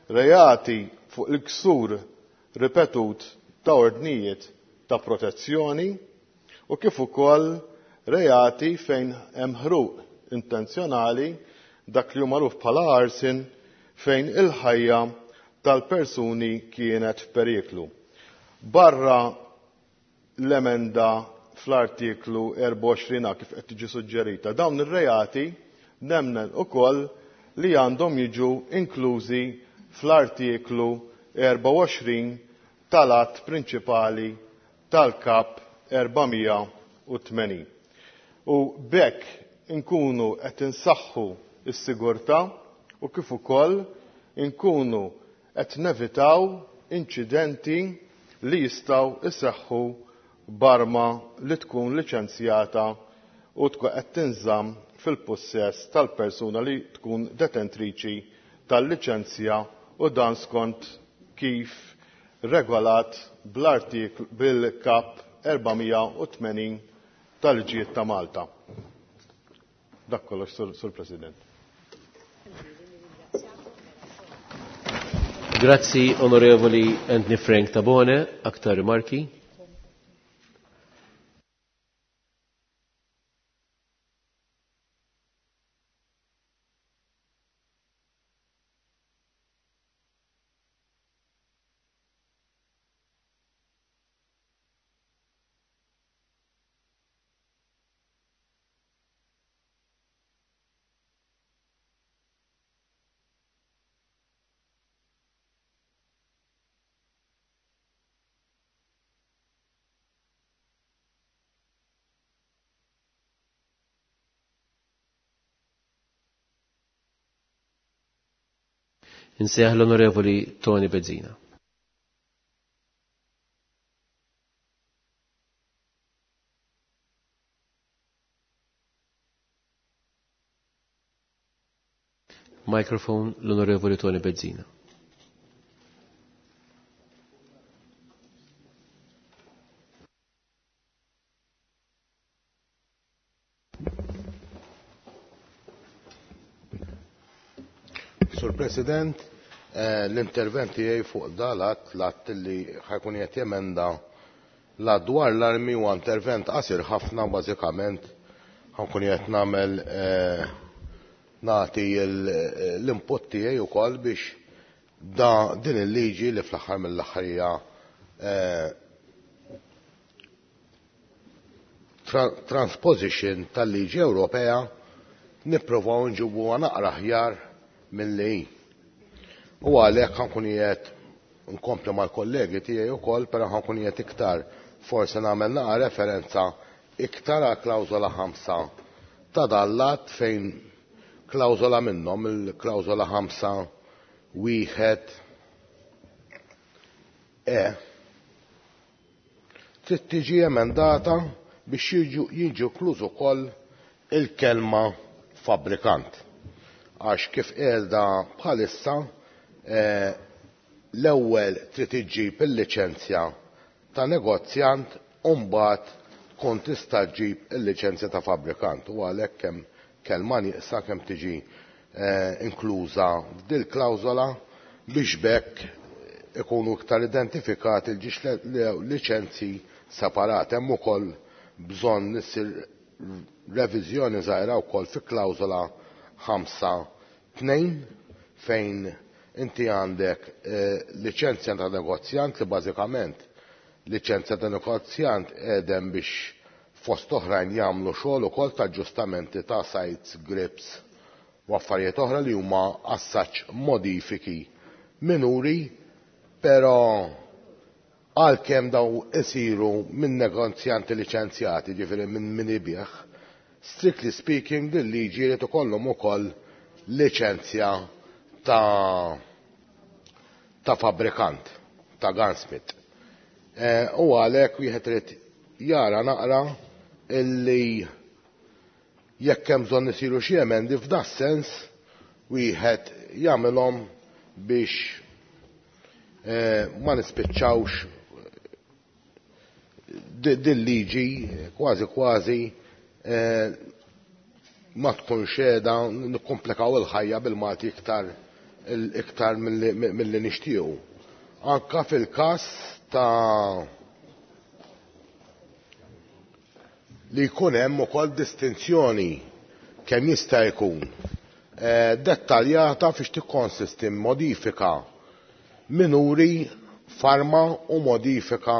reati fuq il-ksur ripetut ta' ordnijiet ta' protezzjoni u kif ukoll reati fejn hemm ħruq intenzjonali, dak li hu magħruf bħala arson, fejn il-ħajja tal-persuni kienet f'periklu. Barra l-emenda fl-artiklu erbgħa u għoxrin A kif qed tiġi suġġerita, dawn ir-reati nemmen ukoll li għandhom jiġu inklużi fl-artiklu erbgħa u għoxrin tal-att prinċipali tal-Kap erbgħamija u tmenin. U b'hekk inkunu qed insaħħu s-sigurtà u kif ukoll inkunu qed nevitaw inċidenti li jistgħu iseħħu b'arma li tkun liċenzjata u tkun qed tinżamm fil-pussess tal-persuna li tkun detentriċi tal-liċenzja, u dan skont kif regolat bl-artiklu bil-Kap erbgħamija u tmenin tal-Liġijiet ta' Malta. Dak kollox, Sur, Sur President. Grazzi, Onorevoli Anthony Frank Tabone. Aktar rimarki? Insejjaħ l-Onorevoli Tony Bezzina. Microphone l-Onorevoli Tony Bezzina. Sur President, eh, l-intervent tiegħi fuq dalat l-att li ħajkun qed jemenda la dwar l-armi huwa intervent qasir ħafna, bażikament ħankun qed nagħmel, eh, nagħti l-input tiegħi wkoll biex da din il-liġi li fl-aħħar mill-aħħar hija, eh, tra-, transposition tal-liġi Ewropea nipprovaw nġibuha naqra aħjar milli hi. U għalhekk ħankun qiegħed nkompli mal-kollegi tiegħi wkoll, però ħankun qiegħed iktar forsi nagħmel naqra referenza iktar għal klawżola ħamsa ta' dallat, fejn klawżola minnhom, il-klawżola ħamsa wieħed E, trid tiġi emendata biex jiġu, jiġu kluż ukoll il-kelma fabbrikant. Għax kif qiegħda bħalissa, eh, l-ewwel trid iġġib il-liċenzja ta' negozjant u mbagħad tkun tista' ġġib il-liċenzja ta' fabbrikant. U għalhekk hemm kelma nieqsa kemm tiġi, eh, inkluża f'dil klawżola biex b'hekk ikunu iktar identifikati l-ġiex liċenzji separati. Hemm ukoll bżonn issir reviżjoni żgħira wkoll fi klawżola ħamsa tnejn fejn Inti għandek eh, liċenzja ta' negozjant li bażikament liċenzja ta' negozjant qegħdem biex fost oħrajn jagħmlu xogħol ukoll ta' aġġustamenti ta' sights, grips u affarijiet oħra li huma assaċ modifiki minuri, però għalkemm daw isiru minn negozjanti liċenzjati, ġifieri minn min ibigħ, strictly speaking din liġi jrid ikollhom ukoll liċenzja ta' ta' fabbrikant, ta' gunsmith. Eh, u għalhekk wieħed irid jara naqra illi jekk hemm bżonn isiru xi emendi f'da sens wieħed jagħmilhom biex eh, ma nispiċċawx din liġi kważi kważi eh, ma tkun xeda nikkomplikaw il-ħajja bil-Malti iktar iktar milli nixtiequ. Anka fil-każ ta' li jkun hemm ukoll distinzjoni kemm jista' jkun eh, dettaljata fiex tikkonsisti modifika minuri farma u modifika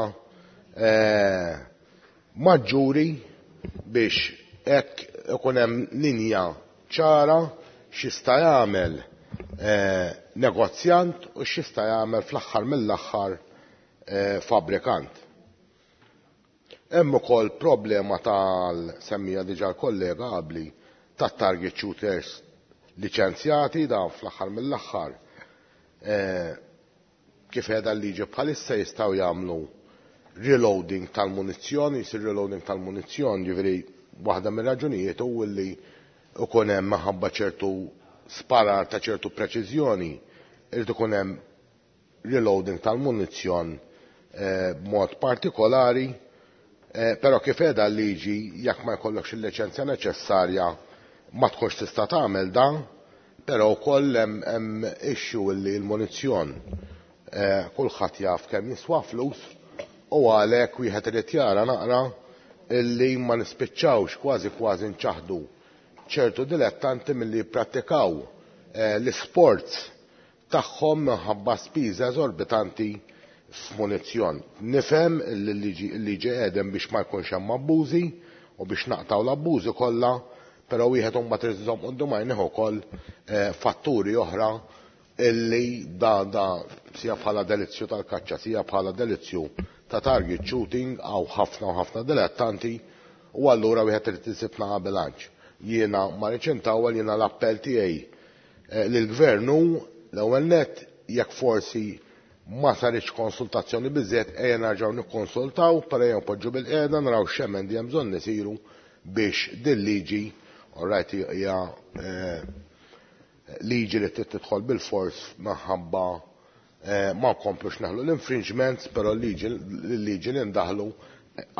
eh, maġġuri biex hekk ikun hemm linja ċara x'jista' jagħmel eh, negozjant u x'jista' jagħmel fl-aħħar mill-aħħar eh, fabbrikant. Hemm ukoll problema tal-semmija diġà l-kollega qabli tat-target shooters liċenzjati da fl-aħħar mill-aħħar eh, kif qiegħda l-liġi bħalissa jistgħu jagħmlu reloading tal-munizzjon, jisir reloading tal-munizzjon, ġifieri waħda mir-raġunijiet hu li ikun hemm minħabba ċertu sparar ta' ċertu preċiżjoni, irid ikun hemm reloading tal-munizzjon eh, b'mod partikolari, eh, però kif qiegħda l-liġi jekk ma jkollokx il-liċenzja neċessarja ma tkunx tista' tagħmel dan, però wkoll hemm issue li l-munizzjon eh, kulħadd jaf kemm jiswa flus u għalhekk wieħed irid jara naqra illi ma nispiċċawx kważi kważi nċaħdu ċertu dilettanti milli jipprattikaw eh, l-sports tagħhom minħabba spiża eżorbitanti f'munizzjon. Nifhem li l-liġi qiegħdem biex ma jkunx hemm abbużi u biex naqtaw l-abbużi kollha, però wieħed imbagħad irid iżomm quddiem għajnejh ukoll eh, fatturi oħra illi da da sija bħala delizzju tal-kaċċa, sija bħala delizzju ta' target shooting għaw ħafna u ħafna dilettanti u allura wieħed irid isib naqa' bilanċ. Jiena ma rridx intawwal, jiena l-appell tiegħi eh, lill-gvern hu l-ewwel nett jekk forsi ma saritx konsultazzjoni biżżejjed ejja nerġgħu nikkonsultaw, però ejja npoġġu bil-qiegħda naraw x'emendi hemm bżonn isiru biex din liġi, all right, hija eh, liġi li trid tidħol bil-fors minħabba eh, ma nkomplux naħlu l-infringements, però l-liġi li ndaħlu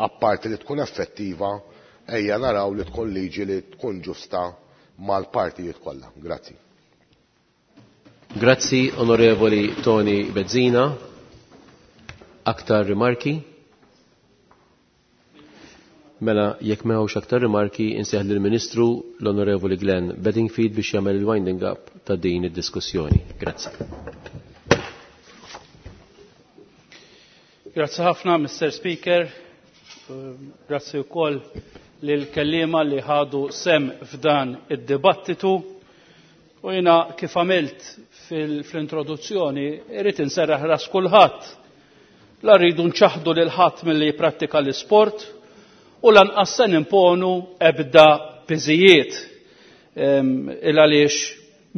apparti li tkun effettiva, ejja naraw li tkun liġi li tkun ġusta mal-partijiet kollha. Grazzi. Grazzi, Onorevoli Tony Bezzina. Aktar rimarki? Mela, jekk m'hawnx aktar rimarki, insejjaħ lill-Ministru l-Onorevoli Glenn Bedingfield biex jagħmel il-winding up ta' din id-diskussjoni. Grazzi. Grazzi ħafna, Mister Speaker. Grazzi wkoll lill-kelliema li ħadu sem f'dan id-dibattitu. U jiena kif għamilt fil-introduzzjoni, irrid inserraħ ras kulħadd. La rridu nċaħdu lil ħadd milli jipprattika l-isport u lanqas se nimponu ebda piżijiet. Il għaliex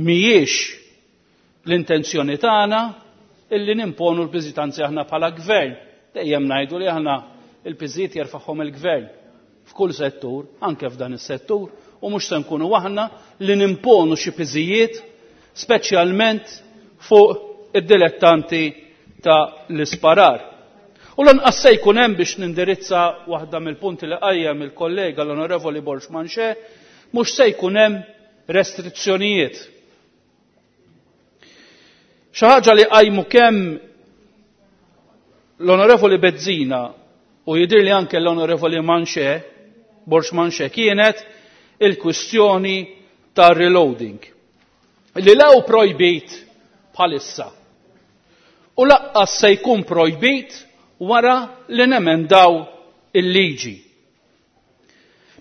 mhijiex l-intenzjoni tagħna illi nimponu l-piżijiet, anzi aħna bħala gvern. Dejjem ngħidu li aħna l-piżijiet jerfagħhom il-gvern f'kull settur, anke f'dan is-settur, u mhux se nkunu aħna li nimponu xi piżijiet speċjalment fuq id-dilettanti ta' l-isparar. U lanqas se jkun hemm biex nindirizza waħda mill-punti li qajjem il-kollega l-Onorevoli Borg Manché, mhux se jkun hemm restrizzjonijiet. Xi ħaġa li qajmu kemm l-Onorevoli Bezzina u jidhirli anke l-Onorevoli Manché, Borg Manché, kienet il-kwistjoni tar-reloading. Li law projbit bħalissa. U laqqas se jkun projbit wara li nemendaw il-liġi.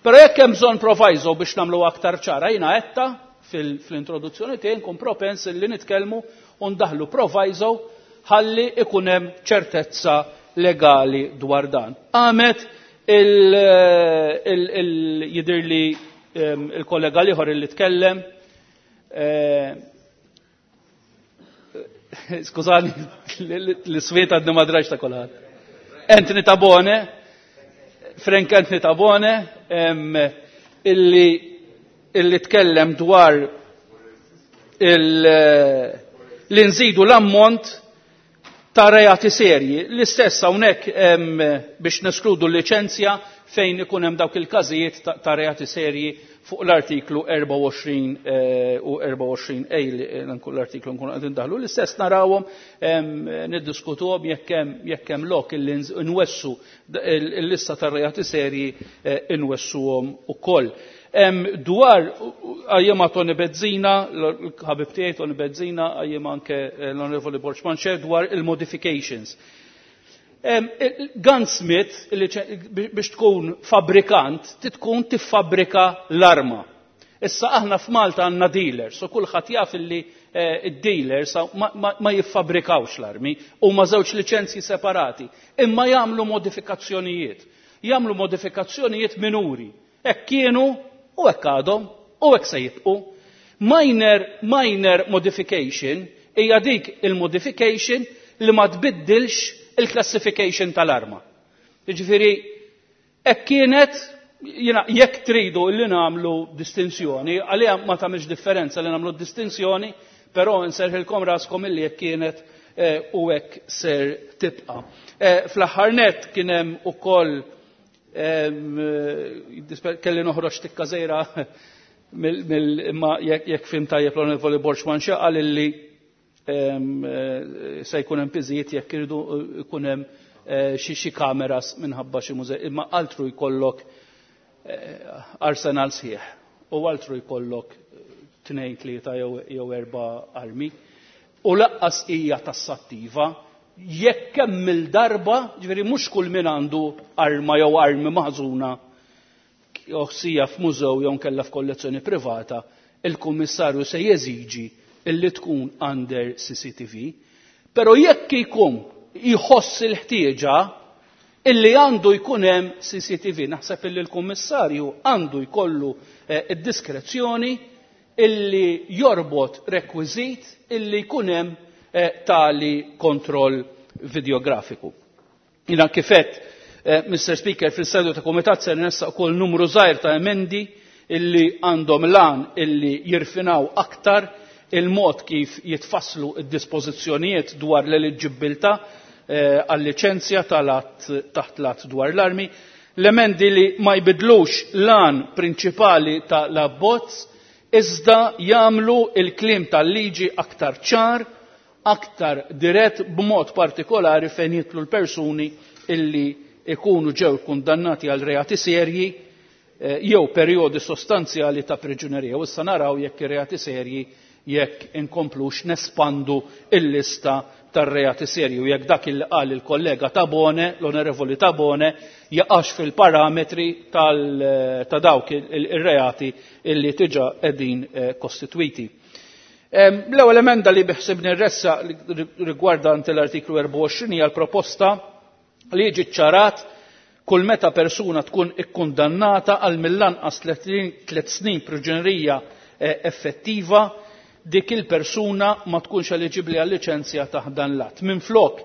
Però jekk hemm bżonn proviso biex nagħmlu aktar ċara, jiena għedta fil-introduzzjoni tiegħi nkun propens li nitkellmu u ndaħlu proviso ħalli ikun hemm ċertezza legali dwar dan. Għamet il-jidirli il-kollega liħor li tkellem, skużani, l-swiet għadni ma draġ ta' kulħadd. Anthony Tabone, Frank Anthony Tabone, illi illi tkellem dwar li nżidu l-ammont ta' reati serji. L-istess hawnhekk biex neskludu l-liċenzja fejn ikun hemm dawk il-każijiet ta' reati serji fuq l-artiklu erbgħa u għoxrin u erbgħa u għoxrin A li l-artiklu nkunu qegħdin daħlu. L-istess narawhom niddiskutuhom jekk hemm jekk hemm lok illi nwessu l-lista ta' reati serji nwessuhom ukoll. Dwar għajjema Tony Bezzina, l-ħabib tiegħi Tony Bezzina, għajjema anke l-Onorevoli Borg Manché dwar il-modifications. Gunsmith, biex tkun fabrikant, titkun tiffabrika l-arma. Issa aħna f'Malta għandna dealers, u kulħadd jaf illi id-dealers ma jiffabrikawx l-armi, huma żewġ liċenzji separati, imma jagħmlu modifikazzjonijiet. Jagħmlu modifikazzjonijiet minuri. Hekk kienu u hekk għadhom u hekk se jibqu. Minor, minor modification hija dik il-modification li ma tbiddilx il-classification tal-arma. Jiġifieri hekk kienet, jiena jekk tridu li nagħmlu distinzjoni, għalija ma tagħmilx differenza li nagħmlu distinzjoni, però nserħilkom raskom illi hekk kienet u hekk ser tibqa'. Fl-aħħar nett kien hemm ukoll kelli noħroġ tikka żejra imma jekk fim tajjeb l-Onorevoli Borg Manché qal illi se jkun hemm piżijiet jekk iridu jkun hemm xi xi kameras minħabba xi mużej, imma altru jkollok arsenal sħiħ u altru jkollok tnejn tlieta jew erba' armi. U laqqas hija tassattiva jekk kemm il-darba, ġifieri mhux kull min għandu arma jew armi maħżuna sija f'mużew jew nkella f'kollezzjoni privata, il-kummissarju se jeżiġi illi tkun under C C T V, però jekk jkun jħoss il-ħtieġa illi għandu jkun hemm C C T V, naħseb illi l-kummissarju għandu jkollu id-diskrezzjoni illi jorbot rekwiżit illi jkun hemm tali kontroll videografiku. Jina kifet, Mister Speaker, fil-sedu ta' komitat se nressaq ukoll numru żgħir ta' emendi illi għandhom lan illi jirfinaw aktar il-mod kif jitfasslu id-dispożizzjonijiet dwar l-eliġibilità għal-liċenzja tal-att taħt l-att dwar l-armi, l-emendi li ma jbidlux lan prinċipali ta' l-abbozz iżda jagħmlu il-kliem tal-liġi aktar ċar, aktar dirett b'mod partikolari fejn jitlu l-persuni illi ikunu ġew kundannati għal reati serji jew perjodi sostanzjali ta' priġunerija. U issa naraw jekk ir-reati serji jekk inkomplux nespandu il-lista tar-reati serji u jekk dak il qal il-kollega Tabone, l-Onorevoli Tabone, jaqax fil-parametri ta' dawk ir-reati illi diġà qegħdin kostitwiti. L-ewwel emenda li biħsibni rressa rigwardant l-artiklu erbgħa u għoxrin hija l-proposta li jiġi ċċarat kull meta persuna tkun ikkundannata għal mill-anqas tliet snin priġunerija effettiva, dik il-persuna ma tkunx eliġibbli għal liċenzja taħt dan l-att. Minflok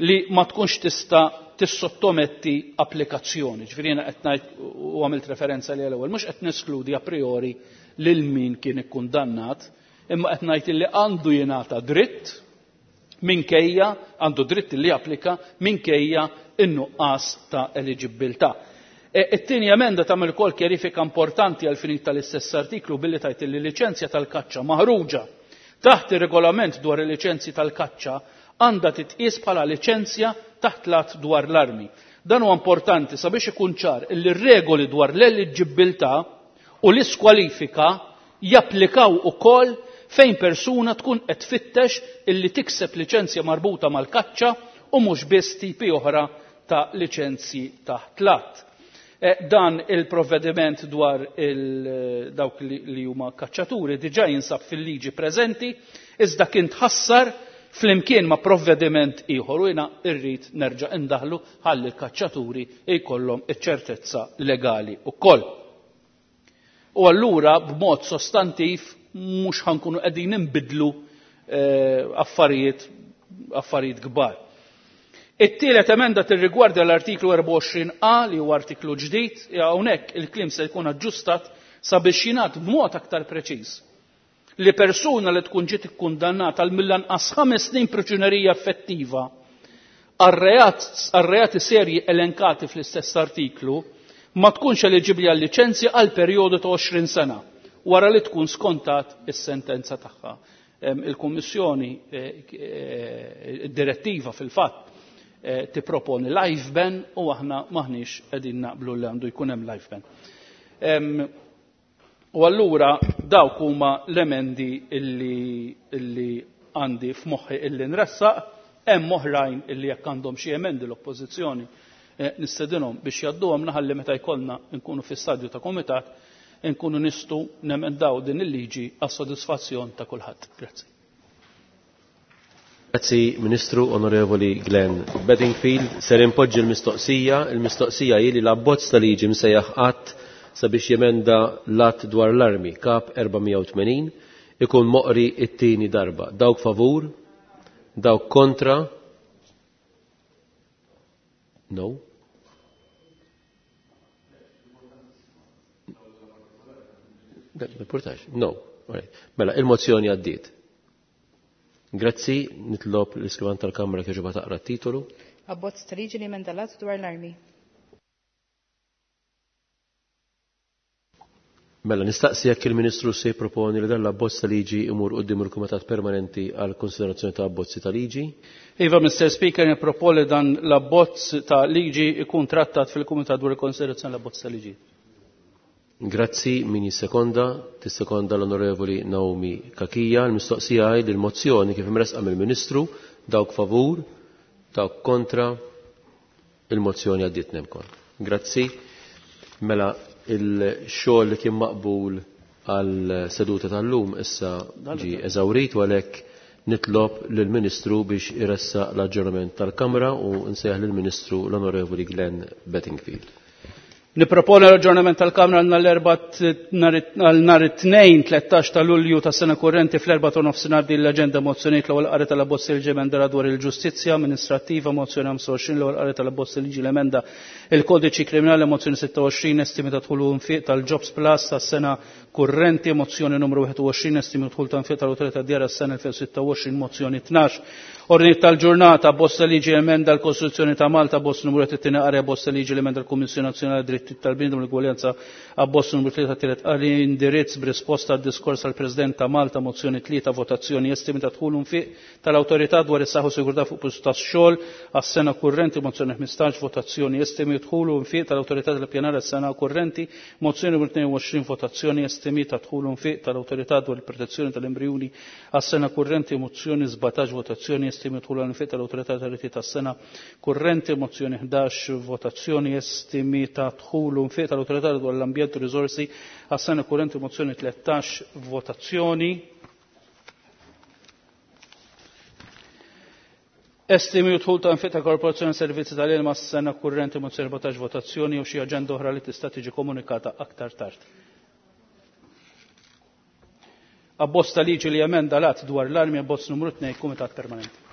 li ma tkunx tista' tissottometti applikazzjoni. Ġifieri jiena qed ngħid u għamilt referenza li l-ewwel, mhux qed neskludi a priori lil min kien ikkundannat, imma qed ngħid li għandu jingħata dritt minkejja, għandu dritt li japplika minkejja in-nuqqas ta' eliġibilità. It-tieni emenda tagħmel ukoll kjerifika importanti għal finit tal-istess artiklu billi tajt li liċenzja tal-kaċċa maħruġa taħt ir-regolament dwar il-liċenzji tal-kaċċa għandha titqies bħala liċenzja taħt l-att dwar l-armi. Dan huwa importanti sabiex ikun ċar li r-regoli dwar l-eliġibilità u l-iskwalifika japplikaw ukoll fejn persuna tkun qed tfittex illi tikseb liċenzja marbuta mal-kaċċa u mhux biss tipi oħra ta' liċenzji taħt l-att. Dan il-provvediment dwar il dawk li huma kaċċaturi diġà jinsab fil-liġi preżenti, iżda kien tħassar flimkien ma' provvediment ieħor u jiena rrid nerġa' indaħlu ħalli l-kaċċaturi jkollhom iċ-ċertezza legali wkoll. U allura b'mod sostantiv mhux ħankunu qegħdin inbidlu affarijiet affarijiet kbar. It-tielet emenda tirrigwarda l-artiklu erbgħa u għoxrin A li huwa artiklu ġdid, hawnhekk il-kliem se jkun aġġustat sabiex jingħad b'mod aktar preċiż li persuna li tkun ġiet ikkundannata għal mill-anqas ħames snin priġunerija effettiva għal reati serji elenkati fl-istess artiklu ma tkunx eliġibbli għal liċenzja għal perjodu ta' għoxrin sena wara li tkun skontat is-sentenza tagħha. Il-Kummissjoni, id-direttiva fil-fatt tipproponi life ban u aħna maħniex qegħdin naqblu li għandu jkun hemm life ban. U allura dawk huma l-emendi illi, illi għandi f'moħħi illi nressaq, hemm oħrajn illi jekk għandhom xi emendi l-oppożizzjoni nistedinhom biex jgħadduhom naħalli meta jkollna nkunu fi stadju ta' komitat nkunu nistgħu nemendaw din il-liġi għas-sodisfazzjon ta' kulħadd. Grazzi. Grazzi Ministru Onorevoli Glenn Bedingfield. Ser impoġġi l-mistoqsija, il-mistoqsija hi li l-abbozz ta' liġi msejjaħ att sabiex jemenda l-att dwar l-armi kap erba' mija u tmenin ikun moqri it-tieni darba. Dawk favur, dawk kontra? No. No. Mela, il-mozzjoni għaddiet. Grazzi, nitlob l-iskrivan tal-Kamra kieġuba taqra t-titolu. Abbozz ta' liġi li jemenda l-att dwar l-armi. Mela, nistaqsi jekk il-Ministru se jipproponi li dan l-abbozz ta' liġi imur quddiem il-Kumitat Permanenti għal konsiderazzjoni ta' abbozzi ta' liġi. Iva, Mister Speaker, nipproponi dan l-abbozz ta' liġi ikun trattat fil-Kumitat dwar il-konsiderazzjoni l-abbozz ta' liġi. Grazzi, min jissekonda, tissekonda l-Onorevoli Naomi Cachia. L-mistoqsija hi li l-mozzjoni kif imresqa mill-Ministru, dawk favur, dawk kontra, il-mozzjoni għaddiet nemkon. Grazzi. Mela, il-xogħol li kien maqbul għal seduta tal-lum issa ġi eżawrit u għalhekk nitlob lill-Ministru biex iressaq l-aġġornament tal-Kamra u nsejjaħ lill-Ministru l-Onorevoli Glenn Bedingfield. Niproponi l-aġġornament tal-Kamra għal nhar it-tnejn tlettax ta' Lulju ta' sena kurrenti fl-erba' ta' nofsinhar din l-aġenda mozzjonijiet l-ewwel qari tal-abbozz liġi emenda dwar il-ġustizzja amministrattiva, mozzjoni ħamsa u għoxrin l-ewwel qari tal-abbozz liġi l-emenda il-kodiċi kriminali, mozzjoni sitta u għoxrin estimi ta' dħul u nfiq tal-Jobs Plus tas-sena kurrenti, mozzjoni numru wieħed u għoxrin estimi dħul ta' nfiq tal-Awtorità tad-Djar għas-sena elfejn u sitta u għoxrin, mozzjoni tnax. Ordni tal-ġurnata, bosta liġi emenda l-Kostituzzjoni ta' Malta, bosta numru qed it-tieni qari, bosta liġi l-emenda l-Kummissjoni Nazzjonali Dritti tal-Bniedem u l-Ugwaljanza, bosta numru tlieta tielet qari, indirizz b'risposta għad-diskors tal-President ta' Malta, mozzjoni tlieta, votazzjoni estimi ta' dħul nfiq tal-Awtorità dwar is-saħħa u sigurtà fuq post tax-xogħol għas-sena kurrenti, mozzjoni ħmistax, votazzjoni estimi dħul nfiq tal-Awtorità tal-Ippjanar għas-sena kurrenti, mozzjoni numru tnejn u għoxrin, votazzjoni estimi ta' dħul nfiq tal-Awtorità dwar il-protezzjoni tal-embrjuni għas-sena kurrenti, mozzjoni sbatax, votazzjoni estimi dħul nfiq tal-Awtorità tal-Riti tas-sena kurrenti, mozzjoni ħdax, votazzjoni estimi ta' dħul nfiq tal-Awtorità dwar l-ambjent u riżorsi għas-sena kurrenti, mozzjoni tlettax, votazzjoni. Estimi u dħul ta' nfiq ta' Korporazzjoni Servizzi tal-Ilma s-sena kurrenti, mozzjoni erbatax, votazzjoni u xi aġenda oħra li tista' tiġi komunikata aktar tard. Abbozz ta' liġi li emenda l-att dwar l-armi, abbozz numru tnejn, Kumitat Permanenti.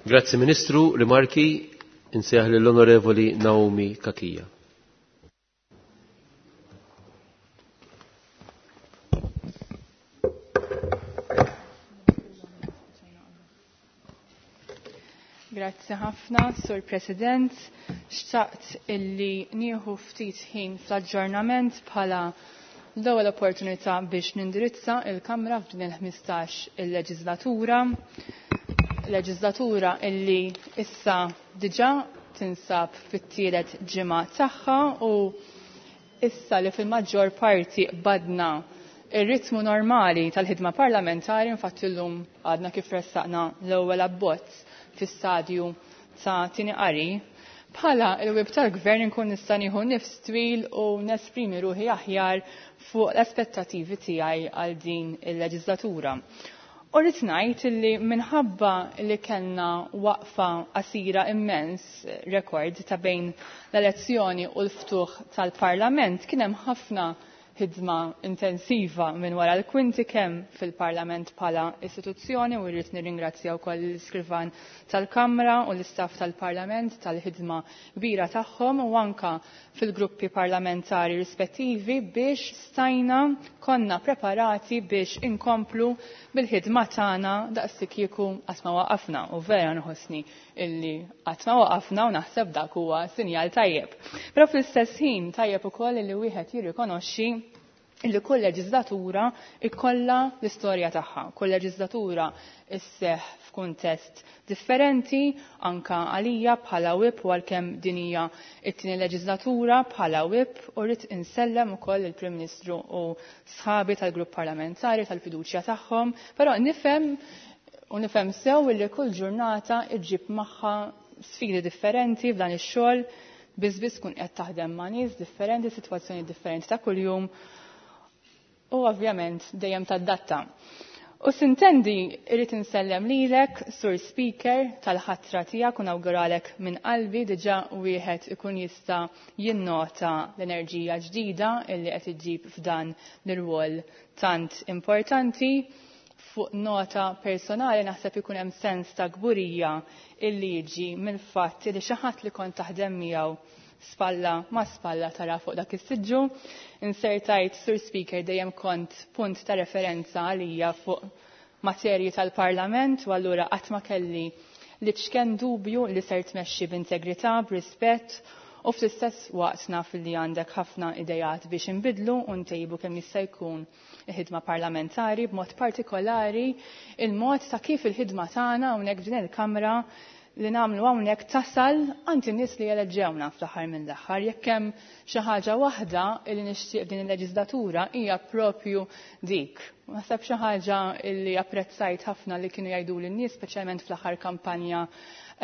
Grazzi Ministru, rimarki insejjaħ lill-Onorevoli Naomi Cachia. Grazzi ħafna, Sur President. Xtaqt illi nieħu ftit ħin fl-aġġornament bħala l-ewwel opportunità biex nindirizza il-Kamra f'din il-ħmistax il-leġislatura. Leġislatura illi issa diġà tinsab fit-tielet ġimgħa tagħha u issa li fil-maġġor parti qbadna ir-ritmu normali tal-ħidma parlamentari, infatti llum għadna kif ressaqna l-ewwel abbozz fi-stadju ta' tieni qari, bħala il-whip tal-gvern inkun nista' nieħu nifs twil u nesprimi ruħi aħjar fuq l-aspettativi tiegħi għal din il-leġislatura. U rrid ngħid li minħabba li kellna waqfa qasira immens rekord ta' bejn l-elezzjoni u l-ftuħ tal-Parlament, kien hemm ħafna ħidma intensiva minn wara l-kwinti kemm fil-Parlament bħala istituzzjoni, u rrid nirringrazzja wkoll l-iskrivan tal-Kamra u l-istaff tal-Parlament tal-ħidma kbira tagħhom, u anka fil-gruppi parlamentari rispettivi biex stajna konna preparati biex inkomplu bil-ħidma tagħna daqs kieku qatt ma waqafna, u vera nħossni illi qatt ma waqafna u naħseb dak huwa sinjal tajjeb. Però fl-istess ħin tajjeb ukoll illi wieħed jirrikonoxxi illi kull leġislatura ikollha l-istorja tagħha. Kull leġislatura isseħ f'kuntest differenti, anka għalija bħala whip, u għalkemm din hija t-tieni leġislatura bħala whip, u rrid insellem ukoll il-Prim Ministru u sħabi tal-grupp parlamentari tal-fiduċja tagħhom, però nifhem u nifhem sew illi kull ġurnata iġġib magħha sfidi differenti f'dan ix-xogħol, biss biss tkun qed taħdem ma' nies differenti, sitwazzjoni differenti ta' kuljum, u ovvjament dejjem tadatta. U sintendi irrid insellem lilek, Sur Speaker, tal-ħatra tiegħek u nawguralek minn qalbi. Diġà wieħed ikun jista' jinnota l-enerġija ġdida illi qed iġġib f'dan l-irwol tant importanti. Fuq nota personali naħseb ikun hemm sens ta' kburija illi jiġi mill-fatt li xi ħadd li kont taħdem miegħu spalla ma spalla tara fuq dak is-siġġu. Insertajt, Sur Speaker, dejjem kont punt ta' referenza għalija fuq materji tal-Parlament, u allura qatt ma kelli li ċken dubju li ser tmexxi b'integrità, b'rispett, u fl-istess waqt naf li għandek ħafna idejat biex inbidlu u ntejbu kemm jista' jkun il-ħidma parlamentari, b'mod partikolari il-mod ta' kif il-ħidma tagħna hawnhekk f'din il-Kamra li nagħmlu hawnhekk tasal għand in-nies li jeleġġewna fl-aħħar mill-aħħar. Jekk hemm xi ħaġa waħda li nixtieq din il-leġislatura hija propju dik. Naħseb xi ħaġa li apprezzajt ħafna li kienu jgħidu lin-nies, speċjalment fl-aħħar kampanja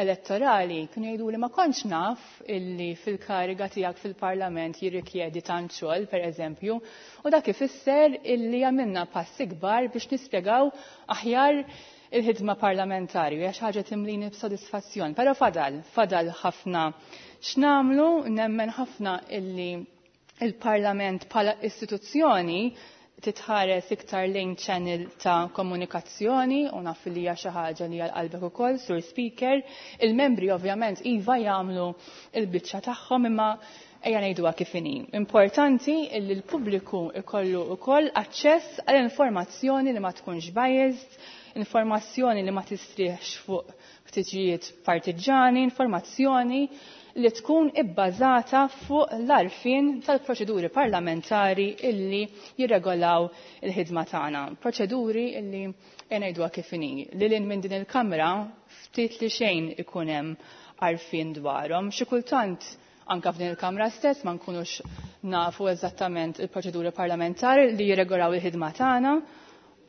elettorali, kienu jgħidu li ma kontx naf illi fil-kariga tiegħek fil-Parlament jirrikjedi tant xogħol, pereżempju, u dak ifisser illi għamilna passi kbar biex nispjegaw aħjar il-ħidma parlamentari, hija xi ħaġa timlini b'sodisfazzjon. Però fadal, fadal ħafna x'namlu, nemmen ħafna illi il-Parlament bħala istituzzjoni titħares iktar lejn channel ta' komunikazzjoni, u naf li hija xi ħaġa li għal qalbek ukoll, Sur Speaker. Il-membri ovvjament iva jagħmlu l-biċċa tagħhom, imma ejja ngħiduha kif inhi. Importanti li l-pubbliku ikollu wkoll aċċess għal informazzjoni li ma tkunx biased, informazzjoni li ma tistrieħx fuq ħtiġijiet partiġani, informazzjoni li tkun ibbażata fuq l-għarfien tal-proċeduri parlamentari illi jirregolaw il-ħidma tagħna. Proċeduri illi ngħiduha kif inhi. Lil hinn minn din il-Kamra ftit li xejn ikun hemm għarfien dwarhom. Xi kultant anka f'din il-Kamra stess ma nkunux nafu eżattament il-proċeduri parlamentari li jirregolaw il-ħidma tagħna.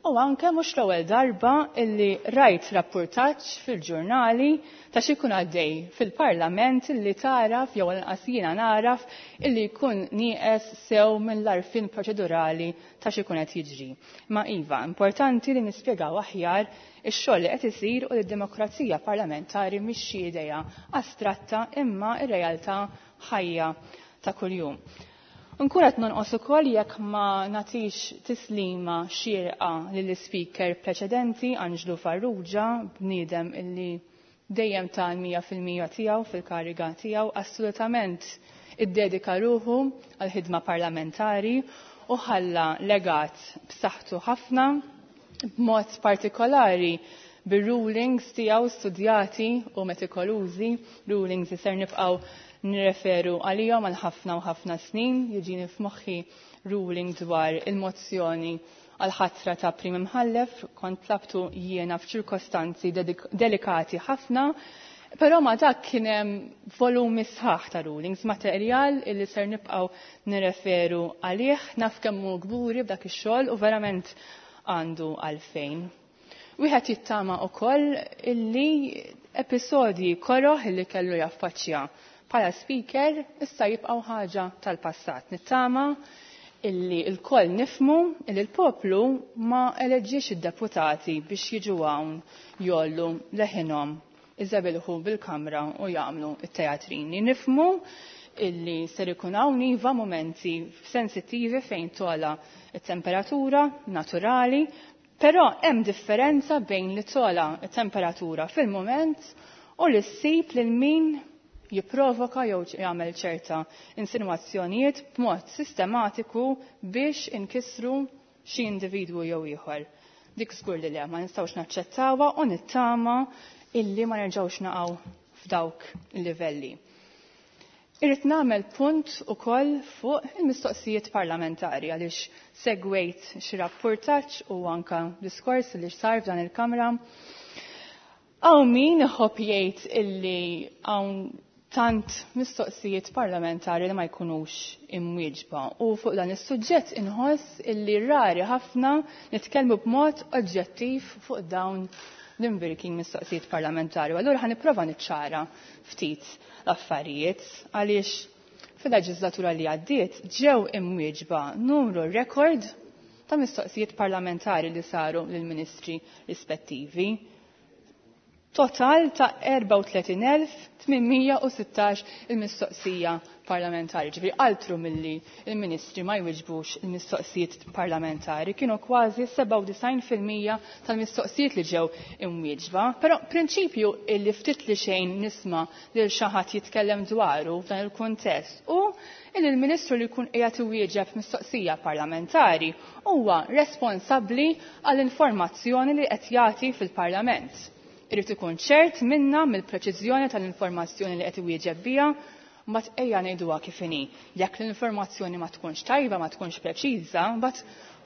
U anke mhux l-ewwel darba illi rajt rapportaġġ fil-ġurnali ta' xi jkun għaddej fil-Parlament illi taraf jew inqas jiena naraf illi jkun nieqes sew mill-għarfien proċedurali ta' xi jkun qed jiġri. Ma iva, importanti li nispjegaw aħjar ix-xogħol li qed isir u li d-demokrazija parlamentari mhix xi idea astratta imma r-realtà ħajja ta' kuljum. Nkun qed nonqos ukoll jekk ma nagħtix tislima xierqa lill-ispeaker preċedenti Anġlu Farrugia, bniedem illi dejjem ta' mija fil-mija tiegħu fil-kariga tiegħu, assolutament iddedika ruħu għall-ħidma parlamentari u ħalla legat b'saħħtu ħafna, b'mod partikolari bir-rulings tiegħu studjati u metikolużi, rulings li ser nibqgħu nirreferu għalihom għal ħafna u ħafna snin. Jiġini f'moħħi ruling dwar il-mozzjoni għal ħatra ta' Prim Imħallef, kont tlabtu jiena f'ċirkostanzi delikati ħafna, Però ma dak kien hemm volumi sħaħ ta' rulings, materjal illi ser nibqgħu nirreferu għalih, naf kemm hu kburi b'dak ix-xogħol u verament għandu għalfejn. Wieħed jittama wkoll illi episodji koroh illi kellu jaffaċċja bħala speaker issa jibqgħu ħaġa tal-passat. Nittama illi l-koll nifmu illi l-poplu ma eleġġiex id-deputati biex jiġu hawn jollu leħinhom iżabilħu bil-kamra u jagħmlu it-teatrini. Nifmu illi ser ikun hawn iva momenti sensittivi fejn tola it-temperatura naturali, però hemm differenza bejn li tola it-temperatura fil-moment u li ssib lil min jipprovoka jew jagħmel ċerta insinuazzjonijiet b'mod sistematiku biex inkissru xi individwu jew ieħor. Dik żgur li le ma nistgħux naċċettawha u nittama illi ma nerġgħux naqgħu f'dawk il-livelli. Irrid nagħmel punt ukoll fuq il-mistoqsijiet parlamentari għaliex segwejt xi rappurtaġġ u anka diskors li sar f'dan il-Kamra. Hawn min iħobb jgħid illi hawn tant mistoqsijiet parlamentari li ma jkunux imwieġba u fuq dan is-suġġett inħoss illi rari ħafna nitkellmu b'mod oġġettiv fuq dawn l-imbirking mistoqsijiet parlamentari. Allura ħa nipprova niċċara ftit l-affarijiet għaliex fil-leġislatura li għaddiet ġew imwieġba numru rekord ta' mistoqsijiet parlamentari li saru lill-ministri rispettivi. Total ta' erbgħa u tletin elf tmien mija u sittax il-mistoqsija parlamentari. Ġifieri altru milli il-ministri ma jwiġbux il-mistoqsijiet parlamentari, kienu kważi sebgħa u disgħin fil-mija tal-mistoqsijiet li ġew imwieġba. Però prinċipju illi ftit li xejn nisma' lil xi ħadd jitkellem dwaru f'dan il-kuntest u illi l-ministru li jkun qiegħed iwieġeb mistoqsija parlamentari huwa responsabbli għall-informazzjoni li qed jagħti fil-Parlament. Irid ikun ċert minna mill-preċiżjoni tal-informazzjoni li qed iwieġeb biha, mbagħad ejja ngħiduha kif inhi. Jekk l-informazzjoni ma tkunx tajba, ma tkunx preċiża, mbagħad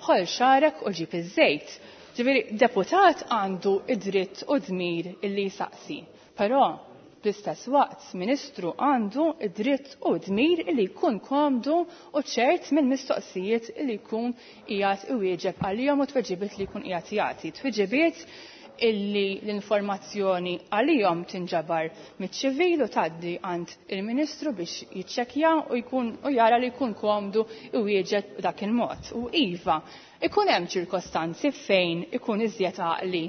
ħol xarek u ġib iż-żejt. Ġifieri deputat għandu id-dritt u dmir illi jsaqsi. Però fl-istess waqt ministru għandu id-dritt u dmir illi jkun komdu u ċert mill-mistoqsijiet illi jkun qiegħed iwieġeb għalihom u tweġibiet li jkun qiegħed jagħti. Tweġibiet illi l-informazzjoni għalihom tinġabar miċ-ċivil u tgħaddi għand il-Ministru biex jiċċekkja u jkun u jara li jkun komdu iwieġeb dak il-mod. U iva, ikun hemm ċirkostanzi fejn ikun iżjed għaqli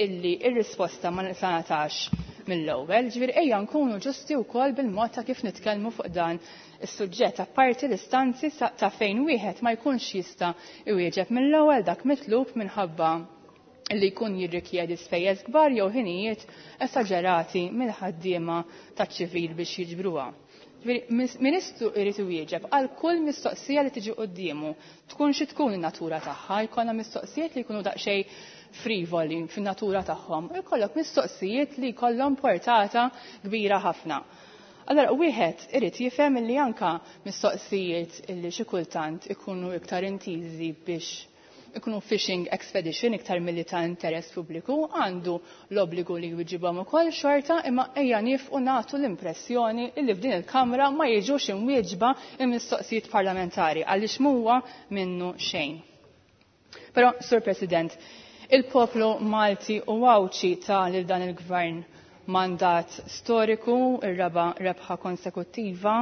illi ir-risposta ma natax mill-ewwel, ġifieri ejja nkunu ġusti wkoll bil-mod ta' kif nitkellmu fuq dan is-suġġett, apparti l-istanzi ta' fejn wieħed ma jkunx jista' iwieġeb mill-ewwel dak mitlub minħabba li jkun jirrikjedi spejjeż kbar jew ħinijiet esaġerati mill-ħaddiema taċ-ċivil biex jiġbruha. Ġifieri ministru jrid iwieġeb għal kull mistoqsija li tiġi quddiemu, tkun xi tkun in-natura tagħha, jkollna mistoqsijiet li jkunu daqsxejn frivoli fin-natura tagħhom, u jkollok mistoqsijiet li jkollhom portata kbira ħafna. Allora wieħed irid jifhem li anka mistoqsijiet li xi kultant ikunu iktar intiżi biex ikunu fishing expedition iktar milli ta' interess pubbliku, għandu l-obbligu li jwiġibhom ukoll xorta, imma ejja nifqu nagħtu l-impressjoni li f'din il-Kamra ma jiġux imwieġba il-mistoqsijiet parlamentari għaliex m'huwa minnu xejn. Però, Sur President, il-poplu Malti u Għawdxi ta' lil dan il-gvern mandat storiku, ir-raba' rebħa konsekuttiva,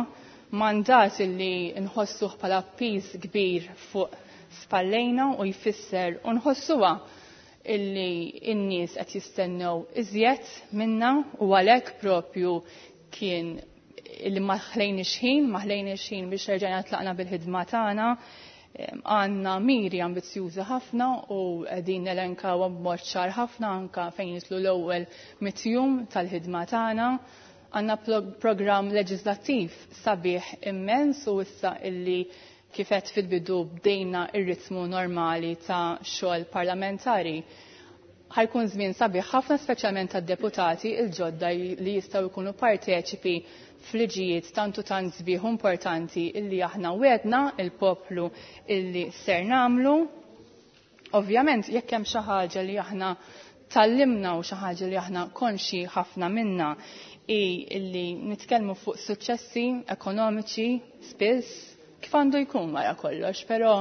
mandat illi nħossuh bħala piż kbir fuq spallejna u jfisser u nħossuha illi n-nies qed jistennew iżjed minna u għalhekk propju kien illi ma ħlejniex ħin, ma ħlejniex ħin biex erġajna tlaqna bil-ħidma tagħna. Għandna miri ambizzjużi ħafna u qegħdin nelenkawhom b'mod ċar ħafna anke fejn jitlu l-ewwel mitjum tal-ħidma tagħna. Għandna programm leġislattiv sabiħ immens u issa illi kifet fil-bidu bdejna ir-ritmu normali ta' xogħol parlamentari. Ħajkun żmien sabiħ ħafna speċjalment tad-deputati il-ġodda li jistgħu jkunu parteċipi f'liġijiet tantu tant sbieħ importanti illi aħna wedna il-poplu illi ser nagħmlu. Ovvjament jekk hemm xi ħaġa li aħna tallimna u xi ħaġa li aħna konxi ħafna minna hi illi nitkellmu fuq suċċessi ekonomiċi spiss kif għandu jkun wara kollox, però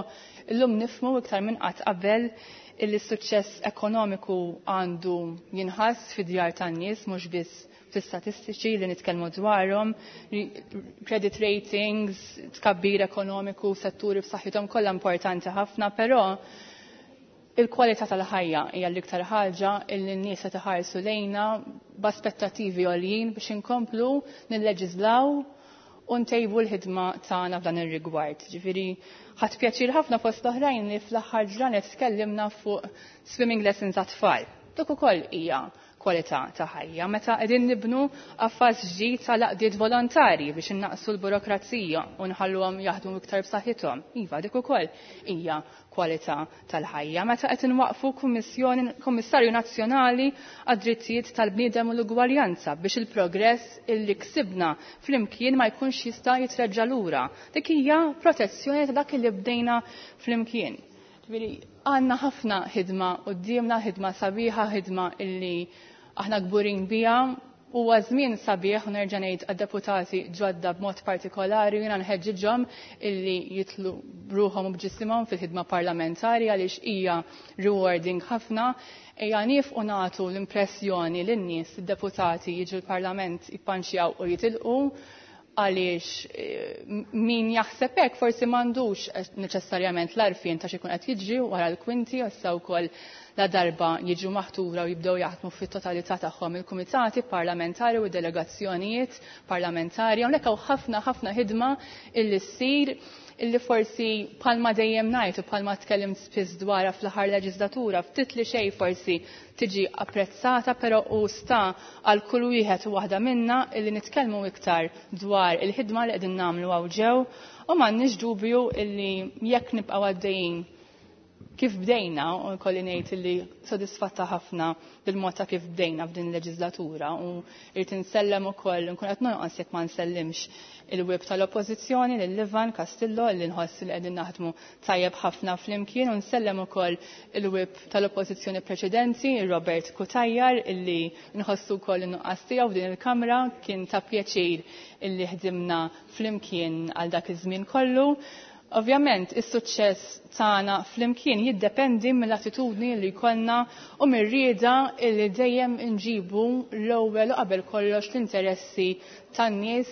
illum nifhmu iktar minn qatt qabel illi s-suċċess ekonomiku għandu jinħass fid-djar tan-nies mhux biss fl-istatistiċi li nitkellmu dwarhom, credit ratings, tkabbir ekonomiku, setturi b'saħħithom kollha importanti ħafna, però il-kwalità tal-ħajja hija l-iktar ħaġa illi n-nies qed iħarsu lejna b'aspettattivi għoljin biex inkomplu nilleġislaw u ntejbu l-ħidma tagħna f'dan ir-rigward. Ġifieri ħadt pjaċir ħafna fost oħrajn li fl-aħħar ġranet tkellimna fuq swimming lessons għat-tfal. Dik ukoll hija kwalità ta' ħajja. Meta qegħdin nibnu qafas ġdid tal-għaqdiet volontarji biex innaqsu l-burokrazija u nħalluhom jaħdmu iktar b'saħħithom. Iva, dik ukoll hija kwalità tal-ħajja. Meta qed inwaqfu kummissjoni Kummissarju Nazzjonali għad-Drittijiet tal-Bniedem u l-Ugwaljanza biex il-progress illi ksibna flimkien ma jkunx jista' jitreġġa' lura. Dik hija protezzjoni ta' dak li bdejna flimkien. Ġifieri għandna ħafna ħidma quddiemna, ħidma sabiħa, ħidma illi aħna kburin biha. Huwa żmien sabiħ u nerġa' ngħid għad-deputati ġodda b'mod partikolari jiena nħeġġiġhom illi jitlu bruħhom u b'ġisimhom fil-ħidma parlamentari għaliex hija rewarding ħafna. Ejja nifqu nagħtu l-impressjoni lin-nies id-deputati jiġu l-Parlament jippanċjaw u jitilqu għaliex min jaħseb hekk forsi m'għandux neċessarjament l-għarfien ta' x'ikun qed jiġri wara l-kwinti, issa wkoll la darba jiġu maħtura u jibdew jaħdmu fit-totalità tagħhom il-kumitati parlamentari u delegazzjonijiet parlamentari. Hawnhekk hawn ħafna ħafna ħidma illi ssir illi forsi bħalma dejjem ngħid u bħalma tkellimt spiss dwarha fl-aħħar leġislatura ftit li xejn forsi tiġi apprezzata, però u sta għal kull wieħed u waħda minna illi nitkellmu iktar dwar il-ħidma li qegħdin nagħmlu hawn ġew u m'għandniex dubju illi jekk nibqgħu għaddejjin kif bdejna, u kolli ngħid illi sodisfatta ħafna bil-mod ta' kif bdejna f'din il-leġislatura u irrid insellem ukoll nkun qed nonqos jekk ma nsellimx il-whip tal-Oppożizzjoni lil Ivan Castillo li nħoss li qegħdin naħdmu tajjeb ħafna flimkien u nsellem ukoll il-whip tal-Oppożizzjoni preċedenti Robert Cutajar illi nħossu wkoll in-nuqqas tiegħu f'din il-Kamra, kien ta' pjaċir illi ħdimna flimkien għal dak iż-żmien kollu. Ovvjament, is-suċċess tagħna flimkien jiddependi mill-attitudni li jkollna u mir-rieda li dejjem inġibu l-ewwel u qabel kollox l-interessi tan-nies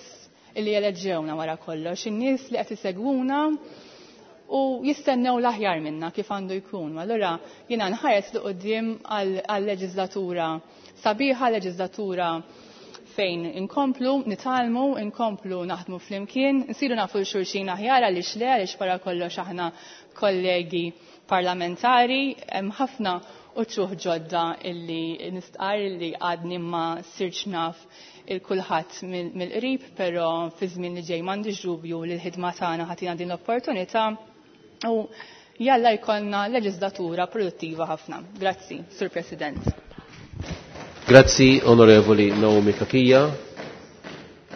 li jeleġġewna wara kollox, in-nies li qed isegwuna u jistennew l-aħjar minna kif għandu jkun. Allura jiena nħares 'l quddiem għal-leġislatura sabiħa, leġislatura fejn inkomplu, nitgħallmu, inkomplu naħdmu flimkien, nsiru nafu l-xulxin aħjar għaliex le, għaliex wara kollox aħna kollegi parlamentari, hemm ħafna uċuħ ġodda illi nistqar illi għadni ma sirċ naf il-kulħadd mill-qrib, però fi żmien li ġej m'għandix dubju li l-ħidma tagħna ħatina din l-opportunità u jalla jkollna leġislatura produttiva ħafna. Grazzi, Sur President. Grazzi, Onorevoli Naomi Cachia.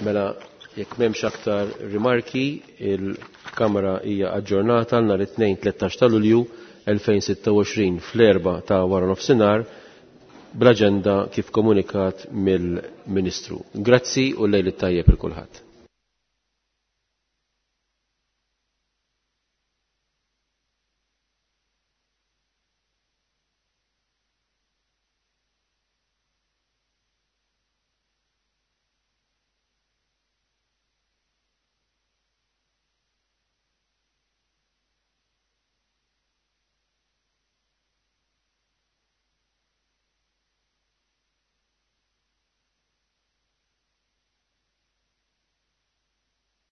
Mela, jekk m'hemmx aktar rimarki, il-Kamra hija aġġornata nhar it-tnejn tlettax ta' Lulju elfejn sitta u għoxrin fl-erba' ta' wara nofsinhar bl-aġenda kif komunikat mill-Ministru. Grazzi u lejl it-tajjeb il kulħadd.